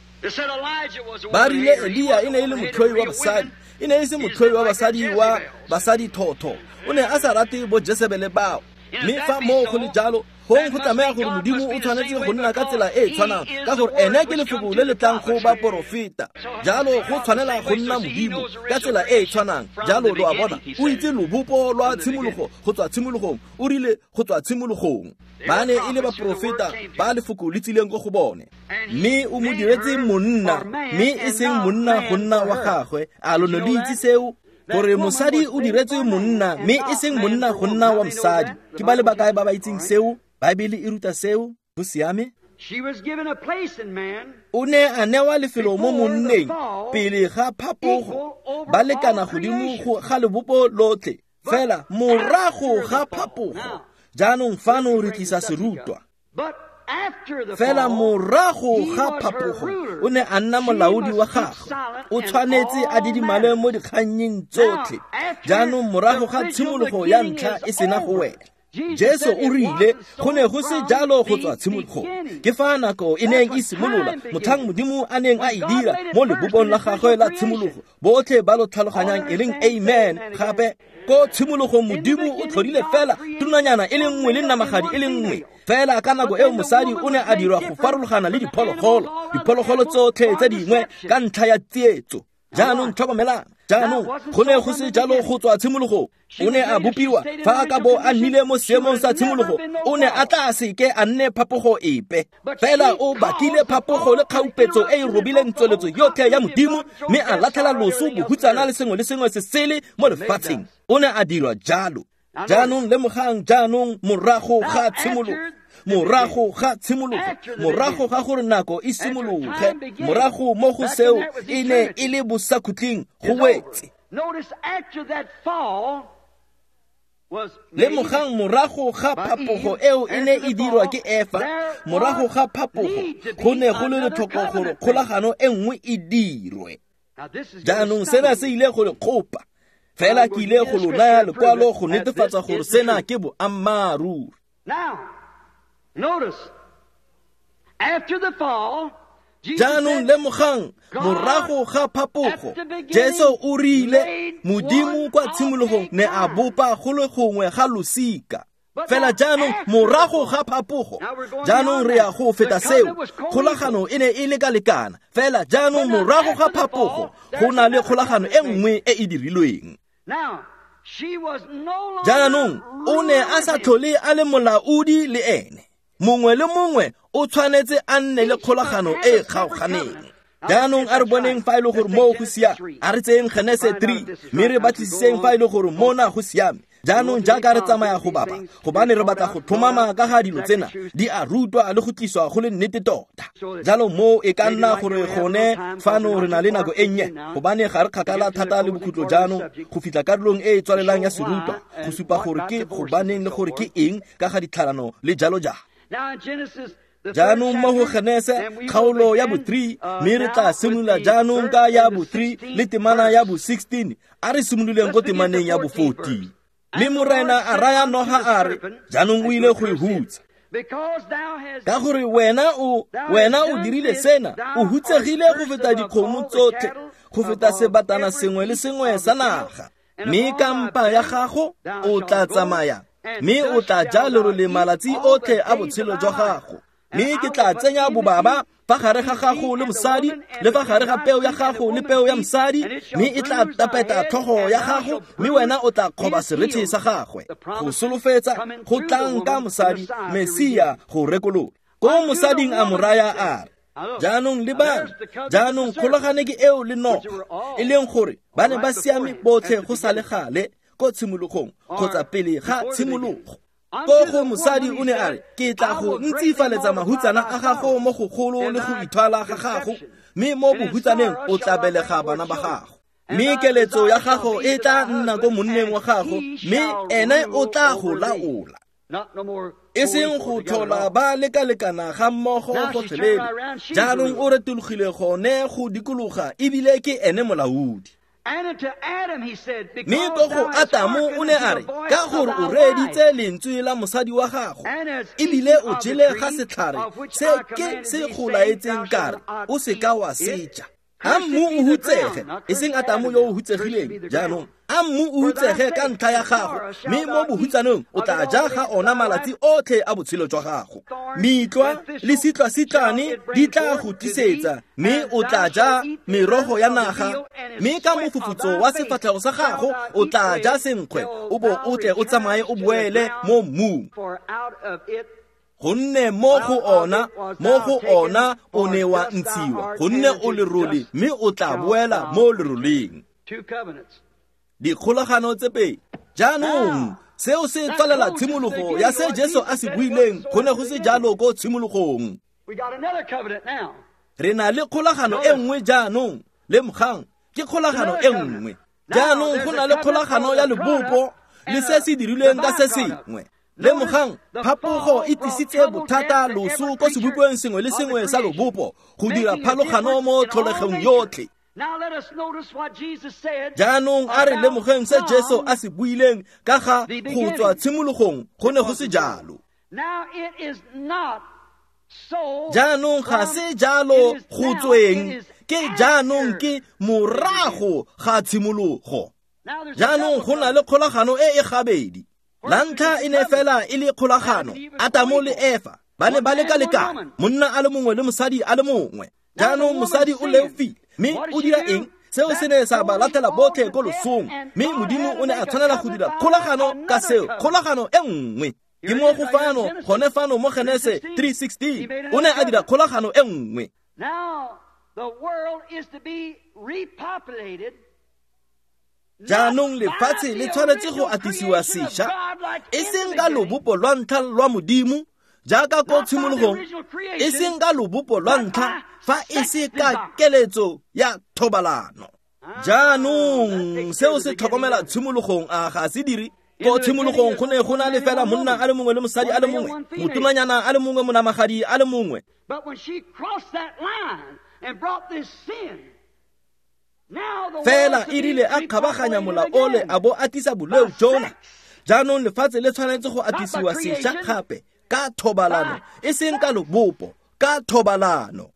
Speaker 1: Ba rile Elia e ne e le motlhoi wa basadi, e ne e se motlhoi wa basadi wa basadi thotho, o ne a sa rate bo Jesebele bao. Mme fa moo go le jalo, gong go tlameha gore Modimo o tshwanetse go nna ka tsela e e tshwanang, ka gore ene ke lefoko le le tlang go baporofeta. Jalo go tshwanela go nna Modimo ka tsela e e tshwanang. Jalo lo a bona, o itse lobopo lwa tshimologo go tswa tshimologong, o rile go tswa tshimologong. Ba ne e le baporofeta ba lefoko le tsileng ko go bone, mme o mo diretse monna, mme e seng monna go nna wa gagwe. A lo ne lo itse seo? Gore mosadi o diretswe monna, mme e seng monna go nna wa mosadi. Ke ba le bakae ba ba itseng seo? Baebele e ruta seo, go siame. O ne a newa lefelo mo monneng pele ga phapogo, ba lekana godimo ga lebopo lotlhe, fela morago ga phapogo. Jaanong fano re tlisa serutwa. Fela morago ga phapogo o ne a nna molaodi wa gagwe, o tshwanetse a didimale mo dikgannyeng tsotlhe. Jaanong morago ga tshimologo ya ntlha e sena go wela, Jesu o rile go ne go se jalo go tswa tshimologong. Ke fa nako e neng e simolola, motlhang Modimo a neng a e dira mo lebopong la gagwe la tshimologo. Botlhe ba lo tlhaloganyang e leng amen. Gape ko tshimologong Modimo o tlhodile fela tonanyana e le nngwe le namagadi e le nngwe. Fela ka nako eo mosadi o ne a dirwa go farologana le diphologolo, diphologolo tsotlhe tse dingwe ka ntlha ya tsietso. Jaanong tlhokomelang, jaanong go ne go se jalo go tswa tshimologong. O ne a bopiwa fa a ka bo a nnile mo seemong sa tshimologo, o ne a tla seke a nne phapogo epe. Fela o bakile phapogo le kgaupetso e e robileng tsweletso yotlhe ya Modimo, mme a latlhela loso, bohutsana le sengwe le sengwe se sele mo lefatsheng. O ne a dirwa jalo. Jaanong lemogang, jaanong morago ga tshimologo, morago ga tshimologo, morago ga gore nako e simologe, morago mo go seo e ne e le bosakhutleng go wetse. Lemogang morago ga phapogo eo e ne e dirwa ke Efa, morago ga phapogo go ne go le letlhoko gore kgolagano e nngwe e dirwe. Jaanong sena se ile go le kgopa, fela ke ile go lo naya lekwalo go netefatsa gore sena ke boammaaruri. Jaanong lemogang, morago ga phapogo, Jesu o rile Modimo kwa tshimologong ne a bopa go le gongwe ga losika. Fela jaanong morago ga phapogo, jaanong re ya go feta seo, kgolagano e ne e leka-lekana. Fela jaanong morago ga phapogo go na le kgolagano e nngwe e e dirilweng. Jaanong o ne a sa tlhole a le molaodi le ene. Mongwe le mongwe o tshwanetse a nne le kgolagano e e kgaoganeng. Jaanong a re boneng fa e le gore moo go siame, a re tseyeng Genese three, mme re batlisiseng fa e le gore mona go siame. Jaanong jaaka re tsamaya go bapa, gobane re batla go tlhomama ka ga dilo tsena, di a rutwa le go tliswa go le nnete tota. Jalo moo e ka nna gore gone fano re na le nako e nnye, gobane ga re kgakala thata le bokhutlo jaanong go fitlha karolong e e tswalelang ya serutwa, go supa gore ke gobaneng le gore ke eng ka ga ditlhalano le jalo jalo. Jaanong mo go Genese kgaolo ya bo three, mme re tla simolola jaanong ka ya bo three le temana ya bo sixteen. A re simololeng ko temaneng ya bo fourteen. Mme Morena a raya noga a re, jaanong o ile go e hutsa. Ka gore wena o wena o dirile sena, o hutsegile go feta dikgomo tsotlhe, go feta sebatana sengwe le sengwe sa naga. Mme ka mpa ya gago o tla tsamaya, mme o tla ja lerole malatsi otlhe a botshelo jwa gago. Mme ke tla tsenya bobaba fa gare ga gago le mosadi, le fa gare ga peo ya gago le peo ya mosadi, mme e tla tapeta tlhogo ya gago, mme wena o tla kgoba serethe sa gagwe. Go solofetsa go tlang ka mosadi, Mesia go rekolola. Ko mosading a mo raya a re, jaanong lebang, jaanong kgolagane ke eo le noga, e leng gore ba ne ba siame botlhe go sa le gale ko tshimologong kgotsa pele ga tshimologo. Ko go mosadi o ne a re, ke tla go ntsifaletsa mahutsana a gago mo go golo le go ithwala ga gago, mme mo bohutsaneng o tla belega bana ba gago. Mme keletso ya gago e tla nna ko monneng wa gago, mme ene o tla go laola. E seng go tlhola ba lekalekana ga mmogo gotlhelele. Jaanong o retologile gone go dikologa, ebile ke ene molaodi. Mme ko go Atamo o ne a re, ka gore o reeditse lentswe la mosadi wa gago, ebile o jele ga setlhare se ke se go laetseng ka re, o seka wa se ja. A mmu o hutsege, e seng Atamo yo o hutsegileng jaanong, a mmu o hutsege ka ntlha ya gago, mme mo bohutsaneng o tla ja ga ona malatsi otlhe a botshelo jwa gago. Mitlwa le sitlwa-sitlwane di tla go tlisetsa, mme o tla ja merogo ya naga, mme ka mofufutso wa sefatlhego sa gago o tla ja senkgwe, o bo o tle o tsamaye o boele mo mmung. Gonne mo go ona, mo go ona o ne wa ntshiwa, gonne o lerole, mme o tla boela mo leroleng. Dikgolagano tse pedi. Jaanong seo se tswalela tshimologo ya se Jesu a se buileng, go ne go se jalo ko tshimologong. Re na le kgolagano e nngwe jaanong, lemogang, ke kgolagano e nngwe. Jaanong go na le kgolagano ya lebopo le se se dirilweng ka se sengwe. Lemogang, phapogo e tlisitse bothata loso ko sebopeng sengwe le sengwe sa lobopo go dira phalogano mo tlholegong yotlhe. Jaanong a re lemogeng se Jesu a se buileng ka ga go tswa tshimologong, go ne go se jalo. Jaanong ga se jalo go tsweng, ke jaanong ke morago ga tshimologo. Jaanong go na le kgolagano e e gabedi. La ntlha e ne fela e le kgolagano, Atamo le Efa ba ne ba lekalekana, monna a le mongwe le mosadi a le mongwe. Jaanong mosadi o leofile, mme o dira eng? Seo se ne sa ba latela botlhe ko losong, mme Modimo o ne a tshwanela go dira kgolagano ka seo, kgolagano e nngwe. Ke mo go fano, gone fano mo Genese three sixteen, o ne a dira kgolagano e nngwe. Jaanong lefatshe le tshwanetse go atisiwa sešwa, e seng ka lobopo lwa ntlha lwa Modimo jaaka ko tshimologong, e seng ka lobopo lwa ntlha fa e se ka keletso ya thobalano. Jaanong seo se tlhokomela tshimologong, a ga se dire? Ko tshimologong go ne go na le fela monna a le mongwe le mosadi a le mongwe, motonanyana a le mongwe, monamagadi a le mongwe. Fela e rile a kgabaganya mola ole a bo atisa boleo jona. Jaanong lefatshe le tshwanetse go atisiwa sešwa gape ka thobalano, e seng ka lobopo, ka thobalano.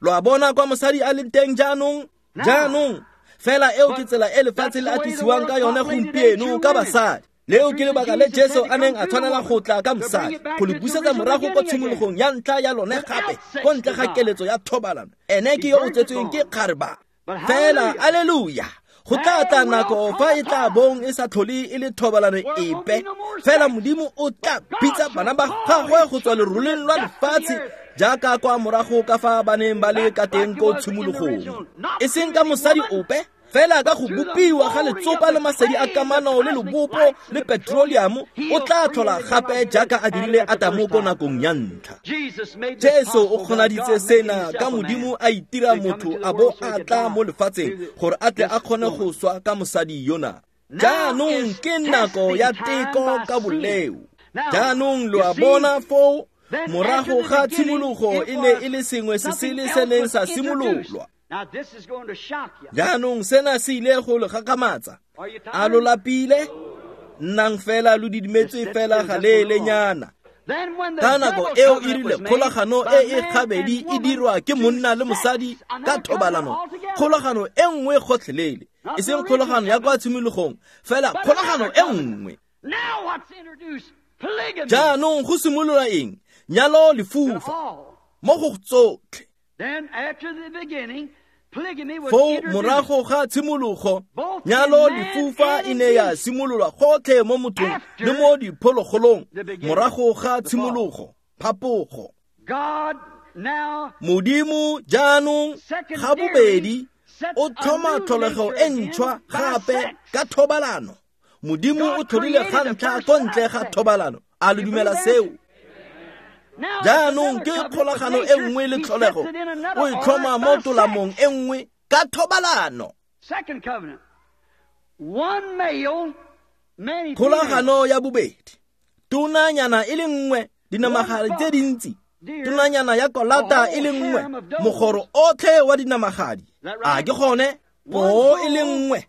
Speaker 1: Lo a bona kwa mosadi a leng teng jaanong? Jaanong fela eo ke tsela e lefatshe le atisiwang ka yone gompieno ka basadi. Leo ke lebaka le Jesu a neng a tshwanela go tla ka mosadi, go le busetsa morago ko tshimologong ya ntlha ya lone gape, ko ntle ga keletso ya thobalano. Ene ke yo o tsetsweng ke kgareba. Fela, alleluia, go tla tla nako fa e tla bong e sa tlhole e le thobalano epe. Fela Modimo o tla bitsa bana ba gagwe go tswa leroleng lwa lefatshe, jaaka kwa morago ka fa ba neng ba le ka teng ko tshimologong. E seng ka mosadi ope, fela ka go bopiwa ga letsopa le masedi a kamano le lobopo le petroleum, o tla tlhola gape jaaka a dirile Atamo ko nakong ya ntlha. Jesu o kgonaditse sena ka Modimo a itira motho a bo a tla mo lefatsheng gore a tle a kgone go swa ka mosadi yona. Jaanong ke nako ya teko ka boleo. Jaanong lo a bona foo, morago ga tshimologo e ne e le sengwe se sele se neng sa simololwa. Jaanong sena se ile go le gakgamatsa. A lo lapile? Nnang fela lo didimetse fela ga leelenyana. Ka nako eo e rile kgolagano e e gabedi e dirwa ke monna le mosadi ka thobalano, kgolagano e nngwe gotlhelele, e seng kgolagano ya kwa tshimologong, fela kgolagano e nngwe. Jaanong go simolola eng? Nyalo lefufa mo go tsotlhe. Foo morago ga tshimologo, nyalo lefufa e ne ya simololwa gotlhe mo mothong le mo diphologolong. Morago ga tshimologo, phapogo. Modimo jaanong ga bobedi o tlhoma tlholego e ntšhwa gape ka thobalano. Modimo o tlhodile ga ntlha ko ntle ga thobalano. A lo dumela seo? Jaanong ke kgolagano e nngwe le tlholego, o e tlhoma mo tolamong e nngwe ka thobalano. Kgolagano ya bobedi, tonanyana e le nngwe, dinamagadi tse dintsi, tonanyana ya kolata e le nngwe, mogoro otlhe wa dinamagadi. A ke gone? Poo e le nngwe,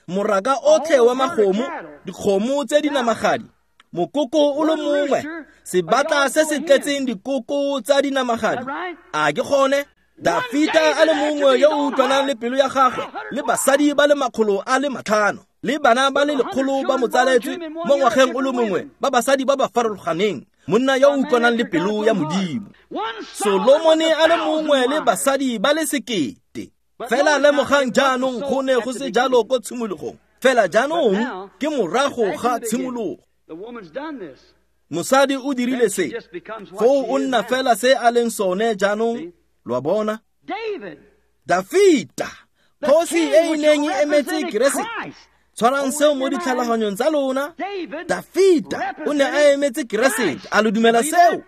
Speaker 1: moraka otlhe wa magomo, dikgomo tse dinamagadi, mokoko o le mongwe, sebatla se se tletseng dikoko tsa dinamagadi. A ke gone? Dafita a le mongwe yo o utlwanang le pelo ya gagwe, le basadi ba le makgolo a le matlhano, le bana ba le lekgolo ba mo tsaletswe mo ngwageng o le mongwe, ba basadi ba ba farologaneng, monna yo o utlwanang le pelo ya Modimo. Solomone a le mongwe le basadi ba le sekete. Fela lemogang jaanong go ne go se jalo ko tshimologong, fela jaanong ke morago ga tshimologo. Mosadi o dirile se, foo o nna fela se a leng sone jaanong. Lo a bona? Dafita, kgosi e e neng e emetse Keresete. Tshwarang seo mo ditlhaloganyong tsa lona. Dafita o ne a emetse Keresete. A lo dumela seo?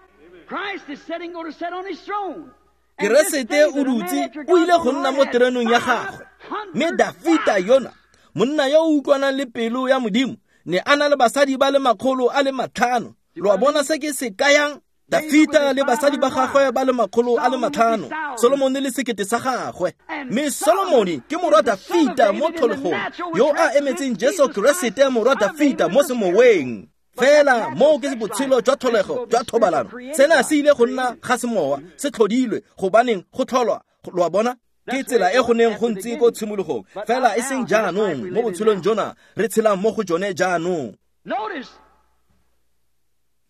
Speaker 1: Keresete o dutse, o ile go nna mo terenong ya gagwe. Mme Dafita yona, monna yo o utlwanang le pelo ya Modimo, ne a na le basadi ba le makgolo a le matlhano. Lo a bona se ke se kayang? Dafita le basadi ba gagwe ba le makgolo a le matlhano, Solomone le sekete sa gagwe. Mme Solomone ke morwa Dafita mo tlholegong, yo a emetseng Jesu Keresete morwa Dafita mo semoweng. Fela moo ke botshelo jwa tlholego jwa thobalano. Sena se ile go nna ga semowa, se tlhodilwe gobaneng go tlholwa. Lo a bona? Ke tsela e go neng go ntse ko tshimologong, fela e seng jaanong mo botshelong jona re tshelang mo go jone jaanong.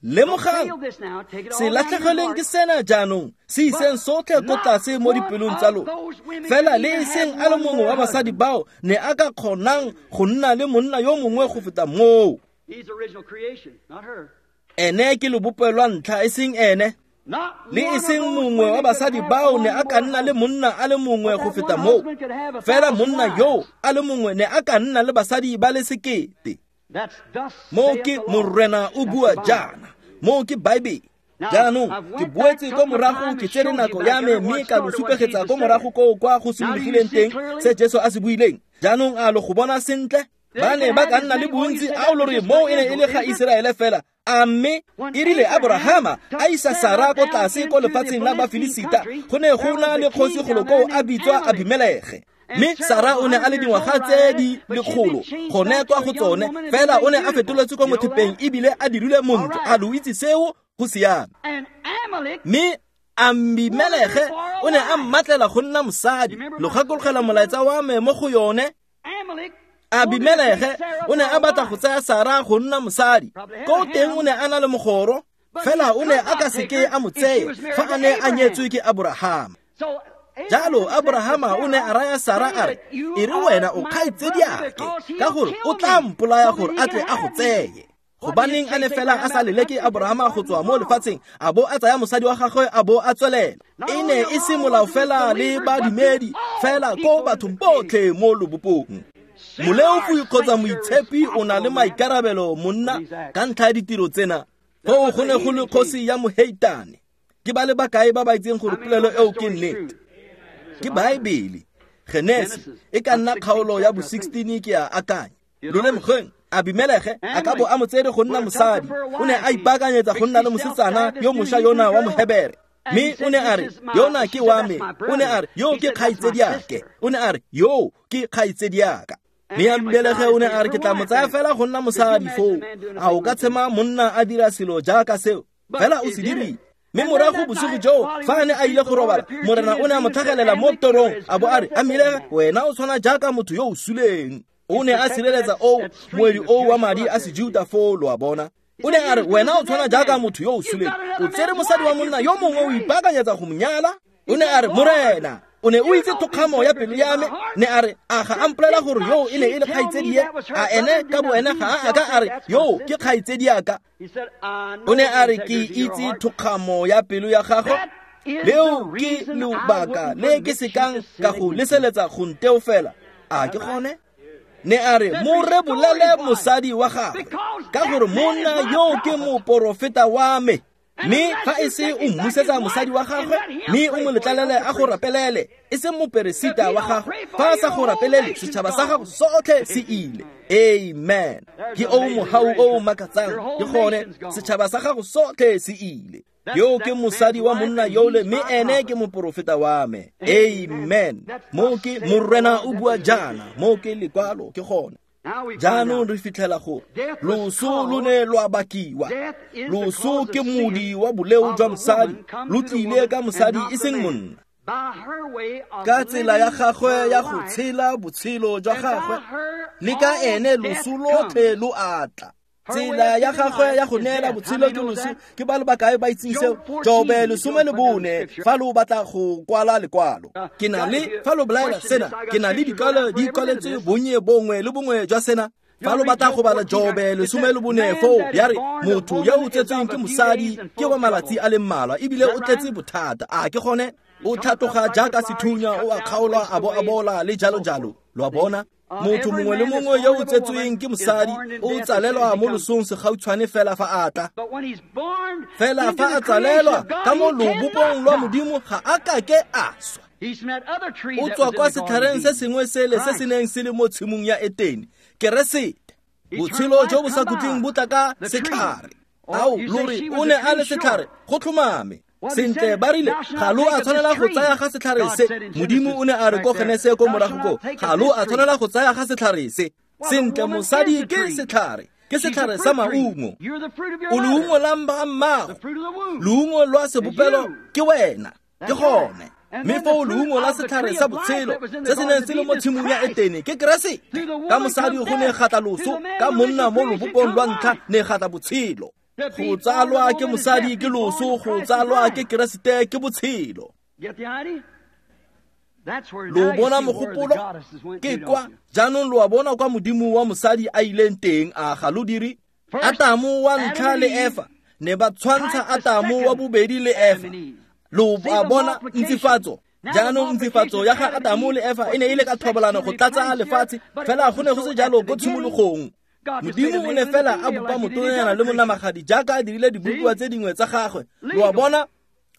Speaker 1: Lemogang, se latlhegelweng ke sena jaanong, se iseng sotlhe ko tlase mo dipelong tsa lona. Fela le e seng a le mongwe wa basadi bao ne a ka kgonang go nna le monna yo mongwe go feta moo. Ene ke lebopo lwa ntlha, e seng ene. Le e seng mongwe wa basadi bao ne a ka nna le monna a le mongwe go feta moo. Fela monna yo a le mongwe ne a ka nna le basadi ba le sekete. Moo ke Morena o bua jaana, moo ke Baebele. Jaanong ke boetse ko morago, ke tsere nako ya me mme ka lo supegetsa ko morago koo kwa go simologileng teng se Jesu a se buileng. Jaanong a lo go bona sentle? Ba ne ba ka nna le bontsi, a o lo re moo e ne e le ga Iseraele fela. A mme e rile Abrahama a isa Sara ko tlase ko lefatsheng la Bafilisita, go ne go na le kgosi golo koo a bitswa Abimelege. Mme Sara o ne a le dingwaga tse di lekgolo gone kwa go tsone, fela o ne a fetoletswe kwa mothepeng ebile a dirilwe montle. A lo itse seo? Go siame. Mme Abimelege o ne a mmatlela go nna mosadi. Lo gakologela molaetsa wa me mo go yone? Abimelege o ne a batla go tsaya Sara go nna mosadi. Ko teng o ne a na le mogoro, fela o ne a ka seke a mo tseye fa a ne a nyetswe ke Abrahama. Jalo Abrahama o ne a raya Sara a re, e re wena o kgaitsediake, ka gore o tla mpolaya gore a tle a go tseye. Gobaneng a ne fela a sa leleke Abrahama go tswa mo lefatsheng, a bo a tsaya mosadi wa gagwe a bo a tswelela. E ne e se molao fela le badumedi, fela ko bathong botlhe mo lobopong. Moleofi kgotsa moitshepi o na le maikarabelo monna ka ntlha ya ditiro tsena. Foo go ne go le kgosi ya moheitane. Ke ba le bakae ba ba itseng gore polelo eo ke nnete? Ke Baebele. Genesi e ka nna kgaolo ya bo sixteen ke a akanya. Lo lemogeng, Abimelege a ka bo a mo tsere go nna mosadi. O ne a ipaakanyetsa go nna le mosetsana yo mošwa yona wa Mohebere. Mme o ne a re, yona ke wa me. O ne a re, yo ke kgaitsediake. O ne a re, yo ke kgaitsediaka. Mme Abimelege o ne a re, ke tla mo tsaya fela go nna mosadi foo. A o ka tshema monna a dira selo jaaka seo? Fela o se dirile. Mme morago bosigo joo, fa a ne a ile go robala, Morena o ne a mo tlhagelela mo torong, a bo a re, Abimelege, wena o tshwana jaaka motho yo o suleng. O ne a sireletsa o moedi o wa madi a Sejuta foo, lo a bona. O ne a re, wena o tshwana jaaka motho yo o suleng. O tsere mosadi wa monna yo mongwe o ipaakanyetsa go mo nyala. O ne a re, Morena, o ne o itse thokgamo ya pelo ya me. Ne a re, a ga a mpolela gore yo e ne e le kgaitsedie? A ene ka bo ene ga a a ka a re, yo ke kgaitsediaka? O ne a re, ke itse thokgamo ya pelo ya gago. Leo ke lobaka le ke sekang ka go leseletsa go nteo fela. A ke gone? Ne a re, mo rebolele mosadi wa gagwe, ka gore monna yo ke moporofeta wa me. Mme fa e se o mmusetsa mosadi wa gagwe, mme o mo letlalele a go rapelele, e seng moperesita wa gagwe. Fa a sa go rapelele, setšhaba sa gago sotlhe se ile. Amen. Ke o mohau o makatsang, ke gone, setšhaba sa gago sotlhe se ile. Yo ke mosadi wa monna yole, mme ene ke moporofeta wa me. Amen. Mo ke Morena o bua jaana, mo ke lekwalo, ke gone. Jaanong re fitlhela gore loso lo ne lwa bakiwa. Loso ke modi wa boleo jwa mosadi, lo tlile ka mosadi e seng monna. Ka tsela ya gagwe ya go tshela botshelo jwa gagwe, le ka ene loso lotlhe lo atla. Tsela ya gagwe ya go neela botshelo ke loso. Ke ba le bakae ba itseng seo? Jobe lesome le bone, fa lo batla go kwala lekwalo. Ke na le, fa lo bolaela sena, ke na le dikwalo di kwaletswe bonnye bongwe le bongwe jwa sena. Fa lo batla go bala Jobe lesome le bone foo, ya re, motho yo o tsetsweng ke mosadi ke wa malatsi a le mmalwa, ebile o tletse bothata. A ke gone? O tlhatoga jaaka sethunya, o a kgaolwa, a bo a bola, le jalo jalo. Lo a bona? Motho mongwe le mongwe yo o tsetsweng ke mosadi o tsalelwa mo losong segautshwane fela fa a tla. Fela fa a tsalelwa ka mo lobopong lwa Modimo, ga a kake a swa. O tswa kwa setlhareng se sengwe sele se se neng se le mo tshimong ya Etene, Keresete. Botshelo jo bo sa khutleng bo tla ka setlhare. Ao, lo re o ne a le setlhare, go tlhomame. Sentle ba rile, ga lo a tshwanela go tsaya ga setlhare se. Modimo o ne a re ko Genese ko morago ko, ga lo a tshwanela go tsaya ga setlhare se. Sentle mosadi ke setlhare, ke setlhare sa maungo. O leungo la mmago, leungo lwa sebopelo ke wena, ke gone. Mme foo leungo la setlhare sa botshelo se se neng se le mo tshimong ya Etene ke Keresete. Ka mosadi go ne ga tla loso, ka monna mo lobopong lwa ntlha ne ga tla botshelo. Go tsalwa ke mosadi ke loso, go tsalwa ke Keresete ke botshelo. Lo bona mogopolo? Ke kwa jaanong lo a bona kwa Modimo wa mosadi a ileng teng, a ga lo dire? Atamo wa ntlha le Efa ne ba tshwantsha Atamo wa bobedi le Efa. Lo a bona ntsifatso? Jaanong ntsifatso ya ga Atamo le Efa e ne e le ka thobalano go tlatsa lefatshe, fela go ne go se jalo ko tshimologong. Modimo o ne fela a bopa motonanyana le monamagadi jaaka a dirile dibopiwa tse dingwe tsa gagwe. Lo a bona?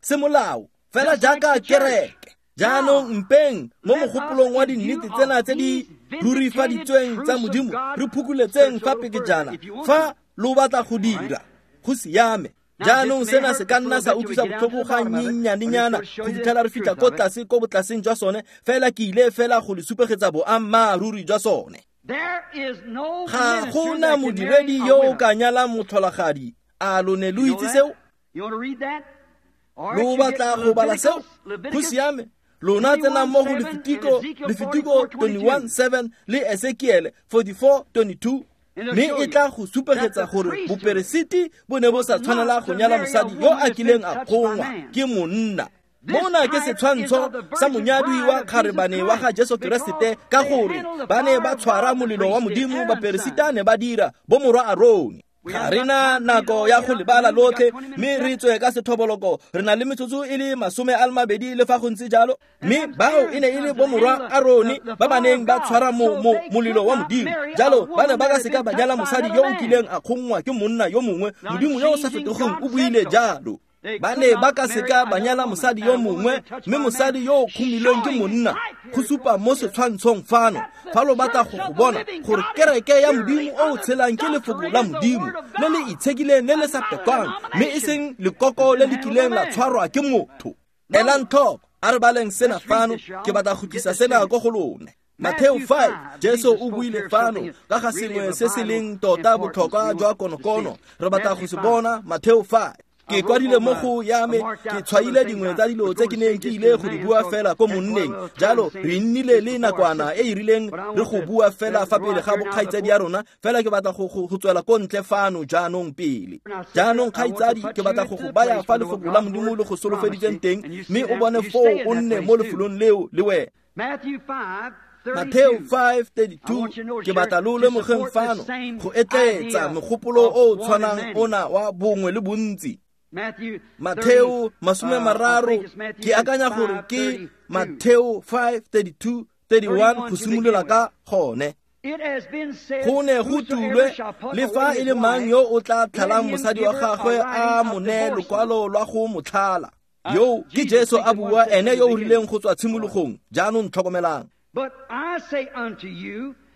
Speaker 1: Semolao, fela jaaka kereke. Jaanong mpeng mo mogopolong wa dinnete tsena tse di rurifaditsweng tsa Modimo, re phukuletseng fa pekejana fa lo batla go dira. Go siame. Jaanong sena se ka nna sa utlwisa botlhoko ga nnyennyane-nyana go fitlhela re fitlha ko tlase ko botlaseng jwa sone, fela ke ile fela go le supegetsa boammaaruri jwa sone. Ga go na modiredi yo o ka nyalang motlholagadi. A lo ne lo itse seo? Lo batla go bala seo? Go siame. Lona tsenang mo go Lefitiko, Lefitiko twenty-one seven le Ezekiele forty-four twenty-two. Mme e tla go supegetsa gore boperesiti bo ne bo sa tshwanela go nyala mosadi yo a kileng a kgongwa ke monna. Mona ke setshwantsho sa monyadi wa kgarebane wa ga Jesu Keresete, ka gore ba ne ba tshwara molelo wa Modimo, baperesita ne ba dira bo morwa Arone. Ga re na nako ya go lebala lotlhe, mme re tswe ka sethoboloko. Re na le metsotso e le masome a le mabedi le fa go ntse jalo. Mme bao e ne e le bomorwa Arone ba ba neng ba tshwara mo, mo, molelo wa Modimo. Jalo ba ne ba ka seka ba nyala mosadi yo o kileng a kgongwa ke monna yo mongwe. Modimo yo o sa fetogeng o buile jalo. Ba ne ba ka seka ba nyala mosadi yo mongwe, mme mosadi yo o kgomilweng ke monna. Go supa mo setshwantshong fano, fa lo batla go go bona gore kereke ya Modimo o o tshelang ke lefoko la Modimo le le itshekileng le le sa pekwang, mme e seng lekoko le le kileng la tshwarwa ke motho. Elang tlhoko, a re baleng sena fano, ke batla go tlisa sena ko go lone. Matthew five, Jesu o buile fano ka ga sengwe se se leng tota botlhokwa jwa konokono. Re batla go se bona Matthew five. Ke kwadile mo go ya me, ke tshwaile dingwe tsa dilo tse ke neng ke ile go di bua fela ko monneng. Jalo re nnile le nakwana e e rileng re go bua fela fa pele ga bokgaitsadi ya rona, fela ke batla go go tswela ko ntle fano jaanong pele. Jaanong kgaitsadi, ke batla go go baya fa lefoko la Modimo le go solofeditseng teng, mme o bone foo o nne mo lefelong leo le wena. Matthew five thirty-two, ke batla lo lemogeng fano go etleetsa mogopolo o o tshwanang ona wa bongwe le bontsi. Matthew masome mararo, ke akanya gore ke Matthew five thirty-two thirty-one go simolola ka gone. Go ne go tulwe le fa e le mang yo o tla tlhalang mosadi wa gagwe a mo neye lokwalo lwa go mo tlhala. Yo ke Jesu a bua, ene yo o rileng go tswa tshimologong. Jaanong tlhokomelang.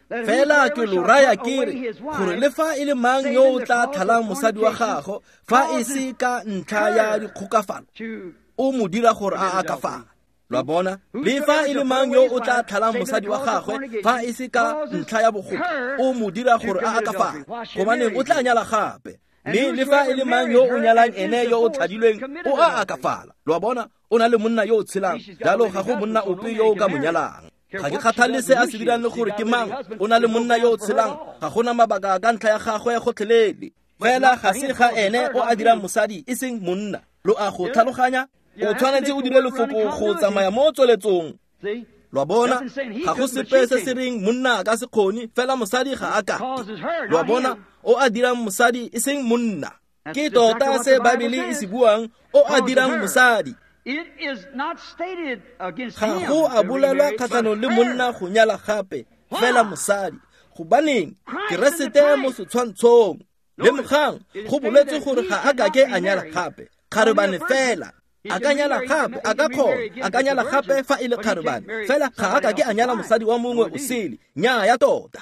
Speaker 1: Fela ke lo raya ke re gore le fa e le mang yo o tla tlhalang mosadi wa gagwe fa e se ka ntlha ya dikgokafalo, o mo dira gore a akafale. Lo a bona? Le fa e le mang yo o tla tlhalang mosadi wa gagwe fa e se ka ntlha ya bogoka, o mo dira gore a akafale, gobaneng o tla nyala gape. Mme le fa e le mang yo o nyalang ene yo o tlhadilweng, o a akafala. Lo a bona? O na le monna yo o tshelang, jalo ga go monna ope yo o ka mo nyalang. Ga ke kgathale se a se dirang le gore ke mang, o na le monna yo o tshelang, ga gona mabaka ka ntlha ya gagwe gotlhelele. Fela ga se ga ene o a dirang mosadi, e seng monna. Lo a go tlhaloganya? O tshwanetse o dire lefoko go tsamaya mo tsweletsong. Lo a bona? Ga go sepe se se reng monna a ka se kgone, fela mosadi ga a ka. Lo a bona? O a dirang mosadi, e seng monna. Ke tota se Baebele e se buang, o a dirang mosadi. Ga go a bolelwa kgatlhanong le monna go nyala gape, fela mosadi. Gobaneng? Keresete mo setshwantshong. Lemogang, go boletswe gore ga a kake a nyala gape, kgarebane fela. A ka nyala gape, a ka kgona, a ka nyala gape fa e le kgarebane, fela ga a kake a nyala mosadi wa mongwe o sele. Nnyaa ya tota.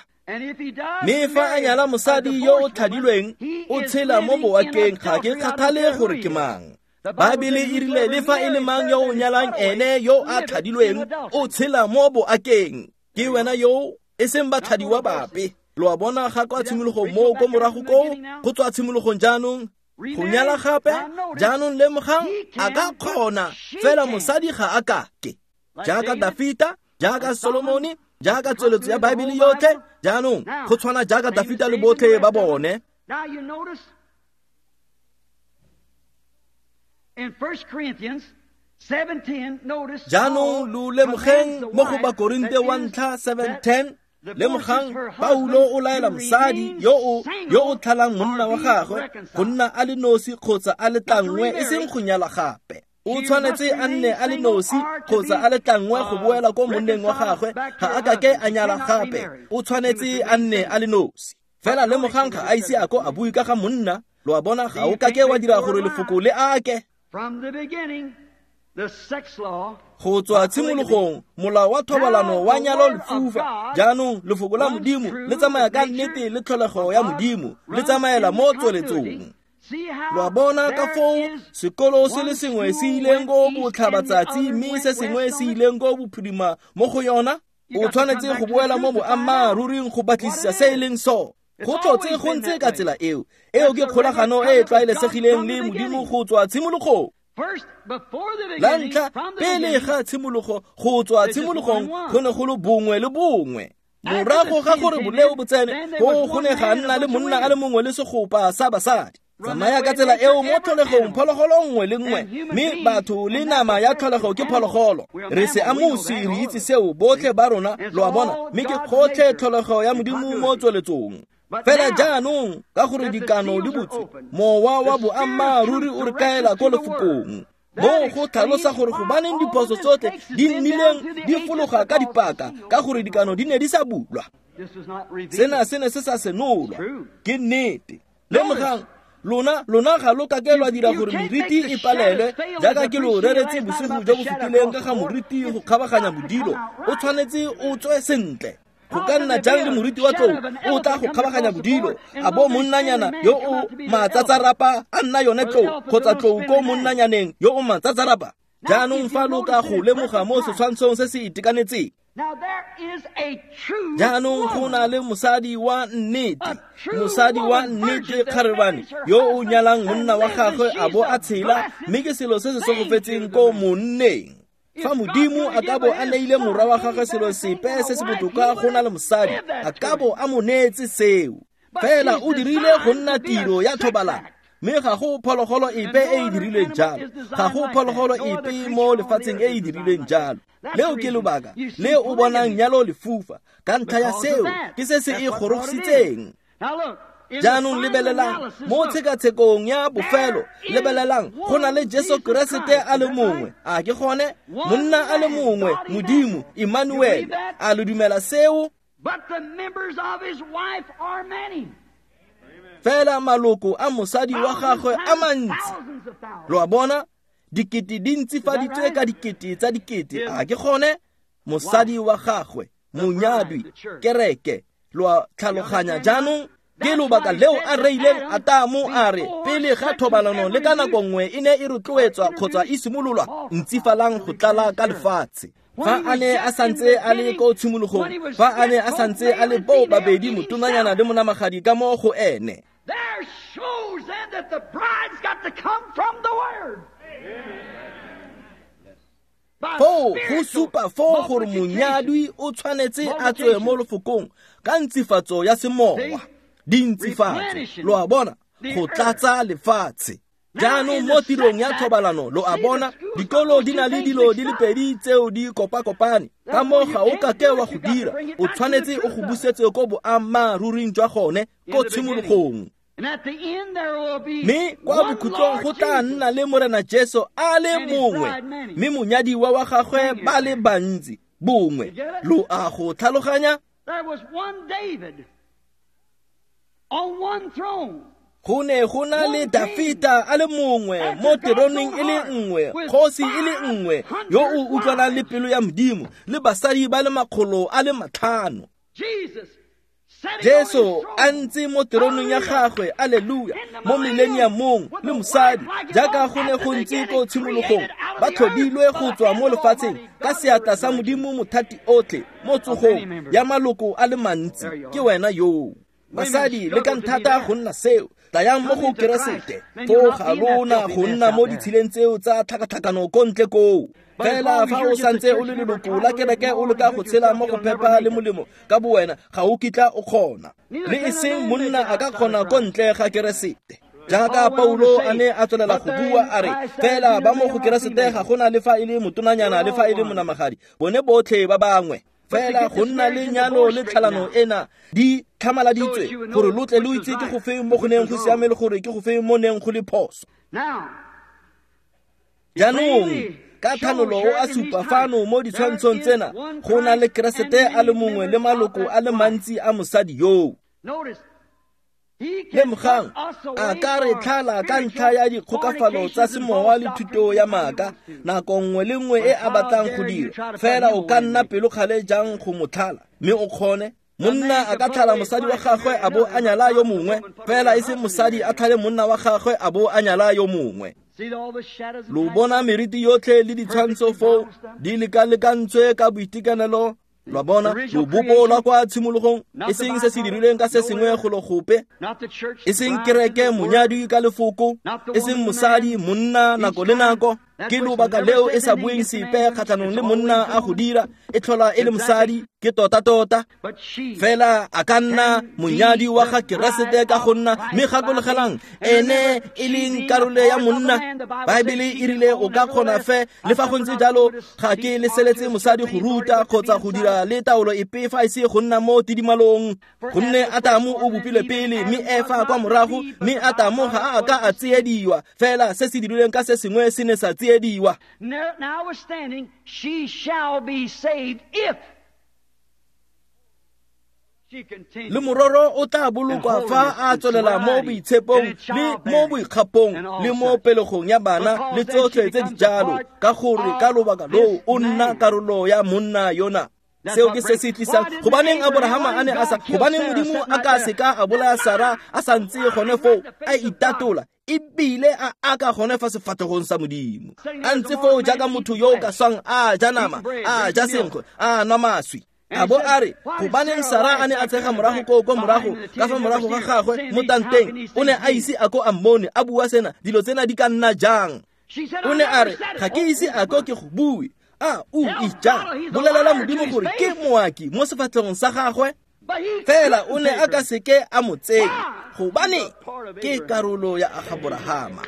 Speaker 1: Mme fa a nyala mosadi yo o tlhadilweng, o tshela mo boakeng, ga ke kgathale gore ke mang. Baebele e rile le fa e le mang yo o nyalang ene yo a tlhadilweng, o tshela mo boakeng. Ke wena yo, e seng batlhadiwa bape. Lo a bona ga kwa tshimologong moo ko morago koo, go tswa tshimologong jaanong. Go nyala gape, jaanong lemogang, a ka kgona, fela mosadi ga a kake. Jaaka Dafita, jaaka Solomone, jaaka tsweletso ya Baebele yotlhe, jaanong go tshwana jaaka Dafita le botlhe ba bone. Jaanong lo lemogeng mo go Bakorinte wa ntlha seven ten, lemogang Paulo o laela mosadi yo o yo o tlhalang monna wa gagwe go nna a le nosi kgotsa a le tlangwe, e seng go nyala gape. O tshwanetse a nne a le nosi kgotsa a le tlangwe go boela ko monneng wa gagwe, ga a kake a nyala gape. O tshwanetse a nne a le nosi. Fela lemogang ga a ise a ko a bue ka ga monna. Lo a bona? Ga o kake wa dira gore lefoko le ake. Go tswa tshimologong, molao wa thobalano wa nyalo lefufa. Jaanong lefoko la Modimo le tsamaya ka nnete le tlholego ya Modimo, le tsamaela mo tsweletsong. Lo a bona ka foo sekolo se le sengwe se ileng ko botlhabatsatsi, mme se sengwe se ileng ko bophirima mo go yona? O tshwanetse go boela mo boammaaruring go batlisisa se e leng sone. Go tlotse go ntse ka tsela eo. Eo ke kgolagano e e tlwaelesegileng le Modimo go tswa tshimologong. La ntlha, pele ga tshimologo, go tswa tshimologong go ne go le bongwe le bongwe. Morago ga gore boleo bo tsene, go go ne ga nna le monna a le mongwe le segopa sa basadi. Tsamaya ka tsela eo mo tlholegong, phologolo nngwe le nngwe, mme batho le nama ya tlholego ke phologolo. Re se amosi, re itse seo botlhe ba rona, lo a bona, mme ke gotlhe tlholego ya Modimo mo tsweletsong. Fela jaanong, ka gore dikano di butswe, mowa wa boammaaruri o re kaela ko lefokong. Mo go tlhalosa gore gobaneng diphoso tsotlhe di nnileng di fologa ka dipaka, ka gore dikano di ne di sa bulwa. Sena se ne se sa senolwa. Ke nnete. Lemogang, Lona lona ga lo ka ke lwa dira gore meriti e palelwe jaaka ke lo reretse bosigo jo bo fetileng ka ga moriti go kgabaganya bodilo o tshwanetse o tswe sentle. Go ka nna jang le moriti wa tlou o tla go kgabaganya bodilo a bo monnanyana yo o matsatsarapa a nna yone tlou kgotsa tlou ko monnanyaneng yo o matsatsarapa. Jaanong fa lo ka go lemoga mo setshwantshong se se itekanetseng. Jaanong go na le mosadi wa nnete, mosadi wa nnete kgarebane yo o nyalang monna wa gagwe a bo a tshela, mme ke selo se se segofetseng ko monneng. Fa Modimo a ka bo a neile morwa wa gagwe selo sepe se se botoka go na le mosadi, a ka bo a mo neetse seo. Fela o dirile go nna tiro ya thobalano, mme ga go phologolo epe e e dirileng jalo, ga go phologolo epe mo lefatsheng e e dirileng jalo. Leo ke lobaka le o bonang nyalo lefufa ka ntlha ya seo, ke se se e gorositseng. Jaanong lebelelang mo tshekatshekong ya bofelo, lebelelang go na le Jesu Keresete a le mongwe. A ke gone monna a le mongwe, Modimo Emmanuel. A lo dumela seo? Fela maloko a mosadi wa gagwe a mantsi. Lo a bona? Dikete di ntsifaditswe ka dikete tsa dikete. A ke gone mosadi wa gagwe, monyadwi, kereke. Lo a tlhaloganya jaanong? Ke lobaka leo a reileng Atamo a re pele ga thobalano le ka nako nngwe e ne e rotloetswa kgotsa e simololwa, ntsifalang go tlala ka lefatshe. Fa a ne a santse a le ko tshimologong, fa a ne a santse a le bo babedi motonanyana le monamagadi ka mo go ene.
Speaker 2: There shows then that the bride's got to come from the Word.
Speaker 1: Foo go supa foo gore monyadwi o tshwanetse a tswe mo lefokong ka ntsifatso ya semowa. Dintsifatso, lo a bona, go tlatsa lefatshe. Jaanong mo tirong ya thobalano, lo a bona, dikolo di na le dilo di le pedi tseo di kopakopane. Ka moo ga o ka ke wa go dira, o tshwanetse o go busetse ko boammaaruring jwa gone ko tshimologong. Mme kwa bokhutlong go tla nna le Morena Jesu a le mongwe, mme monyadiwa wa gagwe ba le bantsi bongwe. Lo a go tlhaloganya? Go ne go na le Dafita a le mongwe mo teroneng e le nngwe, kgosi e le nngwe yo o utlwanang le pelo ya Modimo, le basadi ba le makgolo a le matlhano. Jesu a ntse mo teroneng ya gagwe, alleluia, mo millenniumong le mosadi jaaka go ne go ntse ko tshimologong, ba tlhodilwe go tswa mo lefatsheng ka seatla sa Modimo mothati otlhe mo tsogong ya maloko a le mantsi. Ke wena yoo. Basadi le ka nthata go nna seo, tlayang mo go Keresete, foo ga lona go nna mo ditshileng tseo tsa tlhakatlhakano ko ntle koo. Fela fa o santse o le leloko la kereke o leka go tshela mo go phepa le molemo ka bowena, ga o kitla o kgona. Le e seng monna a ka kgona ko ntle ga Keresete. Jaaka Paulo a ne a tswelela go bua a re, fela ba mo go Keresete ga gona le fa e le motonanyana le fa e le monamagadi, bone botlhe ba bangwe. Fela go nna le nyalo le tlhalano ena di tlhamaladitswe gore lo tle lo itse ke go feng mo go neng go siame le gore ke go feng mo neng go le phoso. Jaanong ka thanolo o a supa fano mo ditshwantshong tsena go na le Keresete a le mongwe le maloko a le mantsi a mosadi yoo. Lemogang, a ka re tlhala ka ntlha ya dikgokafalo tsa semowa le thuto ya maaka nako nngwe le nngwe e a batlang go dira. Fela o ka nna pelokgale jang go mo tlhala mme o kgone? Monna a ka tlhala mosadi wa gagwe a bo a nyala yo mongwe, fela e se mosadi a tlhale monna wa gagwe a bo a nyala yo mongwe. Lo bona meriti yotlhe le ditshwantsho foo di lekalekantswe ka boitekanelo. Lo bona lobopo lwa kwa tshimologong, e seng se se dirilweng ka se sengwe go lo gope, e seng kereke monyadwi ka lefoko, e seng mosadi monna nako le nako. Ke lobaka leo e sa bueng sepe kgatlhanong le monna a go dira, e tlhola e le mosadi, ke tota-tota. Fela a ka nna monyadi wa ga Keresete ka go nna, mme gakologelang ene e leng karolo ya monna. Baebele e rile o ka kgona fe, le fa go ntse jalo ga ke leseletse mosadi go ruta kgotsa go dira le taolo epe fa e se go nna mo tidimalong. Gonne Atamo o bopilwe pele, mme Efa kwa morago, mme Atamo ga a ka a tsiediwa, fela se se dirilweng ka se sengwe se ne sa tsiediwa.
Speaker 2: Notwithstanding, she shall be saved if
Speaker 1: Le mororo o tla bolokwa fa a tswelela mo boitshepong le mo boikgapong le mo pelegong ya bana le tsotlhe tse di jalo, ka gore ka lobaka loo o nna karolo ya monna yona. Seo ke se se tlisang. Gobaneng Abrahama a ne a sa, gobaneng Modimo a ka seka a bolaya Sara a sa ntse gone foo a itatola ebile a aka gone fa sefatlhegong sa Modimo, a ntse foo jaaka motho yo o ka swang a ja nama, a ja senkgwe, a nwa maswi. A bo a re, gobaneng Sara a ne a tshega morago koo ko morago ka fa morago ga gagwe mo tanteng, o ne a ise a ko a mmone a bua sena, dilo tsena di ka nna jang? O ne a re, ga ke ise a ko ke go bue. A o ija, bolelela Modimo gore ke moaki mo sefatlhegong sa gagwe. Fela o ne a ka seke a mo tseye, gobane ke karolo ya Abrahama.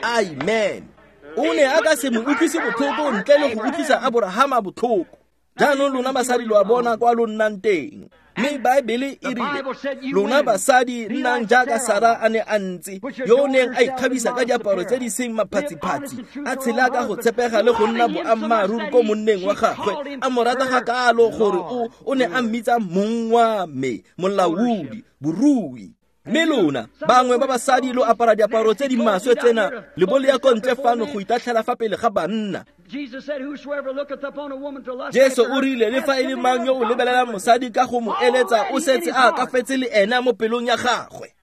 Speaker 1: Amen. O ne a ka se mo utlwise botlhoko ntle le go utlwisa Abrahama botlhoko. Jaanong lona basadi lo a bona kwa lo nnang teng. Mme Baebele e rile, lona basadi nnang jaaka Sara a ne a ntse, yo o neng a ikgabisa ka diaparo tse di seng maphatsiphatsi, a tshela ka go tshepega le go nna boammaaruri ko monneng wa gagwe, a mo rata gakalo gore o o ne a mmitsa mong wa me, molaodi, borui. Mme lona bangwe ba basadi lo apara diaparo tse di maswe tsena le bo le ya ko ntle fano go itatlhela fa pele ga banna. Jesu o rile, le fa e le mang yo o lebelelang mosadi ka go mo eletsa, o setse a ka fetse le ena mo pelong ya gagwe.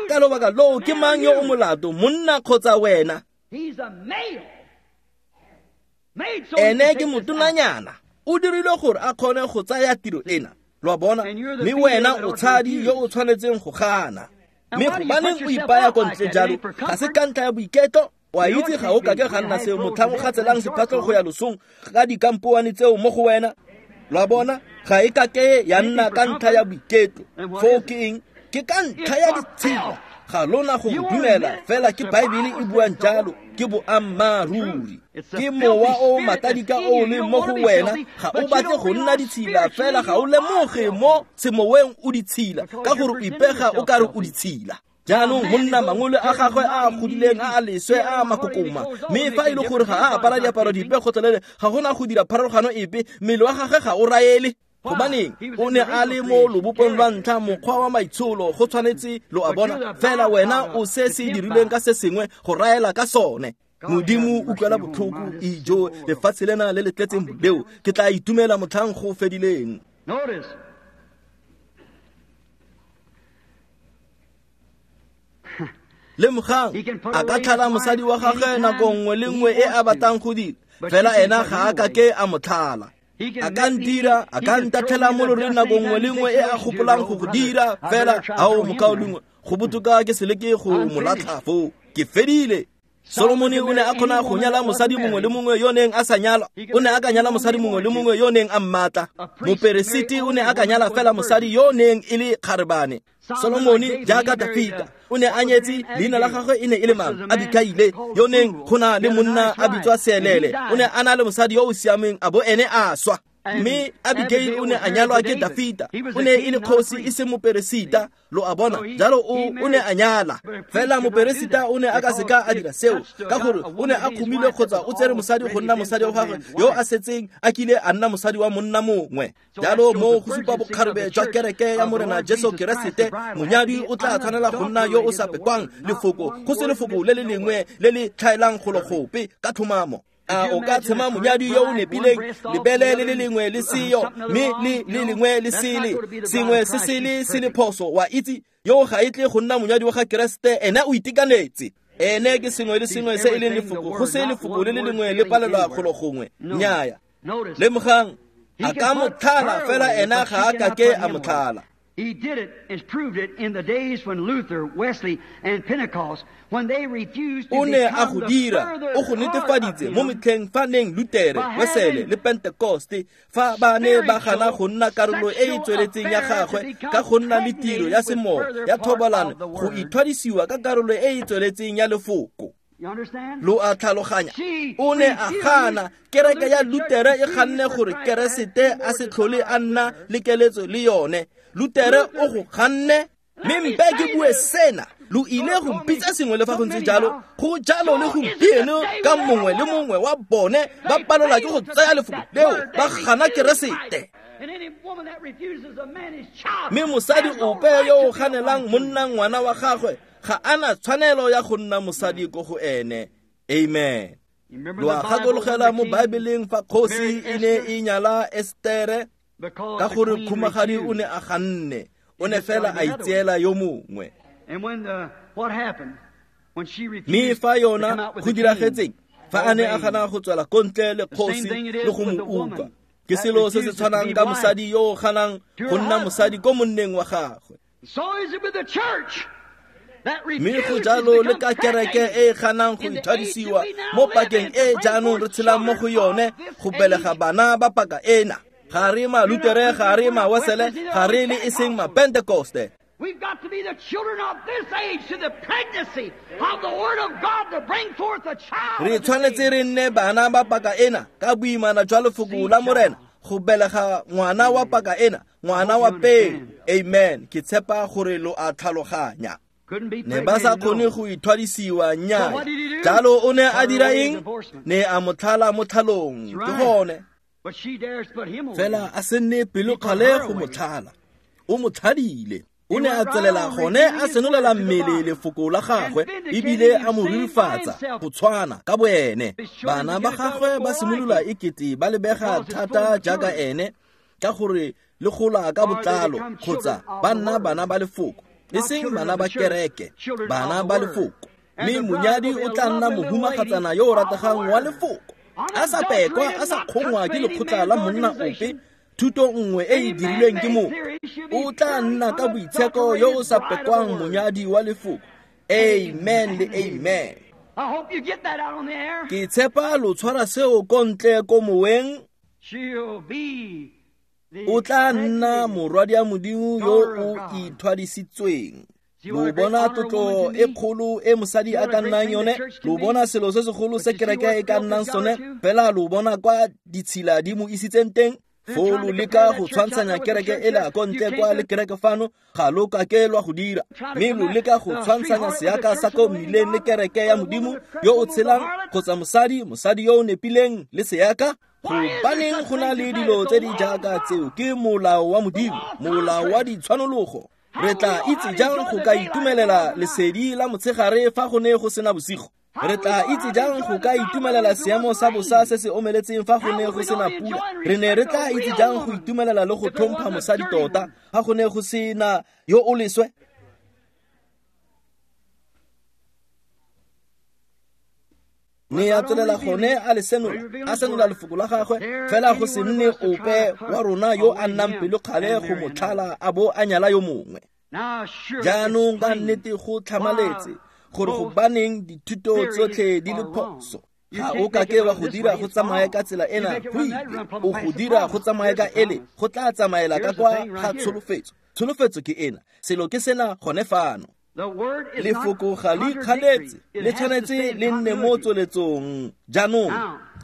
Speaker 1: Ka lobaka loo ke mang yo o molato, monna kgotsa wena? Ene ke motonanyana, o dirilwe gore a kgone go tsaya tiro ena. Lo a bona? Mme wena o tshadi yo o tshwanetseng go gana. Mme gobaneng o ipaya ko ntle jalo? Ga se ka ntlha ya boiketlo. Wa itse ga o kake ga nna seo motlhang o gatselang sephatlo go ya losong ka dikampoane tseo mo go wena. Lo a bona? Ga e kake ya nna ka ntlha ya boiketlo. Foo ke eng? Ke ka ntlha ya ditshila. Ga lona go dumela fela ke Baebele e buang jalo, ke boammaaruri. Ke mowa o matadika o leng mo go wena, ga o batle go nna ditshila fela ga o lemoge mo semoweng o ditshila, ka gore o ipega o kare o ditshila. Jaanong monna mangole a gagwe a a godileng a a leswe a a makokoma, mme fa e le gore ga a apara diaparo dipe gotlhelele, ga gona go dira pharologano epe, mmele wa gagwe ga o raele. Gobaneng o ne a le mo lobopong lwa ntlha, mokgwa wa maitsholo go tshwanetse lo a bona, fela wena o se se dirilweng ka se sengwe go raela ka sone. Modimo utlwela botlhoko, ijo lefatshe lena le le tletseng boleo, ke tla itumela motlhang go fedileng. Lemogang, a ka tlhala mosadi wa gagwe nako nngwe le nngwe e a batlang go dira, fela ena ga a kake a mo tlhala. A ka ntira, a ka ntatlhela mo loreng nako nngwe le nngwe e a gopolang go go dira, fela ao mokaulengwe, go botoka ke se leke go mo latlha foo. Ke fedile. Solomone o ne a kgona go nyala mosadi mongwe le mongwe yo neng a sa nyalwa. O ne a ka nyala mosadi mongwe le mongwe yo neng a mmatla. Moperesiti o ne a ka nyala fela mosadi yo neng e le kgarebane. Solomone jaaka Dafita o ne a nyetse, leina la gagwe e ne e le mang? Abikaile, yo neng go na le monna a bitswa Seelele. O ne a na le mosadi yo o siameng, a bo ene a swa. Mme Abigail o ne a nyalwa ke Dafita, o ne e le kgosi e se moperesita. Lo a bona? Jalo o o ne a nyala, fela moperesita o ne a ka seka a dira seo, ka gore o ne a kgomile kgotsa o tsere mosadi go nna mosadi wa gagwe yo a setseng a kile a nna mosadi wa monna mongwe. Jalo mo go supa bokgarebe jwa kereke ya Morena Jesu Keresete, monyadi o tla tshwanela go nna yo o sa pekwang lefoko, go se lefoko le le lengwe le le tlhaelang golo gope ka tlhomamo. A o ka tshema monyadi yo o nepileng lebele le le lengwe le seyo, mme le le lengwe le sele, sengwe se sele se le phoso, wa itse yo ga e tle go nna monyadi wa ga Keresete, ene o itekanetse. Ene ke sengwe le sengwe se e leng lefoko, go se lefoko le le lengwe le palelwa golo gongwe. Nnyaya. Lemogang, a ka mo tlhala fela ena ga a kake a mo tlhala.
Speaker 2: He did it and proved it in the days when Luther, Wesley, and Pentecost, when they refused to
Speaker 1: O ne a
Speaker 2: become
Speaker 1: go
Speaker 2: the
Speaker 1: dira,
Speaker 2: further
Speaker 1: o go
Speaker 2: part of
Speaker 1: netefaditse mo
Speaker 2: him
Speaker 1: metlheng fa neng Lutere,
Speaker 2: by
Speaker 1: Wesele
Speaker 2: having
Speaker 1: le Pentecoste, fa ba ne ba gana go nna karolo e e
Speaker 2: sexual
Speaker 1: tsweletseng ya
Speaker 2: affair to
Speaker 1: gagwe
Speaker 2: become
Speaker 1: ka go nna le tiro ya
Speaker 2: pregnated with
Speaker 1: semoya
Speaker 2: further
Speaker 1: ya
Speaker 2: part of
Speaker 1: thobalano,
Speaker 2: the
Speaker 1: go
Speaker 2: word.
Speaker 1: ithwadisiwa ka karolo e e tsweletseng ya lefoko.
Speaker 2: You understand?
Speaker 1: Lo a tlhaloganya?
Speaker 2: She
Speaker 1: O ne a
Speaker 2: refused
Speaker 1: gana. Kereke ya
Speaker 2: the Lutheran
Speaker 1: Lutere e
Speaker 2: Church
Speaker 1: ganne
Speaker 2: refused
Speaker 1: gore
Speaker 2: for Christ
Speaker 1: Keresete
Speaker 2: to
Speaker 1: a se
Speaker 2: have
Speaker 1: tlhole
Speaker 2: more
Speaker 1: a nna le keletso le yone. Lutere o go ganne. Mme mpe ke bue sena, lo ile go mpitsa sengwe le fa go ntse jalo, go jalo le gompieno ka mongwe le mongwe wa bone ba palelwa ke go tsaya lefoko leo, ba gana Keresete. Mme mosadi ope yo o ganelang monna ngwana wa gagwe ga ana tshwanelo ya go nna mosadi ko go ene. Amen. Lo a gakologela mo Baebeleng fa kgosi e ne e nyala Estere ka gore khumagadi o ne a ganne, o ne fela a itseela yo mongwe. Mme fa yona go diragetseng fa a ne a gana go tswela ko ntle le kgosi le go mo utlwa, ke selo se se tshwanang ka mosadi yo o ganang go nna mosadi ko monneng wa gagwe. Mme go jalo le ka kereke e e ganang go ithwadisiwa mo pakeng e jaanong re tshelang mo go yone go belega bana ba paka ena. Ga re Malutere, ga re Mawesele, ga re le e seng Mapentekoste.
Speaker 2: We've got to be the children of this age to the pregnancy of the Word of God to bring forth a child.
Speaker 1: Re tshwanetse re nne bana ba paka ena ka boimana jwa lefoko la Morena go belega ngwana wa paka ena, ngwana wa peo. Amen. Ke tshepa gore lo a tlhaloganya. Ne ba sa kgone go ithwadisiwa nnyaa. Jalo o ne a dira eng? Ne a mo tlhala mo tlhalong. Ke gone. Fela a se nne pelokgale go mo tlhala. O mo tlhadile. O ne a tswelela gone a senolela mmele lefoko la gagwe ebile a mo rurifatsa go tshwana ka boene. Bana ba gagwe ba simolola ekete ba lebega thata jaaka ene ka gore le gola ka botlalo kgotsa ba nna bana ba lefoko, e seng bana ba kereke, bana ba lefoko. Mme monyadi o tla nna mohumagatsana yo o rategang wa lefoko, a sa pekwa, a sa kgongwa ke lekgotla la monna ope, thuto nngwe e e dirilweng ke motho. O tla nna ka boitsheko yo o sa pekwang monyadi wa lefoko. Amen le amen. Ke tshepa lo tshwara seo ko ntle ko moweng. O tla nna morwadi wa Modimo yo o ithwadisitsweng. Lo bona tlotlo e kgolo e mosadi a ka nnang yone, lo bona selo se segolo se kereke e ka nnang sone, fela lo bona kwa ditshila di mo isitseng teng. Foo lo leka go tshwantshanya kereke ela ko ntle kwa le kereke fano, ga lo kake lwa go dira. Mme lo leka go tshwantshanya seaka sa ko mmileng le kereke ya Modimo yo o tshelang, kgotsa mosadi, mosadi yo o nepileng le seaka. Gobaneng go na le dilo tse di jaaka tseo? Ke molao wa Modimo, molao wa ditshwanologo. Re tla itse jang go ka itumelela lesedi la motshegare fa go ne go sena bosigo? Re tla itse jang go ka itumelela seemo sa bosa se se omeletseng fa go ne go sena pula? Re ne re tla itse jang go itumelela le go tlhompha mosadi tota fa go ne go sena yo o leswe? Ne a tswelela gone a le senola, a senola lefoko la gagwe, fela go se nne ope wa rona yo a nnang pelokgale go mo tlhala a bo a nyala yo mongwe. Jaanong ka nnete go tlhamaletse gore gobaneng dithuto tsotlhe di le phoso. Ga o kake wa go dira go tsamaye ka tsela ena, go ile o go dira go tsamaye ka ele, go tla tsamaela ka kwa ga tsholofetso. Tsholofetso ke ena, selo ke sena gone fano. Lefoko ga le ikganetse, le tshwanetse le nne mo tsweletsong jaanong,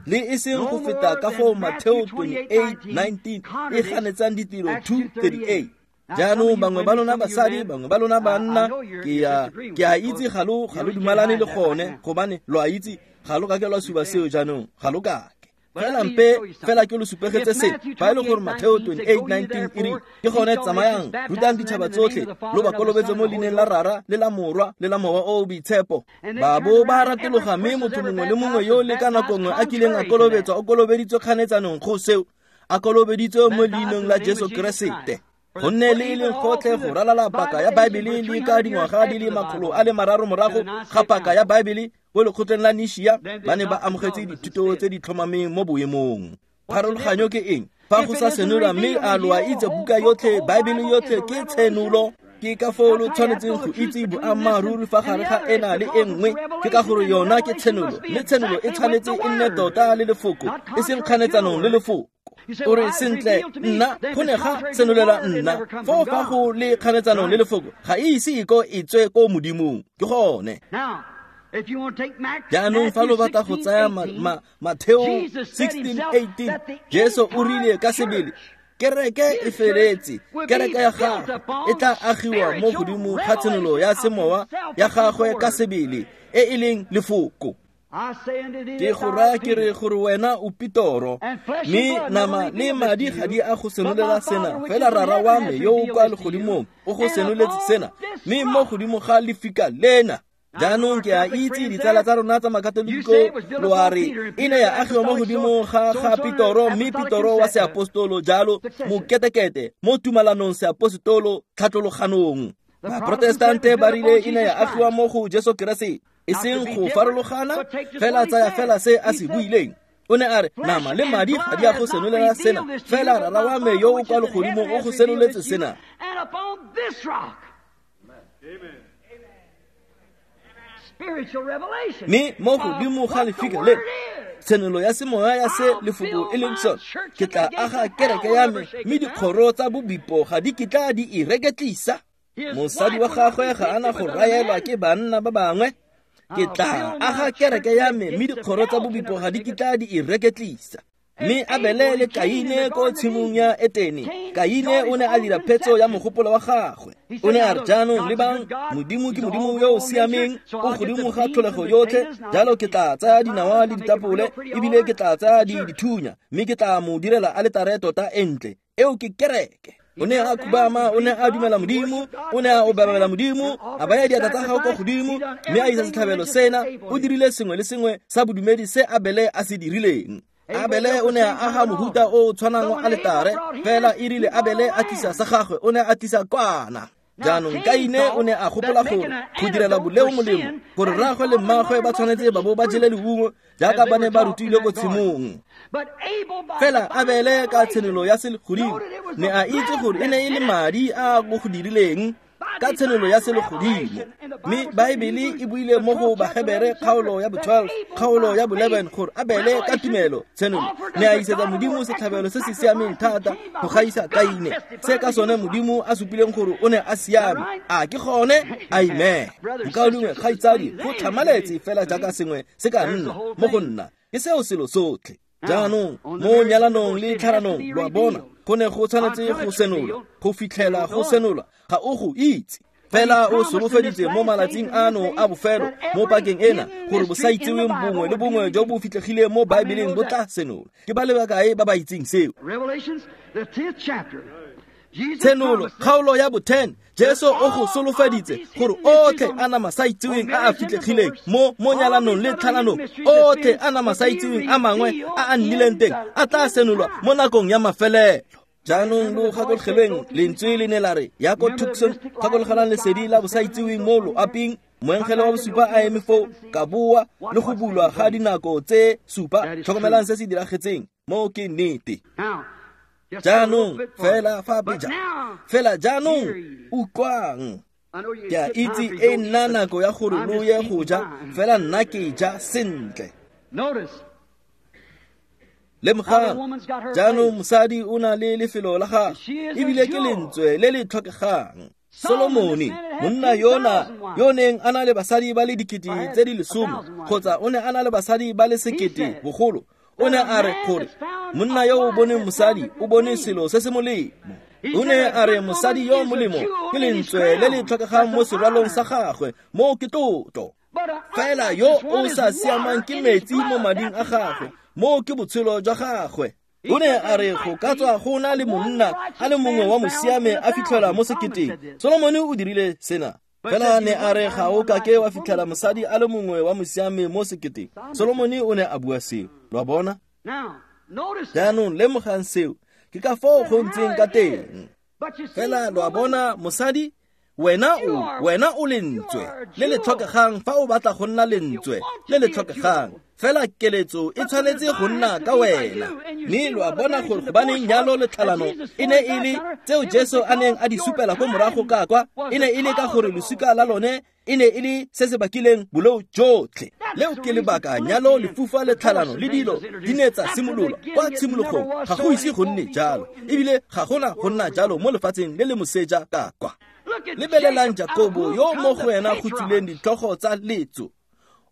Speaker 1: le e seng go feta ka foo Mateo twenty-eight nineteen e ganetsang ditiro two thirty-eight. Jaanong bangwe ba lona basadi, bangwe ba lona banna, ke a ke a itse ga lo ga lo dumalane le gone, gobane lo a itse ga lo kake lwa suba seo jaanong, ga lo kake. Fela mpe fela ke lo supegetse se, fa e le gore Mateo twenty-eight nineteen e re ke gone tsamayang, rutang ditšhaba tsotlhe, lo ba kolobetse mo leineng la Rara le la Morwa le la Mowa o o Boitshepo. Ba bo ba ratologa, mme motho mongwe le mongwe yo le ka nako nngwe a kileng a kolobetswa o kolobeditswe kganetsanong go seo, a kolobeditswe mo leineng la Jesu Keresete. Gonne le e leng gotlhe go ralala paka ya Baebele le ka dingwaga di le makgolo a le mararo morago ga paka ya Baebele ko lekgotleng la Nishia, ba ne ba amogetse dithuto tse di tlhomameng mo boemong. Pharologanyo ke eng? Fa go sa senolwa, mme a lo a itse buka yotlhe, Baebele yotlhe ke tshenolo. Ke ka foo lo tshwanetseng go itse boammaaruri fa gare ga ena le e nngwe, ke ka gore yona ke tshenolo, mme tshenolo e tshwanetse e nne tota le lefoko, e seng kganetsanong le lefoko. O re sentle, nna go ne ga senolela nna, foo fa go le kganetsanong le lefoko ga e ise e ko e tswe ko Modimong. Ke gone. Jaanong fa lo batla go tsaya Mateo sixteen eighteen, Jesu o rile ka sebele, kereke e feletse, kereke ya gagwe e tla agiwa mo godimo ga tshenolo ya semowa ya gagwe ka sebele e e leng lefoko. Ke go raya ke re gore wena o Petoro, mme nama le madi ga di a go senolela sena, fela Rara wa me yo o kwa legodimong o go senoletse sena, mme mo godimo ga lefika lena. Jaanong ke a itse ditsala tsa rona tsa makatoliko lo a re e ne ya agiwa mo godimo ga ga Petoro, mme Petoro wa seapostolo jalo moketekete mo tumalanong seapostolo tlhatlologanong. Baprotestante ba rile e ne ya agiwa mo go Jesu Keresete, e seng go farologana, fela tsaya fela se a se buileng. O ne a re nama le madi ga di a go senolela sena, fela Rara wa me yo o kwa legodimong o go senoletse sena. Mme mo godimo ga lefika le, tshenolo ya semoya ya se lefoko e leng sone, ke tla aga kereke ya me, mme dikgoro tsa bobipo ga di kitla di e reketlisa. Mosadi wa gagwe ga ana go raelwa ke banna ba bangwe. Ke tla aga kereke ya me, mme dikgoro tsa bobipo ga di kitla di e reketlisa. Mme Abele le Kaine ko tshimong ya Etene, Kaine o ne a dira phetso ya mogopolo wa gagwe. O ne a re, jaanong lebang, Modimo ke Modimo yo o siameng, o godimo ga tlholego yotlhe, jalo ke tla tsaya dinawa le ditapole, ebile ke tla tsaya di dithunya, mme ke tla mo direla aletare tota e ntle. Eo ke kereke. O ne a khubama, o ne a dumela Modimo, o ne a obamela Modimo, a baya diatla tsa gagwe kwa godimo, mme a isa setlhabelo sena. O dirile sengwe le sengwe sa bodumedi se Abele a se dirileng. Abele o ne a aga mohuta o o tshwanang wa aletare, fela e rile Abele a tlisa sa gagwe, o ne a tlisa kwana. Jaanong Kaine o ne a gopola gore go direla boleo molemo, gore rraagwe le mmaagwe ba tshwanetse ba bo ba jele leungo jaaka ba ne ba rutilwe ko tshimong. Fela Abele ka tshenolo ya selegodimo ne a itse gore e ne e le madi a go go dirileng ka tshenolo ya selegodimo. Mme Baebele e buile mo go Bahebere kgaolo ya bo twelve, kgaolo ya bo eleven gore Abele ka tumelo tshenolo ne a isetsa Modimo setlhabelo se se siameng thata go gaisa Kaine, se ka sone Modimo a supileng gore o ne a siame. A ke gone? Amen. Mokaulengwe, kgaitsadi, go tlhamaletse fela jaaka sengwe se ka nna mo go nna, ke seo selo sotlhe. Jaanong mo nyalanong le tlhalanong, lo a bona, go ne go tshwanetse go senolwa, go fitlhela go senolwa, ga o go itse. Fela o solofeditse mo malatsing ano a bofelo mo pakeng ena gore bosaitseweng bongwe le bongwe jo bo fitlhegileng mo Baebeleng bo tla senolwa. Ke ba le bakae ba ba itseng seo? Tshenolo kgaolo ya bo ten, Jesu o go solofeditse gore otlhe a nama sa itseweng a a fitlhegileng mo mo nyalanong le tlhalanong, otlhe a nama sa itseweng a mangwe a a nnileng teng a tla senolwa mo nakong ya mafelelo. Jaanong lo gakologelweng lentswe le ne la re ya ko Tucson, gakologelang lesedi la bosaitseweng mo loaping, moengele wa bosupa a eme foo ka boa le go bulwa ga dinako tse supa. Tlhokomelang se se diragetseng mo ke nnete. Jaanong fela fa pejana, fela jaanong utlwang. Ke a itse e nna nako ya gore lo ye go ja, fela nna ke ja sentle. Lemogang, jaanong mosadi o na le lefelo la gagwe, ebile ke lentswe le le tlhokegang. Solomone, monna yona yo neng a na le basadi ba le dikete tse di lesome, kgotsa o ne a na le basadi ba le sekete bogolo, o ne a re gore monna yo o boneng mosadi o bone selo se se molemo. O ne a re mosadi yo molemo ke lentswe le le tlhokegang mo serwalong sa gagwe, mo ke tlotlo. Fela yo o sa siamang ke metsi mo mading a gagwe, mo ke botshelo jwa gagwe. O ne a re go ka tswa go na le monna a le mongwe wa mosiame a fitlhelwa mo seketeng. Solomone o dirile sena. Fela ne a re ga o kake wa fitlhela mosadi a le mongwe wa mosiame mo seketeng. Solomone o ne a bua seo. Lo a bona? Jaanong lemogang seo, ke ka foo go ntseng ka teng. Fela lo a bona, mosadi, wena o, wena o lentswe le le tlhokegang fa o batla go nna lentswe le le tlhokegang. Fela keletso e tshwanetse go nna ka wena. Mme lo a bona gore gobaneng nyalo le tlhalano e ne e le tseo Jesu a neng a di supela ko morago ka kwa, e ne e le ka gore losika la lone e ne e le se se bakileng boleo jotlhe. Leo ke lebaka nyalo, lefufa le tlhalano le dilo di ne tsa simololwa kwa tshimologong. Ga go ise go nne jalo, ebile ga gona go nna jalo mo lefatsheng le le moseja ka kwa. Lebelelang Jakobo yo mo go ena go tswileng ditlhogo tsa letso.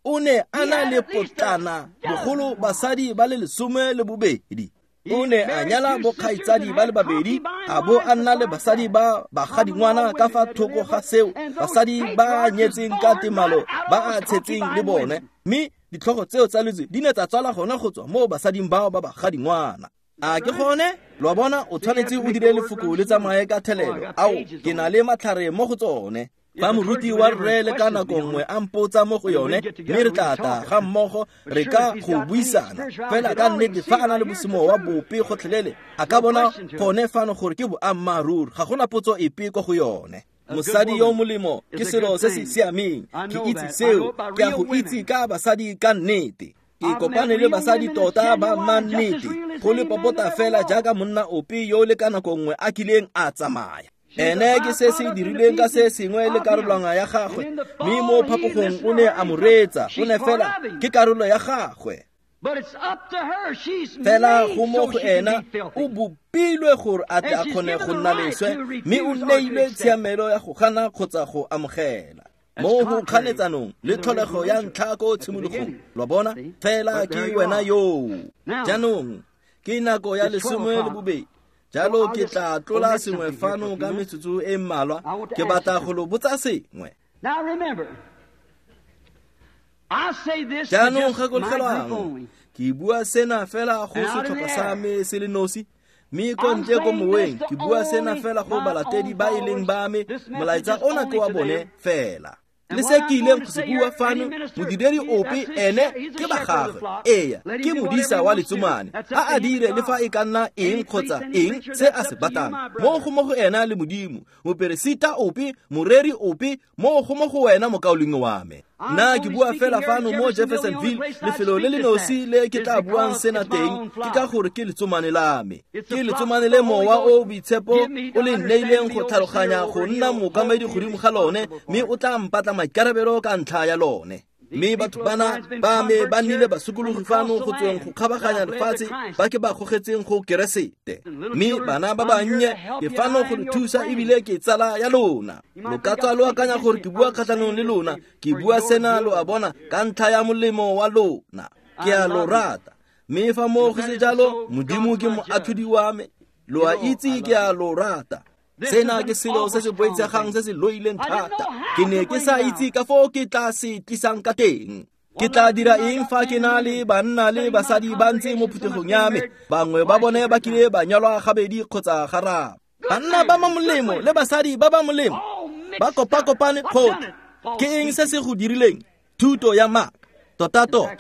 Speaker 1: O ne a na le potlana bogolo basadi ba le lesome le bobedi. O ne a nyala bokgaitsadi ba le babedi, a bo a nna le basadi ba bagadingwana ka fa thoko ga seo, basadi ba nyetseng ka temalo ba a tshetseng le bone. Mme ditlhogo tseo tsa lotso di ne tsa tswala gona go tswa mo basading bao ba bagadingwana. A ke gone? Lo a bona, o tshwanetse o dire lefoko le tsamaye ka thelelo. Ao, ke na le matlhare mo go tsone. Fa moruti wa rre le ka nako nngwe a mpotsa mo go yone, mme re tla tla ga mmogo re ka go buisana. Fela ka nnete fa a na le bosemowa bope gotlhelele, a ka bona gone fano gore ke boammaaruri, ga gona potso epe ko go yone. Mosadi yo molemo ke selo se se siameng, ke itse seo, ke a go itse ka basadi ka nnete. Ke kopane le basadi tota ba mannete, go le popota fela jaaka monna ope yo le ka nako nngwe a kileng a tsamaya. Ene ke se se dirileng ka se sengwe le karolwana ya gagwe, mme mo phapogong o ne a mo reetsa, o ne fela ke karolo ya gagwe. Fela go mo go ena o bopilwe gore a tle a kgone go nna leswe, mme o neilwe tshiamelo ya go gana kgotsa go amogela. Mo go kganetsanong le tlholego ya ntlha ko tshimologong, lo bona, fela ke wena yoo. Jaanong ke nako ya lesome le bobedi. Jalo ke tla tlola sengwe fano ka metsotso e mmalwa, ke batla go lo botsa sengwe. Jaanong gakologelwang, ke bua sena fela go setlhopha sa me se le nosi, mme ko ntle ko moweng ke bua sena fela go balatedi ba e leng ba me, molaetsa ona ke wa bone fela. Le se ke ileng go se bua fano, modiredi ope ene ke ba gagwe, eya, ke modisa wa letsomane, a a dire le fa e ka nna eng kgotsa eng se a se batlang, mo go mo go ena le Modimo. Moperesita ope, moreri ope, mo go mo go wena mokaulengwe wa me. Nna ke bua fela fano mo Jeffersonville, lefelo le le nosi le ke tla buang sena teng, ke ka gore ke letsomane la me. Ke letsomane le mowa o boitshepo o le nneileng go tlhaloganya go nna mookamedi godimo ga lone, mme o tla mpatla maikarabelo ka ntlha ya lone. Mme batho bana ba me ba nnile basokologi fano go tsweng go kgabaganya lefatshe, ba ke ba gogetseng go Keresete. Mme bana ba bannye ke fano go le thusa ebile ke tsala ya lona. Lo ka tswa lo akanya gore ke bua kgatlhanong le lona, ke bua sena lo a bona ka ntlha ya molemo wa lona. Ke a lo rata. Mme fa mo go se jalo, Modimo ke moatlhodi wa me. Lo a itse ke a lo rata. Sena ke selo se se boitshegang se se loileng thata. Ke ne ke sa itse ka foo ke tla se tlisang ka teng. Ke tla dira eng fa ke na le banna le basadi ba ntse mo phuthegong ya me, bangwe ba bone ba kile ba nyalwa gabedi kgotsa gararo. Banna ba ba molemo le basadi ba ba molemo ba kopakopane gotlhe. Ke eng se se go dirileng? Thuto ya maaka, tota-tota,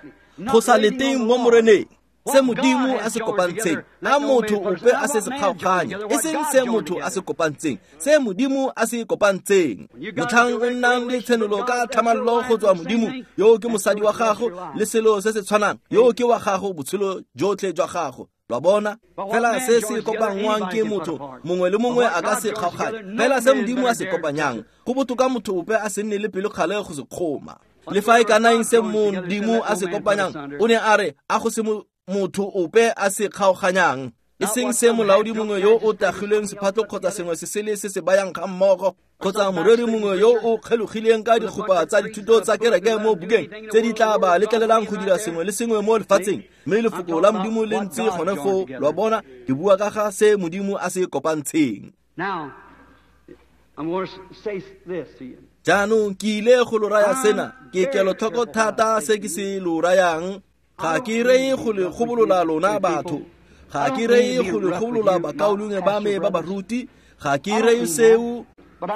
Speaker 1: go sa leteng mo Moreneng. Se Modimo a se kopantseng, a motho ope a se se kgaoganye, e seng se motho a se kopantseng, se Modimo a se kopantseng. Motlhang o nnang le tshenolo ka tlhamallo go tswa Modimo, yo ke mosadi wa gago, le selo se se tshwanang, yo ke wa gago botshelo jotlhe jwa gago. Lo bona, fela se se kopanngwang ke motho mongwe le mongwe a ka se kgaoganye, fela se Modimo a se kopanyang, go botoka motho ope a se nne le pelokgale go se kgoma. Le fa e ka nna eng se Modimo a se kopanyang, o ne a re a go se motho ope a se kgaoganyang, e seng se molaodi mongwe yo o tagilweng sephatlo kgotsa sengwe se sele se se bayang ga mmogo, kgotsa moreri mongwe yo o kgelogileng ka dikgopa tsa dithuto tsa kereke mo bukeng tse di tla ba letlelelang go dira sengwe le sengwe mo lefatsheng, mme lefoko la Modimo le ntse gone foo. Lo a bona, ke bua ka ga se Modimo a se kopantsheng. Jaanong ke ile go lo raya sena, ke kelotlhoko thata se ke se lo rayang. Ga ke reye go le gobolola lona batho, ga ke reye go le gobolola bakaulengwe ba me ba baruti, ga ke reye seo.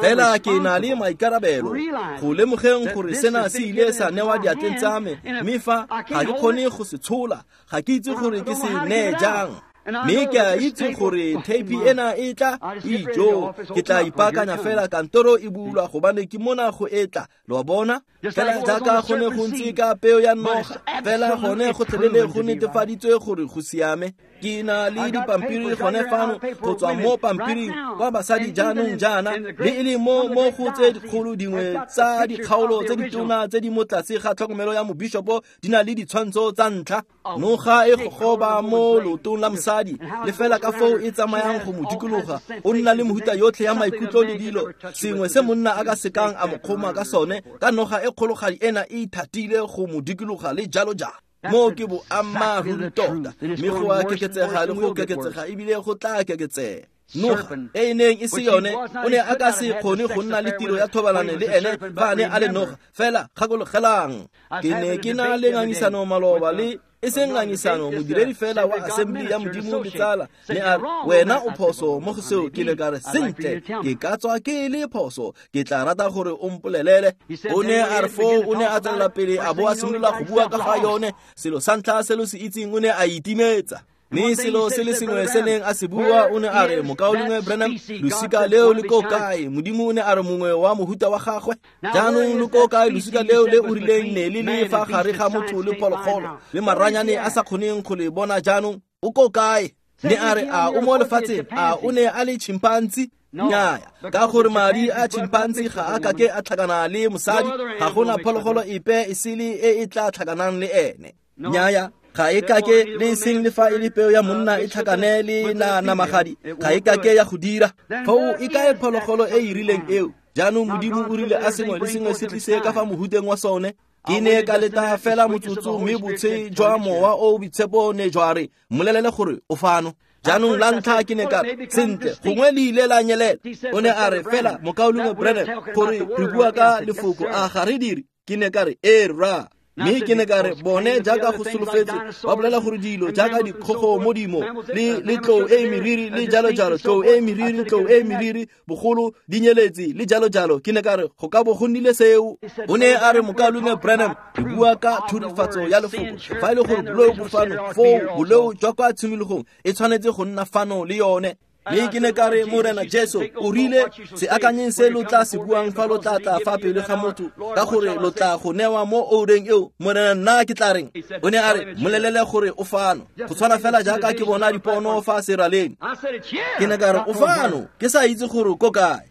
Speaker 1: Fela ke na le maikarabelo go lemogeng gore sena se ile sa newa diatleng tsa me, mme fa ga ke kgone go se tshola, ga ke itse gore ke se neye jang. Mme ke a itse gore theipi ena e tla ijo, ke tla ipaakanya fela kantoro e bulwa gobane ke mona go etla. Lo a bona, fela jaaka go ne go ntse ka peo ya noga, fela gone gotlhelele go netefaditswe gore go siame. Ke na le dipampiri gone fano go tswa mo pampiring kwa basadi jaanong jaana, le e le mo mo go tse dikgolo dingwe tsa dikgaolo tse ditona tse di mo tlase ga tlhokomelo ya mobishopo di na le ditshwantsho tsa ntlha. Noga e gogoba mo leotong la mosadi, le fela ka foo e tsamayang go mo dikologa, o nna le mehuta yotlhe ya maikutlo le dilo, sengwe se monna a ka sekang a mo kgoma ka sone, ka noga e kgologadi ena e ithatile go mo dikologa le jalo jalo. Mo ke boammaaruri tota, mme go a keketsega le go keketsega ebile go tla keketsega. Noga e e neng e se yone o ne a ka se kgone go nna le tiro ya thobalano le ene fa a ne a le noga. Fela gakologelang, ke ne ke na le ngangisano maloba le e seng ngangisano, modiredi fela wa Assembly ya Modimo le tsala ne a re, wena o phoso mo go seo. Ke ne ka re, sentle, ke ka tswa ke le phoso, ke tla rata gore o mpolelele. O ne a re foo o ne a tswelela pele a bo a simolola go bua ka ga yone. Selo sa ntlha se lo se itseng, o ne a itimetsa. Mme selo se le sengwe se neng a se bua, o ne a re, Mokaulengwe Branham, losika leo le ko kae? Modimo o ne a re mongwe wa mohuta wa gagwe. Jaanong le ko kae losika leo le o rileng ne le le fa gare ga motho le phologolo, le maranyane a sa kgoneng go le bona jaanong? O ko kae? Ne a re, a o mo lefatsheng? A o ne a le chimpanzee? Nnyaya, ka gore madi a chimpanzee ga a kake a tlhakana le mosadi, ga gona phologolo epe e sele e e tla tlhakanang le ene. Nnyaya, ga e kake le seng le fa e le peo ya monna e tlhakane le na namagadi, ga e kake ya go dira. Foo e kae phologolo e e rileng eo? Jaanong Modimo o rile a sengwe le sengwe se tlise ka fa mohuteng wa sone. Ke ne ka leta fela motsotso, mme botshe jwa mowa o boitshepo ne jwa re, mmolelele gore o fano. Jaanong la ntlha ke ne ka re, sentle, gongwe le ile la nyelela. O ne a re, fela Mokaulengwe Branham, gore re bua ka lefoko, a ga re dire? Ke ne ka re, ee rra. Mme ke ne ka re, bone jaaka go solofetse ba bolela gore dilo jaaka dikgogo modimo le le tlou e meriri le jalo jalo, tlou e meriri, tlou e meriri, bogolo di nyeletse le jalo jalo. Ke ne ka re, go ka bo go nnile seo. O ne a re, Mokaulengwe Branham, re bua ka thurifatso ya lefoko. Fa e le gore boleo bo fano, foo boleo jwa kwa tshimologong e tshwanetse go nna fano le yone. Mme ke ne ka re, Morena Jesu o rile, se akanyeng se lo tla se buang fa lo tla tla fa pele ga motho, ka gore lo tla go newa mo oureng eo. Morena, nna ke tla reng? O ne a re, mmolelele gore o fano. Go tshwana fela jaaka ke bona dipono fa seraleng. Ke ne ka re, o fano, ke sa itse gore ko kae.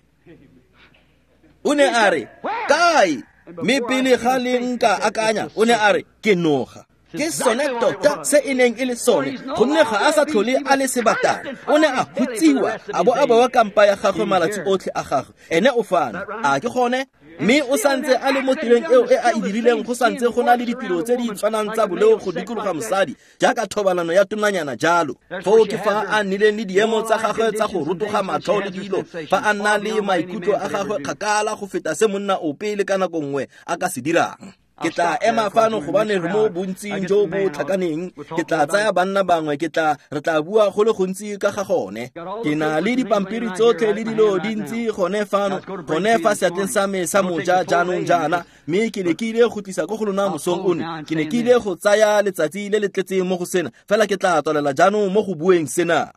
Speaker 1: O ne a re, kae? Mme pele ga le nka akanya, o ne a re, ke noga. Ke sone tota se e neng e le sone, gonne ga a sa tlhole a le sebatana. O ne a hutsiwa a bo a bewa kampa ya gagwe malatsi otlhe a gagwe. Ene o fano, a ke gone? Mme o santse a le mo tirong eo e a e dirileng, go santse go na le ditiro tse di tshwanang tsa boleo go dikologa mosadi, jaaka thobalano ya tonanyana jalo. Foo ke fa a nnileng le diemo tsa gagwe tsa go rotoga matlho le dilo, fa a nna le maikutlo a gagwe kgakala go feta se monna ope le ka nako nngwe a ka se dirang. Ke tla ema fano gobane re mo bontsing jo bo tlhakaneng. Ke tla tsaya banna bangwe, ke tla re tla bua go le gontsi ka ga gone. Ke na le dipampiri tsotlhe le dilo dintsi gone fano, gone fa seatleng sa me sa moja jaanong jaana. Mme ke ne ke ile go tlisa ko go lona mosong ono. Ke ne ke ile go tsaya letsatsi le le tletseng mo go sena, fela ke tla tswelela jaanong mo go bueng sena.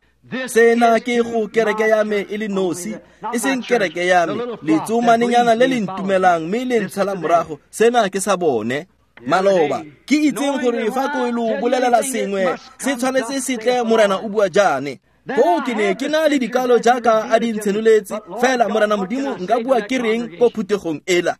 Speaker 1: Sena ke go kereke ya me e le nosi, e seng kereke ya me, letsomanenyana le le ntumelang mme le ntshala morago. Sena ke sa bone. Maloba ke itseng gore fa ko lo bolelela sengwe se tshwanetse se tle, Morena o bua jaane. Foo ke ne ke na le dikalo jaaka a di ntshenoletse, fela Morena Modimo nka bua ke reng ko phuthegong ela?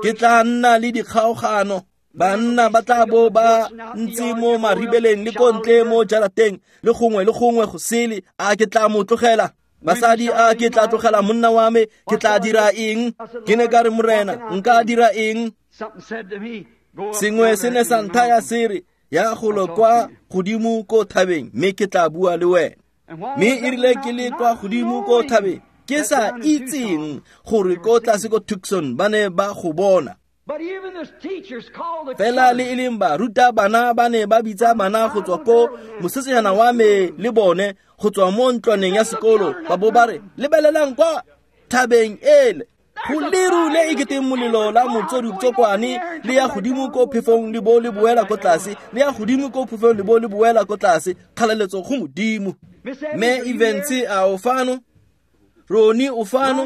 Speaker 1: Ke tla nna le dikgaogano. Banna ba tla bo ba ntse mo maribeleng le ko ntle mo jarateng le gongwe le gongwe go sele. A ke tla mo tlogela? Basadi, a ke tla tlogela monna wa me? Ke tla dira eng? Ke ne ka re, Morena, nka dira eng? Sengwe se ne sa nthaya se re, ya golo kwa godimo ko thabeng, mme ke tla bua le wena. Mme e rile ke le kwa godimo ko thabeng, ke sa itseng gore ko tlase ko Tucson ba ne ba go bona. Fela le e leng baruta bana ba ne ba bitsa bana go tswa ko mosetsanyana wa me le bone go tswa mo ntlwaneng ya sekolo, ba bo ba re, lebelelang kwa thabeng ele, go leru le e keteng molelo la motsoditsokwane le ya godimo ko phefong le bo le boela ko tlase, le ya godimo ko phefong le bo le boela ko tlase. Kgalaletso go Modimo. Mme Evans a o fano? Roni o fano?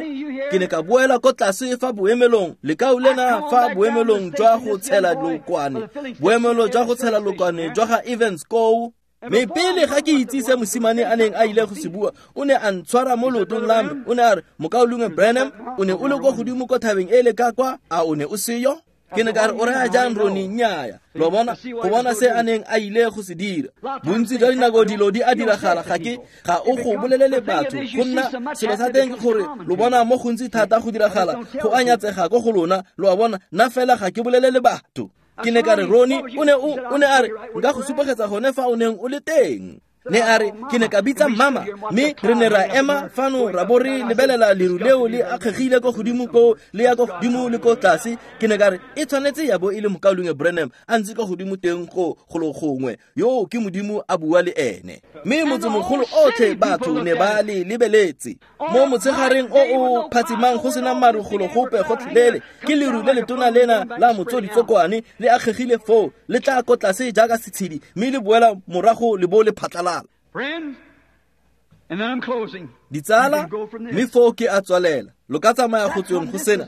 Speaker 1: Ke ne ka boela ko tlase fa boemelong, lekau lena fa boemelong jwa go tshela lokwane, boemelo jwa go tshela lokwane jwa ga Evans koo. Mme pele ga ke itse se mosimane a neng a ile go se bua, o ne a ntshwara mo leotong la me. O ne a re, Mokaulengwe Branham, o ne o le kwa godimo ko thabeng e le ka kwa, a o ne o seyo? Ke ne ka re, o raya jang Roni? Nnyaya. Lo bona, go bona se a neng a ile go se dira. Bontsi jwa dinako dilo di a diragala, ga ke ga o go bolelele batho. Go nna selo sa teng ke gore lo bona mo gontsi thata go diragala, go a nyatsega ko go lona. Lo a bona, nna fela ga ke bolelele batho. Ke ne ka re, Roni, o ne o o ne a re, nka go supegetsa gone fa o neng o le teng. Ne a re ke ne ka bitsa mama mme re ne ra ema fano ra bo re lebelela leru leo le akgegile ko godimo ko le ya ko godimo le ko tlase. Ke ne ka re e tshwanetse ya bo e le mokaulengwe Branham a ntse ko godimo teng go golo gongwe yo ke Modimo a bua le ene. Mme motsemogolo otlhe batho ne ba le lebeletse mo motshegareng o o phatsimang go sena maru golo gope gotlhelele ke leru le letona lena la motsoditsokwane le akgegile foo le tla ko tlase jaaka setshedi mme le boela morago le bo le phatlalala.
Speaker 2: Friends, and then I'm closing.
Speaker 1: Ditsala mme foo ke a tswalela lo ka tsamaya go tsweng go sena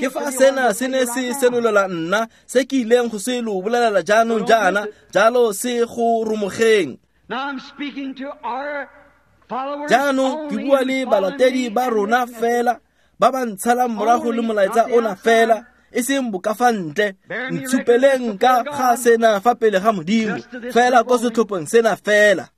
Speaker 1: ke fa sena se ne se senolela nna se ke ileng go se lo bolelela jaanong jaana jalo se go romogeng.
Speaker 2: Now I'm speaking to our followers
Speaker 1: Jaanong ke bua le balatedi ba rona fela ba ba ntshalang morago le molaetsa ona fela e seng boka fa ntle. Ntshupeleng ka ga sena fa pele ga Modimo fela ko setlhopheng sena fela.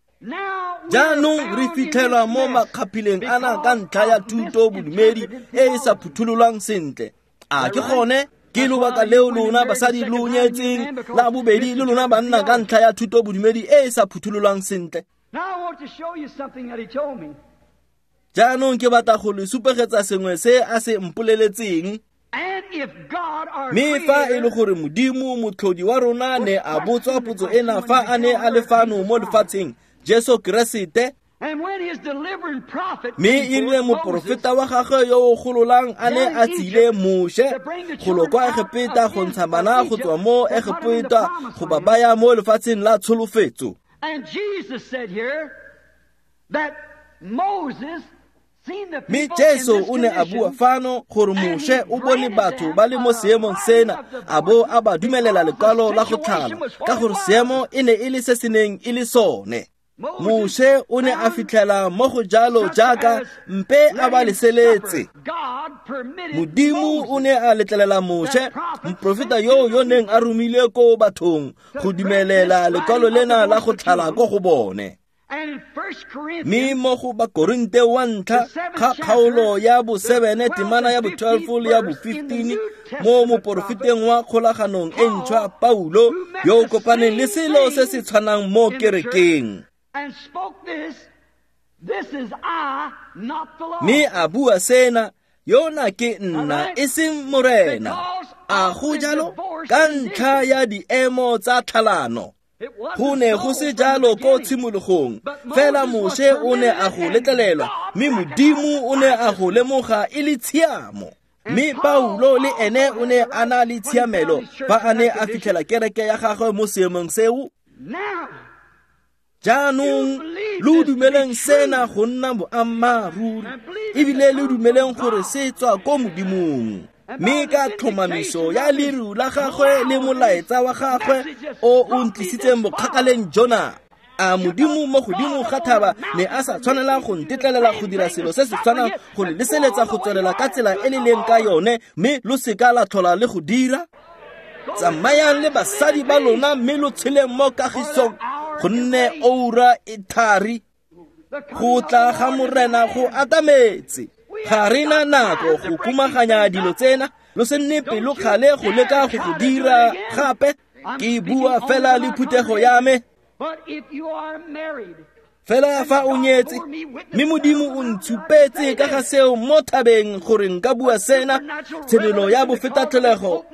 Speaker 1: Jaanong re fitlhelwa mo makgaphileng ana ka ntlha ya thuto bodumedi e e sa phuthololwang sentle. A ke gone ke lobaka leo lona basadi lo nyetseng la bobedi le lona banna ka ntlha ya thuto bodumedi e e sa phuthololwang sentle.
Speaker 2: Now I want to show you something that he told me.
Speaker 1: Jaanong ke batla go le supegetsa sengwe se a se mpoleletseng.
Speaker 2: And if God our
Speaker 1: Mme fa e le
Speaker 2: Creator
Speaker 1: gore Modimo motlhodi wa rona ne a botswa potso ena fa a ne a le fano mo lefatsheng Jesu Keresete
Speaker 2: and when his delivering prophet
Speaker 1: mme
Speaker 2: came
Speaker 1: e rile
Speaker 2: forth, Moses,
Speaker 1: moporofeta wa gagwe yo o gololang a ne a tsile Moshe golo kwa Egepeta go ntsha bana go tswa mo Egepeta go ba baya mo lefatsheng la tsholofetso.
Speaker 2: And Jesus said here that Moses seen the
Speaker 1: Mme
Speaker 2: people in
Speaker 1: Jesu
Speaker 2: this
Speaker 1: o ne a bua
Speaker 2: condition
Speaker 1: fano gore Moshe o bone batho ba le mo seemong sena a bo a ba dumelela lekwalo la go tlhala ka gore seemo e ne e le se se neng e le sone. Moshe o ne a fitlhela mo go jalo jaaka mpe a ba leseletse.
Speaker 2: God permitted
Speaker 1: Modimo o ne a letlelela Moshe moprofeta yo yo neng a romile ko bathong go dumelela lekwalo lena la go tlhala ko go bone.
Speaker 2: And in First
Speaker 1: Mme
Speaker 2: Corinthians
Speaker 1: mo go Bakorinte wa ntlha ga kgaolo ya bosebene temana ya bo twelve le ya bo fifteen mo moporofeteng wa kgolaganong e ntšhwa Paulo yo o kopaneng le selo se se tshwanang mo kerekeng.
Speaker 2: and spoke this, this is I, not the Lord.
Speaker 1: Mme a bua sena yona ke nna e seng Morena. A go jalo ka ntlha ya diemo tsa tlhalano.
Speaker 2: It wasn't
Speaker 1: Go ne go
Speaker 2: so
Speaker 1: se
Speaker 2: from the
Speaker 1: jalo ko
Speaker 2: beginning.
Speaker 1: tshimologong fela Moshe o ne a go letlelelwa mme Modimo o ne a go lemoga e le tshiamo. Mme Paulo le ene o ne a na le tshiamelo fa a ne a fitlhela kereke ya gagwe mo seemong seo.
Speaker 2: Now,
Speaker 1: Jaanong lo dumeleng sena go nna boammaaruri ebile le dumeleng gore se tswa ko Modimong. Mme ka tlhomamiso ya leru la gagwe le molaetsa wa gagwe o o ntlisitseng bokgakaleng jona. A Modimo mo godimo ga thaba ne a sa tshwanela go ntetlelela go dira selo se se tshwanang go le leseletsa go tswelela ka tsela e le leng ka yone mme lo seka la tlhola le go dira. Tsamayang le basadi ba lona mme lo tsheleng mo kagisong gonne oura e thari go tla ga Morena go atametse. Ga re na nako go kumaganya dilo tsena lo se nne pelokgale go leka go go dira gape. Ke bua fela le phuthego ya me.
Speaker 2: But if you are married,
Speaker 1: Fela fa o nyetse mme Modimo o ntshupetse ka ga seo mo thabeng gore nka bua sena tshenolo ya bofetatlholego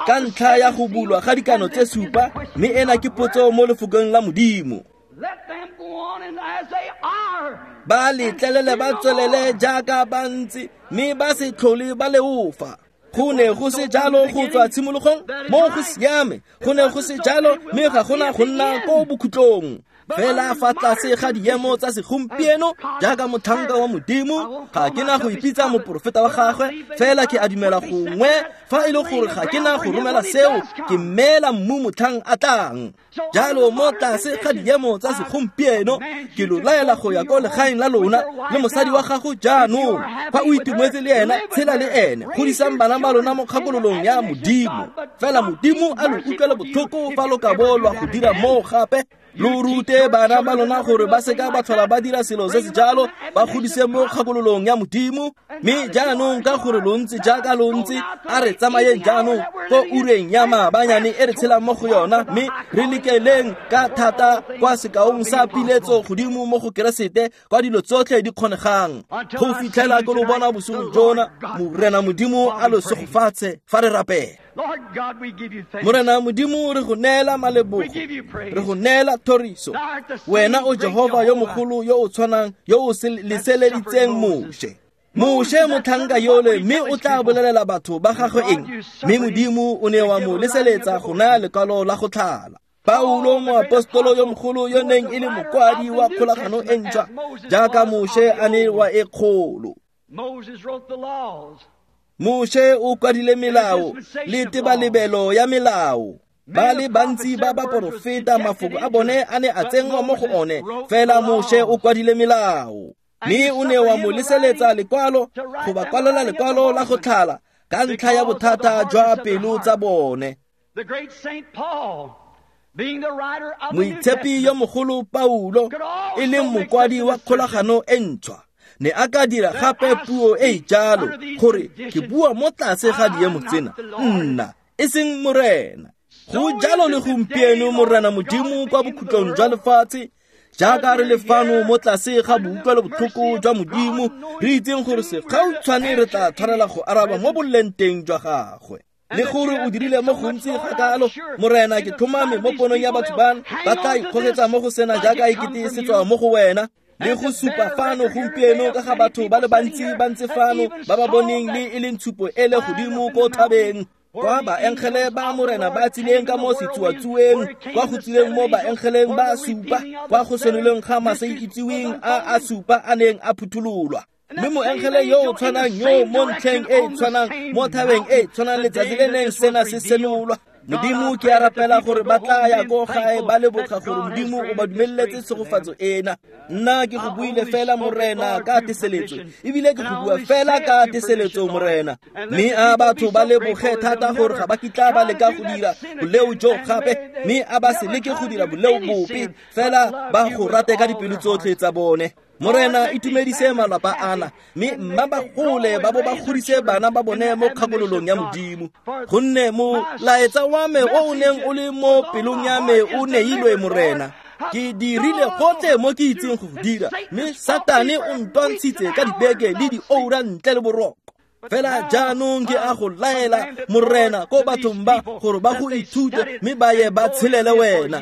Speaker 1: ka ntlha ya go bulwa ga dikano tse supa mme ena ke potso mo lefokong la Modimo.
Speaker 2: let them go on and as they are.
Speaker 1: Ba letlelele ba tswelele jaaka ba ntse mme ba se tlhole ba leofa. Go ne go se jalo go tswa tshimologong mo go siame go ne go se jalo mme ga gona go nna ko bokhutlong. Fela fa tlase ga diemo tsa segompieno jaaka motlhanka wa Modimo ga ke na go ipitsa moporofeta wa gagwe fela ke a dumela gongwe fa e le gore ga ke na go romela seo ke mmeela mmu motlhang a tlang. Jalo mo tlase ga diemo tsa segompieno ke lo laela go ya ko legaeng la lona le mosadi wa gago jaanong. Fa o itumetse le ena tshela le ene godisang bana ba lona mo kgakololong ya Modimo. Fela Modimo a lo utlwele botlhoko fa lo ka bo lwa go dira moo gape. Lo rute bana ba lona gore ba seka ba tlhola ba dira selo se se jalo, ba godise mo kgakololong ya Modimo. Mme jaanong ka gore lo ntse jaaka lo ntse, a re tsamayeng jaanong ko ureng ya maabanyane e re tshelang mo go yona, mme re lekeleng ka thata kwa sekaong sa piletso godimo mo go Keresete kwa dilo tsotlhe di kgonegang. Go fitlhela ke lo bona bosigo jona, Morena Modimo a lo segofatse fa re rapela. Morena Modimo, re go neela malebogo, re go neela thoriso. Wena o Jehova yo mogolo yo o tshwanang, yo o leseleditseng Moshe. Moshe motlhanka yole, mme o tla bolelela batho ba gagwe eng? Mme Modimo o ne wa mo leseletsa go naya lekwalo la go tlhala. Paulo moapostolo yo mogolo yo neng e le mokwadi wa kgolagano e ntšhwa, jaaka Moshe a ne wa e kgolo. Moshe o kwadile melao le tebalebelo ya melao. Ba le bantsi ba baporofeta mafoko a bone a ne a tsenngwa mo go one, fela Moshe o kwadile melao. Mme o ne wa mo leseletsa lekwalo go ba kwalela lekwalo la go tlhala ka ntlha ya bothata jwa pelo tsa bone. Moitshepi yo mogolo Paulo, e leng mokwadi wa kgolagano e ntšhwa, ne a ka dira gape puo e e jalo gore ke bua mo tlase ga diemo tsena, nna e seng Morena. Go jalo le gompieno, Morena Modimo, kwa bokhutlong jwa lefatshe, jaaka re le fano mo tlase ga boutlwelo botlhoko jwa Modimo, re itseng gore segautshwane re tla tshwanela go araba mo boleng teng jwa gagwe. Le gore o dirile mo gontsi ga kalo, Morena, ke tlhomame mo ponong ya batho bano, ba tla ikgogetsa mo go sena jaaka ekete se tswa mo go wena. Le go supa fano gompieno ka ga batho ba le bantsi ba ntse fano ba ba boneng le e leng tshupo e le godimo ko thabeng, kwa baengele ba Morena ba tsileng ka mo setsuatsueng, kwa go tsileng mo baengeleng ba supa, kwa go senoleng ga masaitseweng a a supa a neng a phuthololwa. Mme moengele yo o tshwanang yo mo ntlheng e e tshwanang mo thabeng e e tshwanang letsatsi le neng sena se senolwa. Modimo, ke a rapela gore ba tla ya ko gae ba leboga gore Modimo o ba dumeletse tshegofatso ena. Nna ke go buile fela, Morena, ka teseletso, ebile ke go bua fela ka teseletso, Morena. Mme a batho ba leboge thata gore ga ba kitla ba leka go dira boleo jo gape, mme a ba se leke go dira boleo bope, fela ba go rate ka dipelo tsotlhe tsa bone. Morena, itumedise malapa ana, mme mma ba gole ba bo ba godise bana ba bone mo kgakololong ya Modimo. Gonne molaetsa wa me o o neng o le mo pelong ya me o neilwe, Morena. Ke dirile gotlhe mo ke itseng go dira, mme Satane o ntwantshitse ka dibeke le dioura ntle le boroko. Fela jaanong ke a go laela, Morena, ko bathong ba gore ba go ithute mme ba ye ba tshelele wena.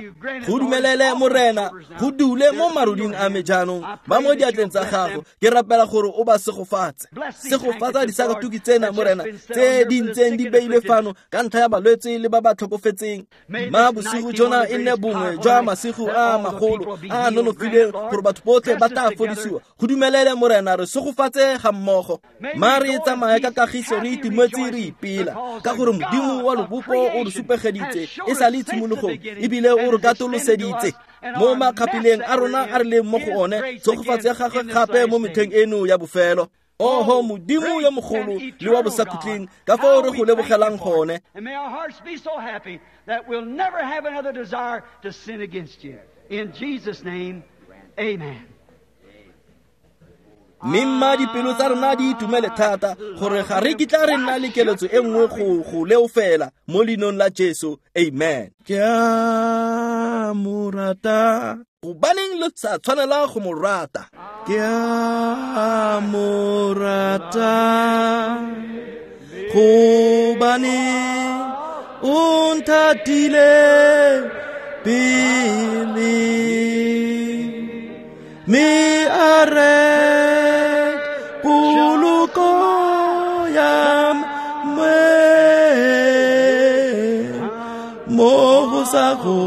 Speaker 1: Go dumelele, Morena, go dule mo maruding a me jaanong, ba mo diatleng tsa gago. Ke rapela gore o ba segofatse. Segofatsa disakatuki tsena, Morena, tse di ntseng di beilwe fano ka ntlha ya balwetse le ba ba tlhokofetseng. Ma bosigo jona e nne bongwe jwa masigo a magolo a a nonofileng gore batho botlhe ba tla fodisiwa. Go dumelele, Morena, re segofatse ga mmogo. Ma re tsamaya ka kagiso, re itumetse, re ipela ka gore Modimo wa lobopo o re supegeditse e sa le tshimologong, ebile o re katoloseditse mo makgapileng a rona a re leng mo go one tshegofatso ya gagwe gape mo metlheng eno ya bofelo. Oho Modimo yo mogolo le wa bosakhutleng, ka fao re go lebogelang gone. Mme mma dipelo tsa rona di itumele thata gore ga re kitla re nna le keletso e nngwe go go leofela mo leinong la Jesu. Amen. Ke a mo rata. Gobaneng le sa tshwanela go mo rata? Ke a mo rata gobane o nthatile pele, mme a re poloko ya me mo go sa go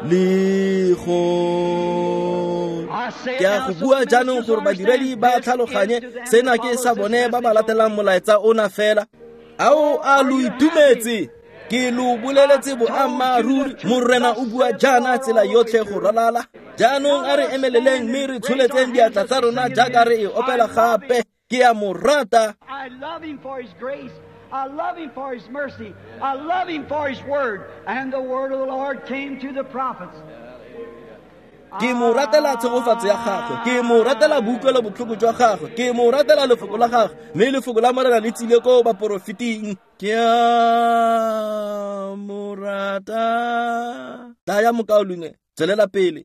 Speaker 1: le go. Ke a go bua jaanong gore badiredi ba tlhaloganye sena ke sa bone ba ba latelang molaetsa ona fela. Ao a lo itumetse? Ke lo boleletse boammaaruri, Morena o bua jaana tsela yotlhe go ralala. Jaanong a re emeleleng mme re tsholetseng diatla tsa rona jaaka re e opela gape. Ke a mo rata.
Speaker 2: I love him for his grace. I love Him for His mercy. I love Him for His Word. And the Word of the Lord came to the prophets.
Speaker 1: Ke mo ratela tshegofatso ya gagwe, ke mo ratela boutlwelo botlhoko jwa gagwe, ke mo ratela lefoko la gagwe, mme lefoko la Morena le tsile ko baporofeting. Ke a mo rata. Tlaya mokaulengwe, tswelela pele.